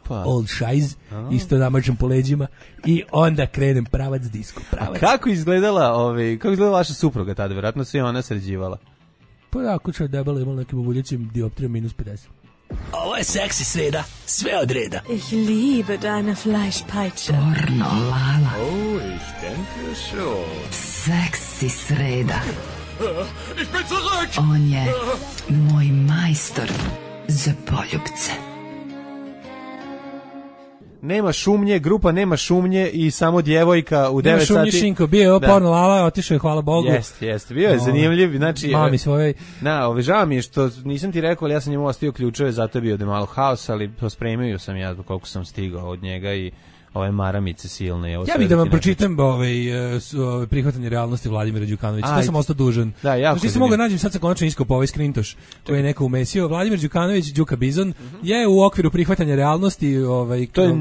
old shiz, isto namažem po leđima i onda krenem pravac disko. A kako izgledala vaša supruga tada? Vjerojatno se ona sređivala. Pa da, kuća debela imala nekim obuljećim dioptrijom -50. Ovo je seksi sreda, sve od reda. Ich liebe deine Fleischpeitsche. Pornolala. Oh, ich denke schon. Seksi sreda. Ich bin zurück! On je moj majstor za poljubce. Nema šumnje, grupa nema šumnje i samo djevojka u 9 sati. Nema šumnje Šinko, bio je Pornolala, otišao je, hvala Bogu. Jeste, bio je zanimljiv. Znači, mami svojoj. Žao mi je što nisam ti rekao, ali ja sam njemu ostio ključeve, zato je bio da je malo haos, ali pospremio sam ja koliko sam stigao od njega i ove maramice silne. Ja bih da vam pročitam prihvatanje realnosti Vladimira Đukanovića. To sam ostao dužan. Da, jako. Znači, mogu nađem sad sa konačno iskopao ovaj skrintoš koji je neko umesio. Vladimir Đukanović, Đuka Bizon, je u okviru prihvatanja realnosti... To je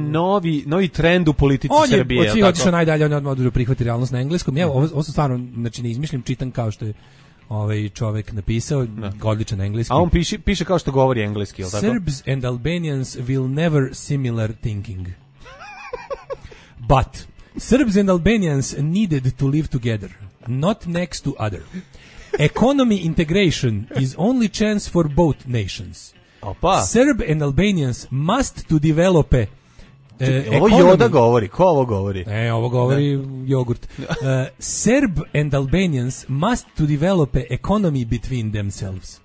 novi trend u politici Srbije. On je od svih otišao najdalje, on je odmah prihvati realnost na engleskom. Ja, ovo sam stvarno, znači ne izmišljam, čitam kao što je čovek napisao, odličan engleski. A on piše kao što govori engleski, je li tako? Serbs and Albanians will never similar thinking. But Serbs and Albanians needed to live together, not next to other. Economy integration is only chance for both nations. Opa. Serb and Albanians must to develop ovo Joda govori, ko ovo govori? Ovo govori jogurt. Serb and Albanians must to develop an economy between themselves.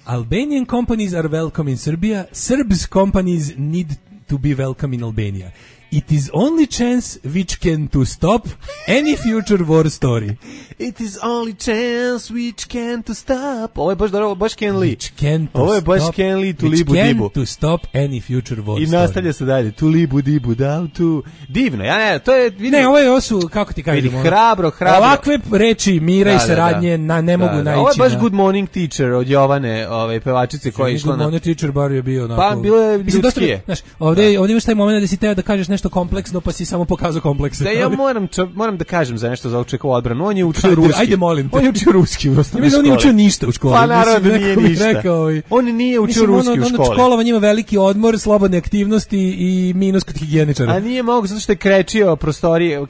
Albanian companies are welcome in Serbia. Serbs companies need to be welcome in Albania. It is only chance which can to stop any future war story. It is only chance which can to stop. Ovo je baš Ken Lee. Ovo je baš Ken Lee, tu libu dibu. Can to stop any future war story. I nastavlja se dalje. Tu libu dibu, da, tu. Divno, to je... ovo su, kako ti kažem? Hrabro. Ovakve reči mira i saradnje ne mogu naići. Ovo je baš Good Morning Teacher od Jovane, pevačice koja je išla na... Good Morning Teacher bar je bio onako... Pa, bilo je ljudskije. Ovdje imaš taj moment da si teo da kažeš nešto kompleksno, pa si samo pokazao komplekse. Da, ja moram da kažem za nešto za očekovu odbranu. On je učio ruski. Ajde, molim te. On je učio ruski u osnovnoj školi. On nije učio ništa u školi. Pa naravno da nije ništa. On nije učio ruski u školi. Školovanje ima veliki odmor, slobodne aktivnosti i minus kod higijeničara. A nije mogu, zato što je krečio prostorije.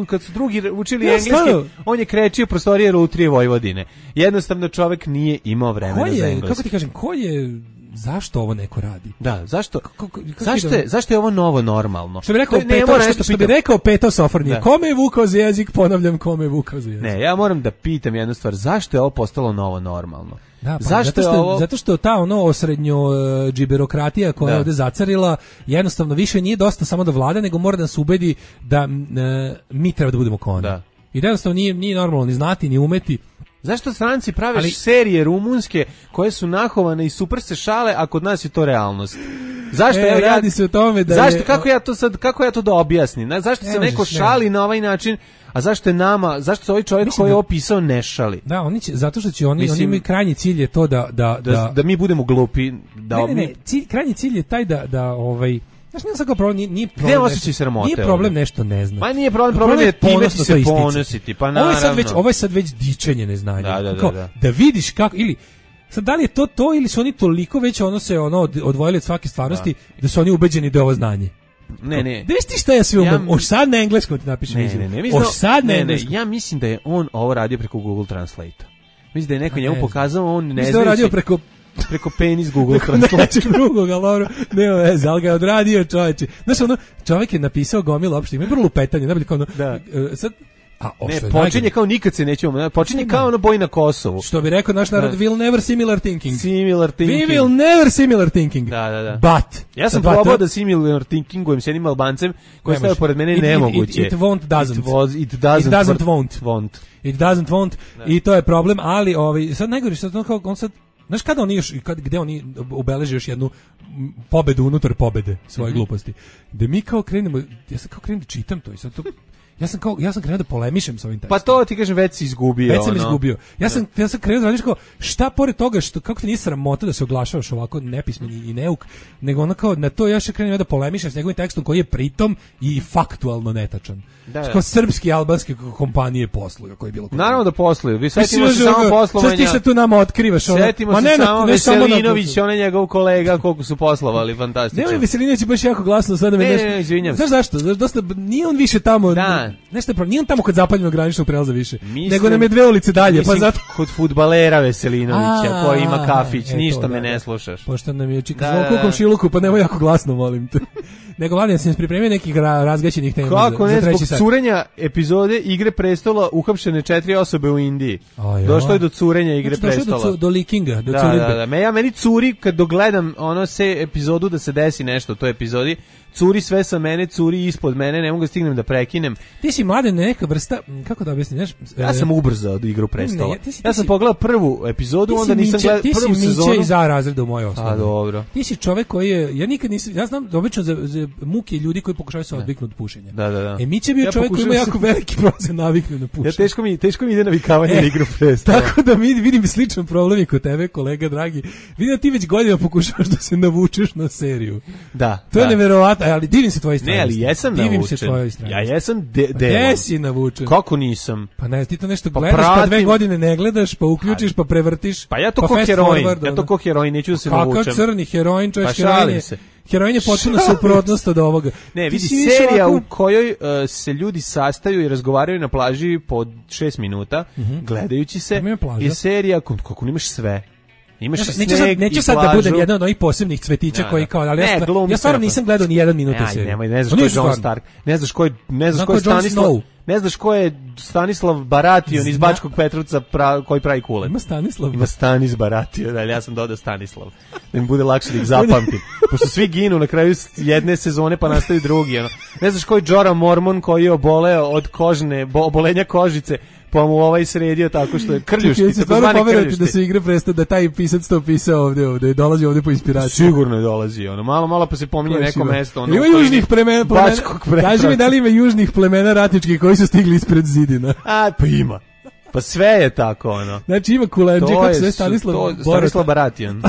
Kad su drugi učili engleski, on je krečio prostorije Lutrije Vojvodine. Jednostavno čovjek nije imao vremena za engleski. Kako ti kažem, ko je zašto ovo neko radi? Da, zašto je ovo novo normalno? Što bi rekao Peto Sofrnije, kome je vukao za jezik, ponavljam, kome je vukao za jezik. Ne, ja moram da pitam jednu stvar, zašto je ovo postalo novo normalno? Da, pa zato što ta osrednjo džiberokratija koja je ovde zacarila, jednostavno više nije dosta samo da vlada, nego mora da nas ubedi da mi treba da budemo kao oni. Da. I jednostavno nije normalno ni znati, ni umeti. Zašto stranci prave serije rumunske koje su nahovane i super se šale, a kod nas je to realnost? Zašto radi se o tome da kako ja to da objasnim? Zašto se neko šali na ovaj način, a zašto se ovaj čovjek koji je opisao ne šali? Da, zato što će oni imaju krajnji cilj je to da mi budemo glupi, krajnji cilj je taj da znaš, nije svako problem, nije problem. Gde osjećaj sramote? Nije problem nešto ne znam. Pa nije problem je time ti se ponositi, pa naravno. Ovo je sad već dičenje neznanja. Da vidiš kako, ili sad da li je to ili su oni toliko već odvojili od svake stvarnosti da su oni ubeđeni da je ovo znanje. Ne. Da viš ti šta ja sve umem? Oš sad na engleskom ti napišem. Ja mislim da je on ovo radio preko Google Translate. Mislim da je neko njemu pokazao, on ne zna. Mislim da je radio preko penis Google Translate. Nečeg drugog, ali dobro, nema veze, ali ga je odradio čoveče. Znaš, čovjek je napisao gomilu opšte, ima vrlo lupetanje, najbolje kao sad, počinje kao nikad se nećemo, počinje kao boj na Kosovu. Što bi rekao naš narod, we'll never similar thinking. We will never similar thinking. Da. But. Ja sam probao da similar thinkingujem s jednim Albancem koji stavio pored mene nemoguće. It doesn't. It doesn't won't. I to je problem, ali sad najgore što kao on sad, znaš kada oni gde oni obeleže još jednu pobedu unutar pobede svoje gluposti. Da mi kao krenemo, ja sam kao krenem da čitam to i sad to ja sam krenuo da polemišem sa ovim tekstom. Pa to ti kažem, već si izgubio. Već sam izgubio. Ja sam krenuo da radiš kao, šta pored toga, kako ti nije sramota da se oglašavaš ovako nepismen i neuk, nego ono kao, na to ja še krenuo da polemišem s njegovim tekstom koji je pritom i faktualno netačan. Kao srpski i albanske kompanije posluju, koji je bilo. Naravno da posluju. Vi setimo se samo poslovanja. Šta ti se tu nama otkrivaš? Setimo se samo Veselinović, on je njegov kolega, koliko su poslovali, fantastično. Nemoj, Veselinović baš jako glasno sada me nešto. Ne, izvinjam se. Znaš zašto? Dosta nije on više tamo. Nešto je nije on tamo kod zapadnog graničnog prelaza više, nego nam je 2 ulice dalje, pa zato kod fudbalera Veselinovića koji ima kafić, ništa me ne slušaš. Pošto nam je čika zvuk u komšiluku, pa nemoj jako glasno, molim te. Nego Vladan, sam pripremio nekih razgaćenih tema. Kako ne, zbog curenja epizode Igre prestola uhapšene 4 osobe u Indiji. Došlo je do curenja Igre prestola. Došlo je do leakinga, do curenja. Meni curi kad dogledam epizodu da se desi nešto u toj epizodi, curi sve sa mene, curi ispod mene, ne mogu da stignem da prekinem. Ti si Mladen neka vrsta, kako da objasnim, znaš? Ja sam ubrzao od Igru prestola. Ja sam pogledao prvu epizodu, onda nisam gledao prvu sezonu. Ti si Miće iz A razreda u mojoj osnovi. A dobro. Ti si čovek koji je, ja nikad nisam, ja znam obično za muke ljudi koji pokušavaju se odviknuti od pušenja. Da. Miće je bio čovek koji ima jako veliki procent naviknu na pušenje. Teško mi ide navikavanje na Igru prestola. Tako da vidim sličan problem i kod tebe, kolega dragi. Vidim da ti već godinama pokušavaš da se navučeš na seriju. Da. To je neverovatno, ali divim se tvoje strane. Ne, ali jesam navučen. Ja jesam Gde si navučen? Kako nisam? Pa ne, ti to nešto gledaš, pa 2 godine ne gledaš, pa uključiš, pa prevrtiš. Pa ja to ko heroin. Ja to ko heroin, neću da se navučem. Kakav crni heroin, čovjek heroin. Heroin je potpuno suprotnost od ovoga. Ne, vidi, serija u kojoj se ljudi sastaju i razgovaraju na plaži po 6 minuta, gledajući se, je serija kako nemaš sve. Neću sad da budem jedan od ovih posebnih cvetića koji kao, ali ja stvarno nisam gledao ni 1 minut te serije. Ne znaš ko je Jon Stark, ne znaš ko je Stanislav, ne znaš ko je Stanislav Baration iz Bačkog Petrovca koji pravi kulet. Ima Stanis Baration, ali ja sam dodao Stanislav, da mi bude lakše da ih zapamtim. Pošto svi ginu na kraju jedne sezone pa nastaju drugi. Ne znaš ko je Jorah Mormont koji je oboleo od obolenja kožice, pa mu sredio tako što je krljušti. Stvarno poverujete da se Igre prestao, da taj pisac to pisao ovdje, dolazi ovdje po inspiraciju. Sigurno je dolazi, malo pa se pominje neko mesto. Ima južnih plemena, kaži mi da li ima južnih plemena ratničkih koji su stigli ispred zidina. Pa ima. Pa sve je tako, Znači ima kulenđe, kako se Stanislav Baration.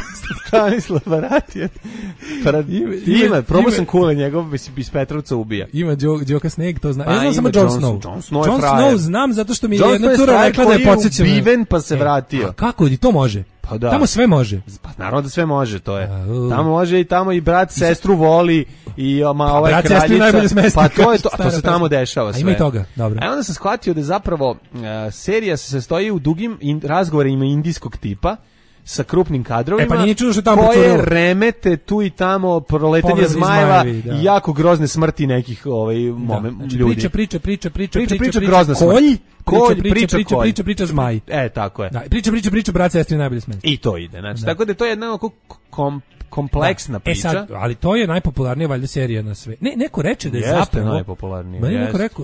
Stanislav Baration. Ima, probao sam kule njegov, iz Petrovca ubija. Ima Đoka Sneg, to znam. Ja znam samo Jon Snow. Jon Snow znam zato što mi je jedna cura rekla da je podsjećena. Jon Snow je ubiven pa se vratio. Kako, i to može? Pa da. Tamo sve može. Pa naravno da sve može, to je. Tamo može i tamo i brat sestru voli i kraljica. Pa to je to se tamo dešava sve. A ima i toga, dobro. A onda sam shvatio da je zapravo serija se sastoji u dugim razgovorima indijskog tipa, sa krupnim kadrovima, pa nije čudo što tamo koje procurilo. remete tu i tamo proletanje Povredi zmajeva zmajevi, da. i jako grozne smrti nekih ljudi. Priča, grozna smrt. Priča zmaj. Tako je. Da, priča, brat, sestri najbolje smrt. I to ide, znači, tako da to je jedna kompleksna priča. Sad, ali to je najpopularnija valjda serija na sve. Neko reče da je zapravo najpopularnija.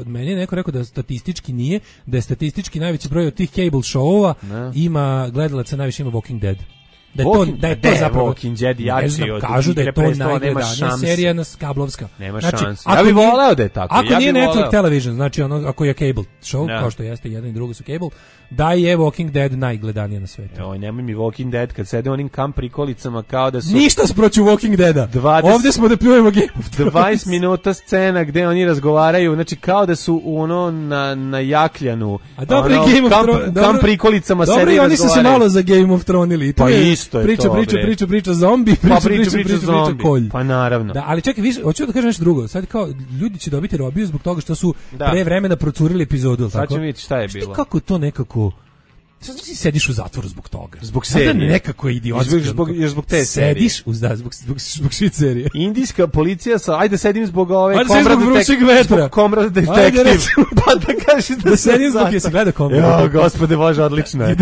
Meni je neko rekao da statistički nije, da je statistički najveći broj od tih cable show-ova ima gledalaca, najviše ima Walking Dead. Da je to zapravo Walking Dead jači od kažu da je to najgledanija serija na kablovska. Nema šanse. Ja bih voleo da je tako. Ako nije Network Television, znači ako je cable show, kao što jeste jedan i drugo su cable, da je Walking Dead najgledanija na svetu. Oj, nemoj mi Walking Dead kad sede onim kamp prikolicama kao da su... Ništa sproću Walking Deada. Ovdje smo da pljujemo Game of Thrones. 20 minuta scena gde oni razgovaraju, znači kao da su na jakljanu. A dobro je Game of Thrones. Kamp prikolicama sede i razgovaraju. Dobro, oni su se malo za Game of Thrones. Pa isto je to. Priča zombi, priča kolj. Pa naravno. Da, ali čekaj, hoću da kažem nešto drugo. Sad kao ljudi će dobiti robiju zbog toga što su pre vremena procurili epizodu, sad ćemo vidjeti šta je bilo. Kako to nekako... Sad ti sediš u zatvoru zbog toga. Zbog serije. Nekako je idiotski. Zbog te serije. Sediš zbog šit serije. Indijska policija ajde sedim zbog ove Comrade Detective. Pa da kažeš da sedim zbog jesi gleda Comrade. Jo, gospode Bože, odlično je.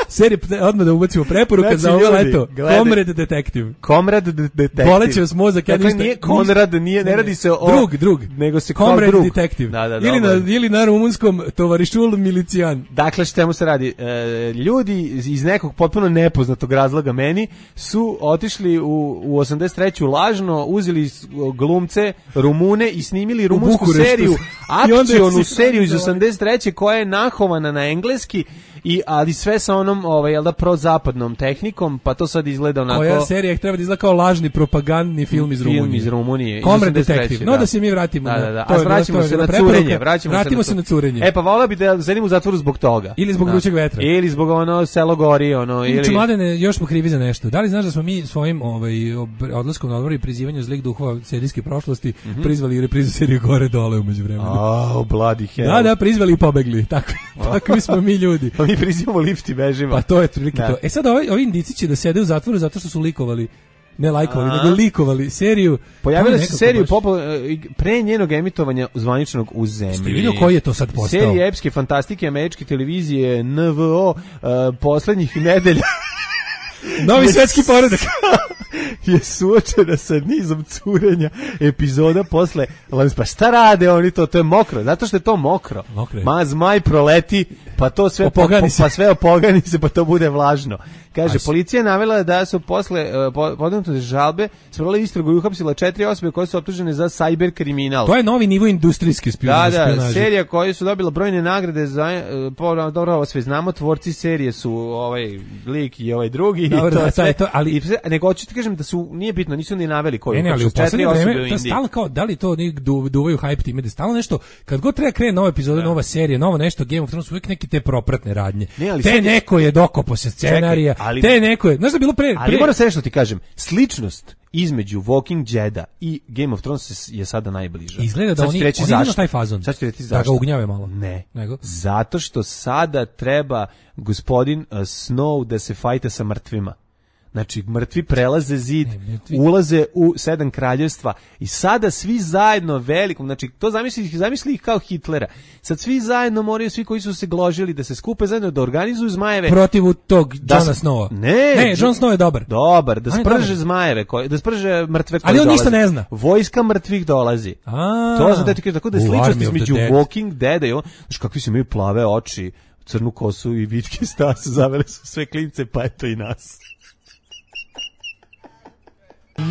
Serije, odmah da ubacimo preporuka za ovo leto. Comrade Detective. Comrade Detective. Boleće vas mozak. Dakle, nije Konrad, ne radi se o... Drug. Nego se Comrade Detective. Ili na rumunskom tovarišul milicijan. Dakle, što se radi? Ljudi iz nekog potpuno nepoznatog razloga meni su otišli u 83. lažno, uzeli glumce Rumune i snimili rumunsku seriju, akcionu seriju iz 83. koja je nahovana na engleski, ali sve sa onom prozapadnom tehnikom, pa to sad izgleda onako... Koja serija treba da izgleda kao lažni propagandni film iz Rumunije. Film iz Rumunije. Comrade Detective. No da se mi vratimo. A vraćamo se na curenje. Vratimo se na curenje. Pa volao bi da sedim u zatvoru zbog toga. Ili zbog vrućeg vetra. Ili zbog selo gori, ili... Mladene, još smo krivi za nešto. Da li znaš da smo mi svojim odlaskom na odmor i prizivanju zlih duhova serijske prošlosti prizvali i reprizu serije Gore dole umeđu vremenu? Bloody hell. Da, prizvali i pobegli. Takvi smo mi ljudi. Mi prizivamo lift i bežimo. Pa to je prilike to. Sad ovi indici će da sede u zatvoru zato što su likovali, ne lajkovali, nego likovali seriju. Pojavila se seriju pre njenog emitovanja zvaničnog u zemlji. Ste vidio koji je to sad postao? Serija epske fantastike američke televizije NVO poslednjih nedelja. Novi svetski poredak je suočena sa nizom curenja epizoda posle. Pa šta rade oni to? To je mokro. Zato što je to mokro. Zmaj proleti, pa to sve opogani se, pa to bude vlažno. Kaže, policija je navela da su posle podnete žalbe sprovela istragu i uhapsila 4 osobe koje su optužene za cyber kriminal. To je novi nivo industrijske špijunaže. Da, serija koja su dobila brojne nagrade za dobro, ovo sve znamo, tvorci serije su ovaj lik i ovaj drugi. Dobro, ali nego hoću ti kažem da su nije bitno, nisu ni naveli koji. Ne, ali u poslednje vreme stalno kao da li to duvaju hype time, da stalno nešto kad god treba krene nova epizoda, nova serija, novo nešto, Game of Thrones, uvijek neke te propratne radnje. Neko je dokopao se scenarija. Te neko je, znaš da je bilo pre... Ali moram se nešto ti kažem, sličnost između Walking Deada i Game of Thrones je sada najbliža. Izgleda da oni imaju taj fazon. Sad ću reći zašto. Da ga ugnjave malo. Ne. Zato što sada treba gospodin Snow da se fajta sa mrtvima. Znači, mrtvi prelaze zid, ulaze u 7 kraljevstva i sada svi zajedno velikom, znači, to zamisli ih kao Hitlera. Sad svi zajedno moraju, svi koji su se gložili da se skupe zajedno, da organizuju zmajeve. Protiv tog Jona Snowa. Ne, Jon Snow je dobar. Dobar, da sprže zmajeve, da sprže mrtve koji dolaze. Ali on ništa ne zna. Vojska mrtvih dolazi. To sam ti kažem, tako da je sličnost između Walking Deada i on, znači, kakvi su imaju plave oči, crnu kosu i vitke stase, zavele su sve klince, pa eto i nas.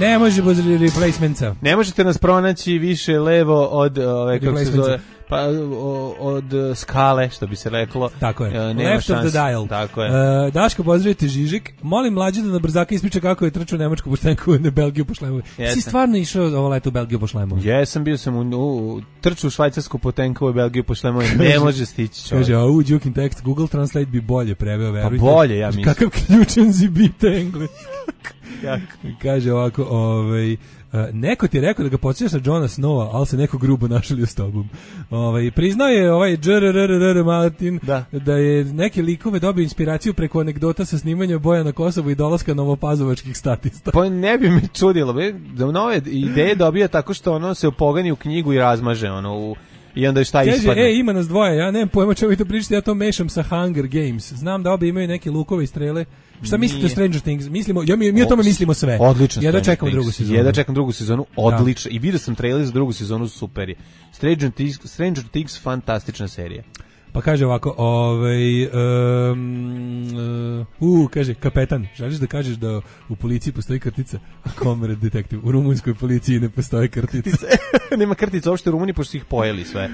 Ne može bez replacementsa. Ne možete nas pronaći više levo od kako se zove, pa od skale, što bi se reklo. Tako je. Nema Left šans. of the dial. Tako je. Daško, pozdravite Žižik. Molim mlađe da na brzaka ispriča kako je trčao nemačku poštenku na Belgiju po šlemovi. Si stvarno išao ovo leto u Belgiju po šlemovi? Jesam, bio sam trčao u švajcarsku potenku u Belgiju po šlemovi. Ne može stići čovjek. Kaže, Joking text, Google Translate bi bolje preveo, verujte. Pa bolje, ja mislim. Kakav ključan zibite engleski. Kaže ovako, neko ti je rekao da ga podsjećaš na Johna Snowa, ali se neko grubo našalio s tobom. Priznao je Džrrrrrr Martin da je neke likove dobio inspiraciju preko anegdota sa snimanja boja na Kosovu i dolaska novopazovačkih statista. Pa ne bi me čudilo, da nove ideje dobija tako što ono se upogani u knjigu i razmaže ono i onda šta ispadne. Kaže, ima nas dvoje, ja nemam pojma čemu vi to pričate, ja to mešam sa Hunger Games. Znam da obe imaju neke lukove i strele. Šta mislite o Stranger Things? Mi o tome mislimo sve. Odlično. Ja da čekam drugu sezonu. Odlično. I vidio sam trailer za drugu sezonu, super je. Stranger Things fantastična serija. Pa kaže ovako, kaže, kapetan, želiš da kažeš da u policiji postoji kartica? Comrade detektiv, u rumunskoj policiji ne postoji kartica. Nema kartica uopšte u Rumuniji, pošto su ih pojeli sve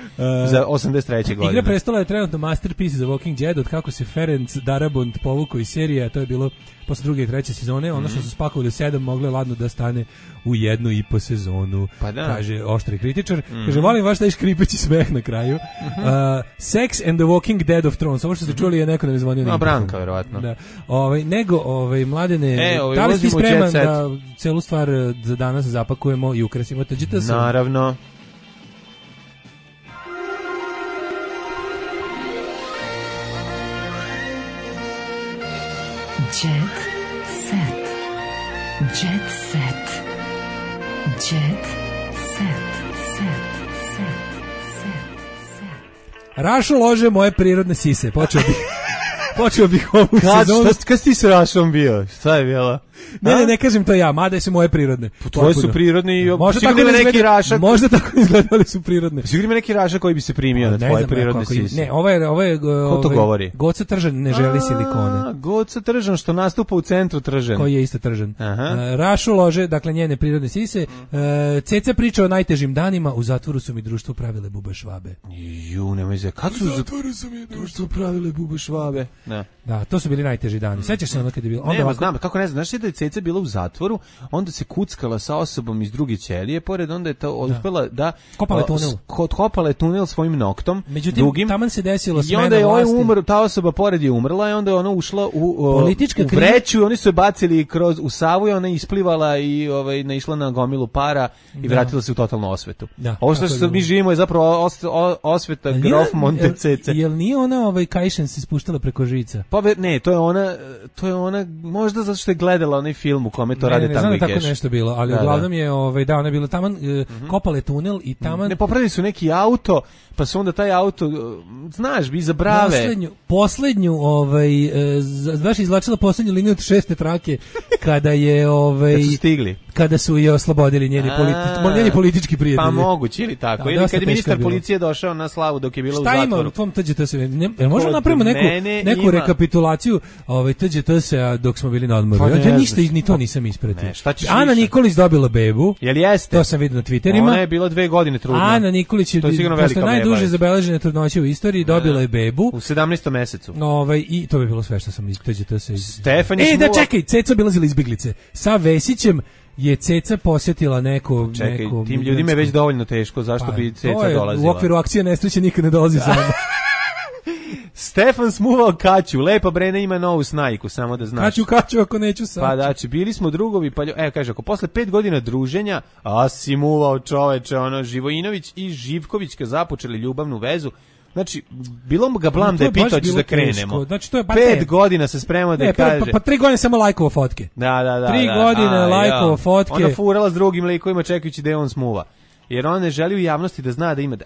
za 83. godine. Igra prestola je trenutno masterpiece za Walking Dead, od kako se Ferenc Darabont povukao iz serije, a to je bilo posle druge i treće sezone, ono što su spakovali 7 mogle ladno da stane u 1,5 sezonu, pa da. Kaže oštri kritičar. Kaže, volim vaš taj škripeći smeh na kraju. Sex and the Walking Dead of Thrones. Ovo što ste čuli je neko nam zvonio. No, Branka, verovatno. Da. Mladene, da li si spreman da celu stvar za danas zapakujemo i ukrasimo? Naravno. Jet set. Jet set. Jet set. Rašo lože moje prirodne sise. Počeo bih ovu sezonu. Kad si ti s Rašom bio? Šta je bilo? Ne kažem to ja, mada su moje prirodne. Tvoje su prirodne i sigurno neki Raša. Možda tako izgledali su prirodne. Sigurno ima neki Raša koji bi se primio na tvoje prirodne sise. Ne, ovo je ko to govori? Goca Tržan ne želi silikone. Goca Tržan što nastupa u centru Tržan. Koji je isto Tržan. Rašu lože, dakle njene prirodne sise. Ceca priča o najtežim danima, u zatvoru su mi društvo pravile bube švabe. Nemoj se. Kad su u zatvoru su mi društvo pravile bube švabe. Da, to su bili najteži dani. Sećaš se ono kad je bilo? Nema, znam, kako ne znam. Znaš da je Ceca bila u zatvoru, onda se kuckala sa osobom iz druge ćelije, pored onda je to uspela da kopala je tunel svojim noktom. Međutim, taman se desilo smena vlasti. I onda je umro, ta osoba pored je umrla i onda je ona ušla u vreću i oni su je bacili u Savu i ona isplivala i naišla na gomilu para i vratila se u totalnu osvetu. Ovo što mi živimo je zapravo osveta Grof Montecece. Jel nije ona kajšen se spuštala preko žica? Pa ne, to je ona možda zato što je gledala onaj film u kome to rade Tango i Cash. Ne znam tako nešto bilo, ali uglavnom je ona je bila taman, kopale tunel i taman... Ne, popravili su neki auto, pa su onda taj auto, znaš, bi za brave. Poslednju, baš izvlačila poslednju liniju od 6. trake, kada je... Kad su stigli. Kada su je oslobodili njeni politički prijatelji. Pa moguće ili tako. Ili kad je ministar policije došao na slavu dok je bila u zatvoru. Šta ima u tvom TGT-u? Možemo napravimo neku rekapitulaciju TGT-a dok smo bili na odmoru. Ja ništa ni to nisam ispratio. Ana Nikolić dobila bebu. Jel jeste? To sam vidio na Twitterima. Ona je bila 2 godine trudna. Ana Nikolić je posle najduže zabeležene trudnoće u istoriji dobila je bebu. U 17. mesecu. I to bi bilo sve što sam iz TGT-a. Stefan je da čekaj, Ceca obilazila izbeglice. Sa Vesićem je Ceca posjetila neko... Čekaj, tim ljudima je već dovoljno teško, zašto bi Ceca dolazila? U okviru akcije nesreće nikad ne dolazi sama. Stefan smuvao Kaću, lepa Brena ima novu snajku, samo da znaš. Kaću ako neću sam. Pa znači, bili smo drugovi, kaže, ako posle 5 godina druženja, a si muvao čoveče, Živojinović i Živkovićka započeli ljubavnu vezu, znači, bilo ga blam da je pitao ćeš da krenemo. Znači, to je 5 godina se spremao da kaže. Pa 3 godine samo lajkovo fotke. Da. 3 godine lajkovo fotke. Ona furala s drugim likovima čekajući da je on smuva. Jer on ne želi u javnosti da zna da ima...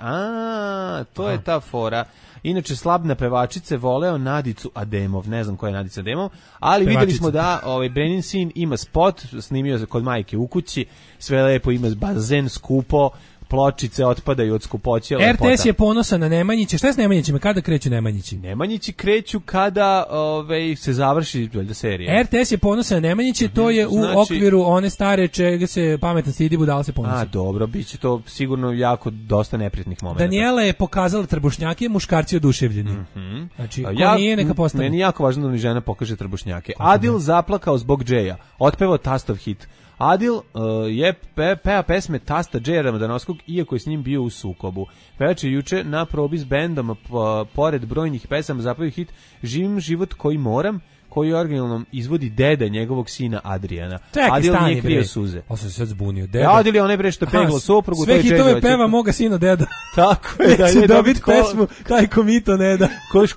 to je ta fora. Inače, slabna pevačice voleo Nadicu Ademov. Ne znam koja je Nadica Ademov, ali vidjeli smo da Brenin sin ima spot, snimio se kod majke u kući, sve lepo, ima bazen, skupo, pločice otpadaju od skupoće. RTS je ponosan na Nemanjiće. Šta je s Nemanjićima? Kada kreću Nemanjići? Nemanjići kreću kada se završi serija. RTS je ponosan na Nemanjiće, to je u okviru one stare čega se pametan stidi, budala se ponosan. Dobro, bit će to sigurno jako dosta neprijatnih momenta. Daniela je pokazala trbušnjake, muškarci oduševljeni. Znači, ko nije, neka postane. Meni je jako važno da mi žena pokaže trbušnjake. Adil zaplakao zbog Džeja. Otpevao tastov hit. Adil je peva pesme tasta Džeja Ramadanovskog, iako je s njim bio u sukobu. Pevač je juče na probi s bendom, pored brojnih pesama, zapevao hit Živim život koji moram, koju originalno izvodi deda njegovog sina Adriana. Čekaj, Adil nije krio suze. On se sad zbunio. Deda. Adil je onaj bre što peglo suprugu. Sve hitove peva moga sina deda. Tako je. Da je dobit pesmu, taj komito ne da.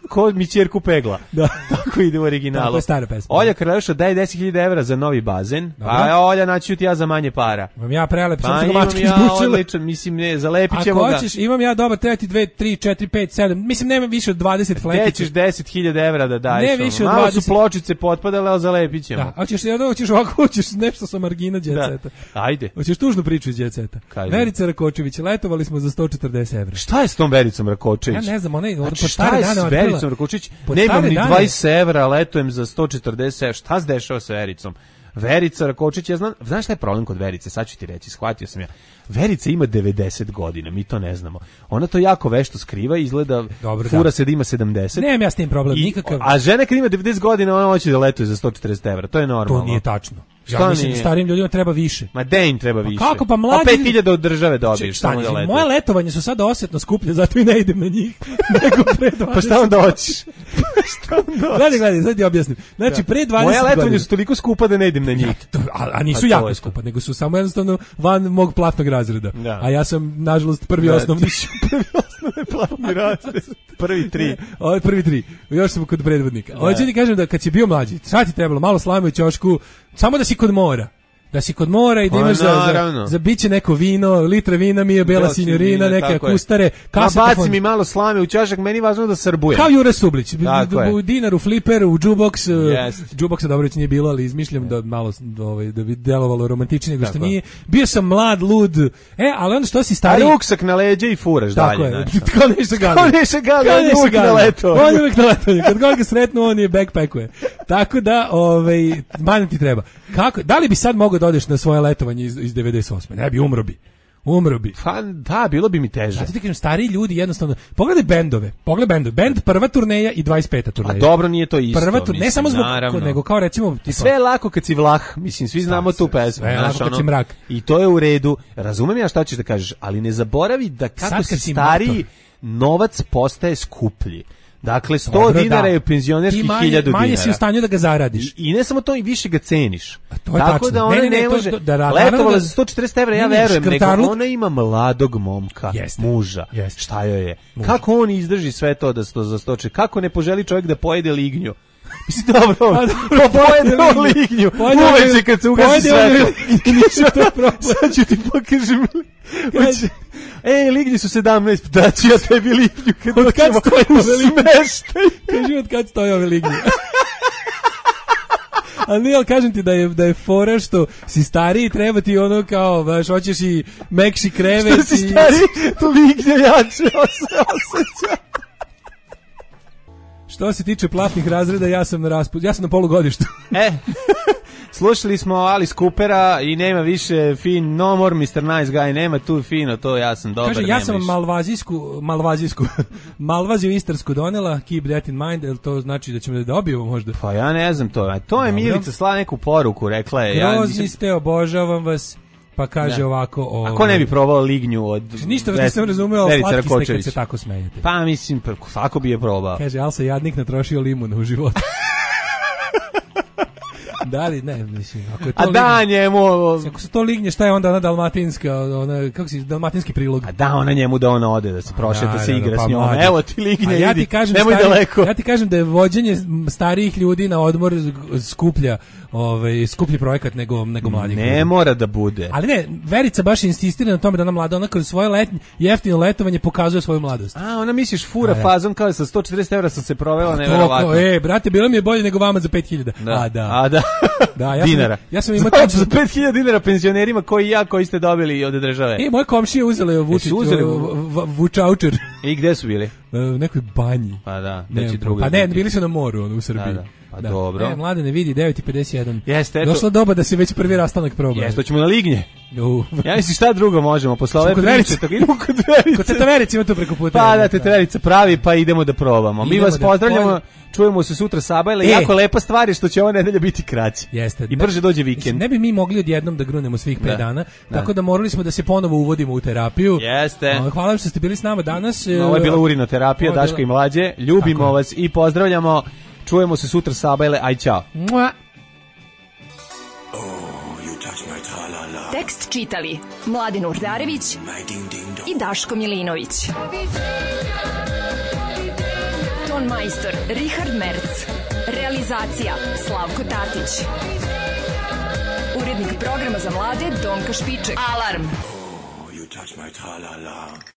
Ko mi ćerku pegla. Da. Tako ide u originalu. Tako je stara pesma. Olja Kraljuša daje 10.000 evra za novi bazen. A Olja naću ti ja za manje para. Imam ja prelep, sam se ga mački izbučila. Odličan, mislim, ne, zalepit ćemo ga. Ako hoćeš, imam ja dobar, treba ti 2, 3, 4, 5, 7, mislim, nema više od 20 flekića. Gde ćeš 10.000 evra da daješ? Ne više od 20. Malo su pločice potpadale, ali zalepit ćemo. Da, hoćeš ovako, hoćeš nešto sa margina djeceta. Ajde. Hoćeš tužnu priču iz djeceta. Verica Rakočević, letovali smo za 140 evra. Šta je s tom Vericom Rakočević? Ja ne znam, ona je znači, šta je s Vericom Rakočević? Nemam ni 20 evra, letujem za 140 evra. Šta se dešava sa Vericom? Verica Rakočić, ja znam, znaš šta je problem kod Verice, sad ću ti reći, shvatio sam ja. Verica ima 90 godina, mi to ne znamo. Ona to jako vešto skriva, izgleda fura se da ima 70. Nemam ja s tim problem, nikakav. A žena kad ima 90 godina, ona hoće da letuje za 140 evra, to je normalno. To nije tačno. Ja mislim, starim ljudima treba više. Ma de im treba više. Kako pa mlađi? 5.000 od države dobiješ. Samo da letuješ. Moje letovanje su sada osjetno skuplje, zato i ne idem na njih. Nego pre 20. Pa šta onda hoćeš? Gledaj, sad ti objasnim. Znači, pre 20 godina. Moje letovanje su toliko skupa da ne idem na njih. A nisu jako skupa, nego su samo jednostavno van mog platnog razreda. Da. A ja sam, nažalost, prvi osnovni. Prvi osnovni platni razred. Prvi 3. Ovo je prvi 3. Još sam kod predvodnika. Hoću ti kažem da kad si bio mlađi, šta ti trebalo? Malo slame u ćošku, samo da si kod mora. Da si kod mora i da imaš za biće neko vino, litra vina mi je bela sinjorina, neke kustare, kasete. Baci mi malo slame u ćošak, meni važno da srbujem. Kao Jure Sublić, u dinaru, fliper, u džuboks, džuboksa dobro već nije bilo, ali izmišljam da malo da bi delovalo romantičnije nego što nije. Bio sam mlad, lud, ali onda što si stari... A ruksak na leđa i furaš dalje. Tako je, kao Neša Gali. Kao Neša Gali, on je uvijek na letovanje. On je uvijek na letovanje, kad god ga sretnu, on je backpackuje. Tako da, manje ti treba. Da li bi sad mogao da odeš na svoje letovanje iz 98. Ne bi, umro bi. Pa da, bilo bi mi teže. Zato ti kažem, stariji ljudi jednostavno, pogledaj bendove. Bend prva turneja i 25. turneja. A dobro, nije to isto. Prva turneja, ne samo zbog, nego kao recimo... Sve je lako kad si Vlah, mislim, svi znamo tu pesmu. Sve je lako kad si mrak. I to je u redu. Razumem ja šta ćeš da kažeš, ali ne zaboravi da kako si stariji, novac postaje skuplji. Dakle, 100 dinara je penzionerski 1000 dinara. Manje si u stanju da ga zaradiš. I ne samo to, i više ga ceniš. To je tako da ona ne može, letovala za 140 evra, ja verujem, nego ona ima mladog momka, muža. Šta joj je? Kako on izdrži sve to da za 140? Kako ne poželi čovjek da pojede lignju? Mislim, dobro, pojede lignju. Uveće kad se ugasi sve. Sad ću ti pokažem. Lignji su 17, da ću ja tebi lignju kad doćemo u smeštaj. Kaži od kad stoje ove lignje. Ali nije, ali kažem ti da je fora što si stariji, treba ti ono kao, znaš, hoćeš i mekši krevet. Što si stariji, to lignje jače osjeća. Što se tiče platnih razreda, ja sam na polugodištu. Slušali smo Alice Coopera i nema više no more Mr. Nice Guy, nema tu fino, to ja sam dobar. Kaže, ja sam Malvaziju istarsku donela, keep that in mind, jel to znači da ćemo da dobijemo možda? Pa ja ne znam to, to je Milica slala neku poruku, rekla je. Grozni ste, obožavam vas. Pa kaže ovako... A ko ne bi probao lignju od... Ništa vas nisam razumeo, slatki ste kad se tako smejete. Pa mislim, svako bi je probao. Kaže, ali se jadnik natrošio limuna u životu. Da li, ne, mislim, ako je to njemu... Ako se to lignje, šta je onda ona dalmatinska, dalmatinski prilog? A da, ona njemu da ona ode, da se prošeta, da se igra s njom. Evo ti lignje, idi, nemoj daleko. Ja ti kažem da je vođenje starijih ljudi na odmor skuplji projekat nego mladih ljudi. Ne mora da bude. Ali ne, Verica baš insistira na tome da ona mlada, ona kroz svoje jeftino letovanje pokazuje svoju mladost. A, ona misliš fura fazom kao sa 140 evra sam se provela, neverovatno. Brate, bilo mi je bolje nego vama za 5.000. Dinara. Ja sam imao za 5.000 dinara penzionerima koji ste dobili od države. Moje komšije uzele vučaučer. I gde su bili? U nekoj banji. Pa da, bili su na moru, u Srbiji. Pa dobro. Mlade ne vidi 9:51. Jeste, došla doba da se već prvi rastanak proba. Jeste, hoćemo na lignje. Ja mislim šta drugo možemo posle ove priče, tako idemo kod Verice. Kod Teta Verice ima tu preko puta. Pa da, Teta Verica pravi, pa idemo da probamo. Mi vas pozdravljamo. Čujemo se sutra Sabajle. Jako lepa stvar je što će ova nedelja biti kraća. Jeste. I brže dođe vikend. Ne bi mi mogli odjednom da grunemo svih 5 dana, tako da morali smo da se ponovo uvodimo u terapiju. Jeste. Hvala što ste bili s nama danas. Ovo je bila urinoterapija Daška i Mlađe. Ljubimo vas i pozdravljamo. Čujemo se sutra Sabajle, aj ćao. Tekst čitali Mladen Urdarević i Daško Milinović. Ton majstor Richard Merc. Realizacija Slavko Tatić. Urednik programa za mlade Donka Špiček. Alarm!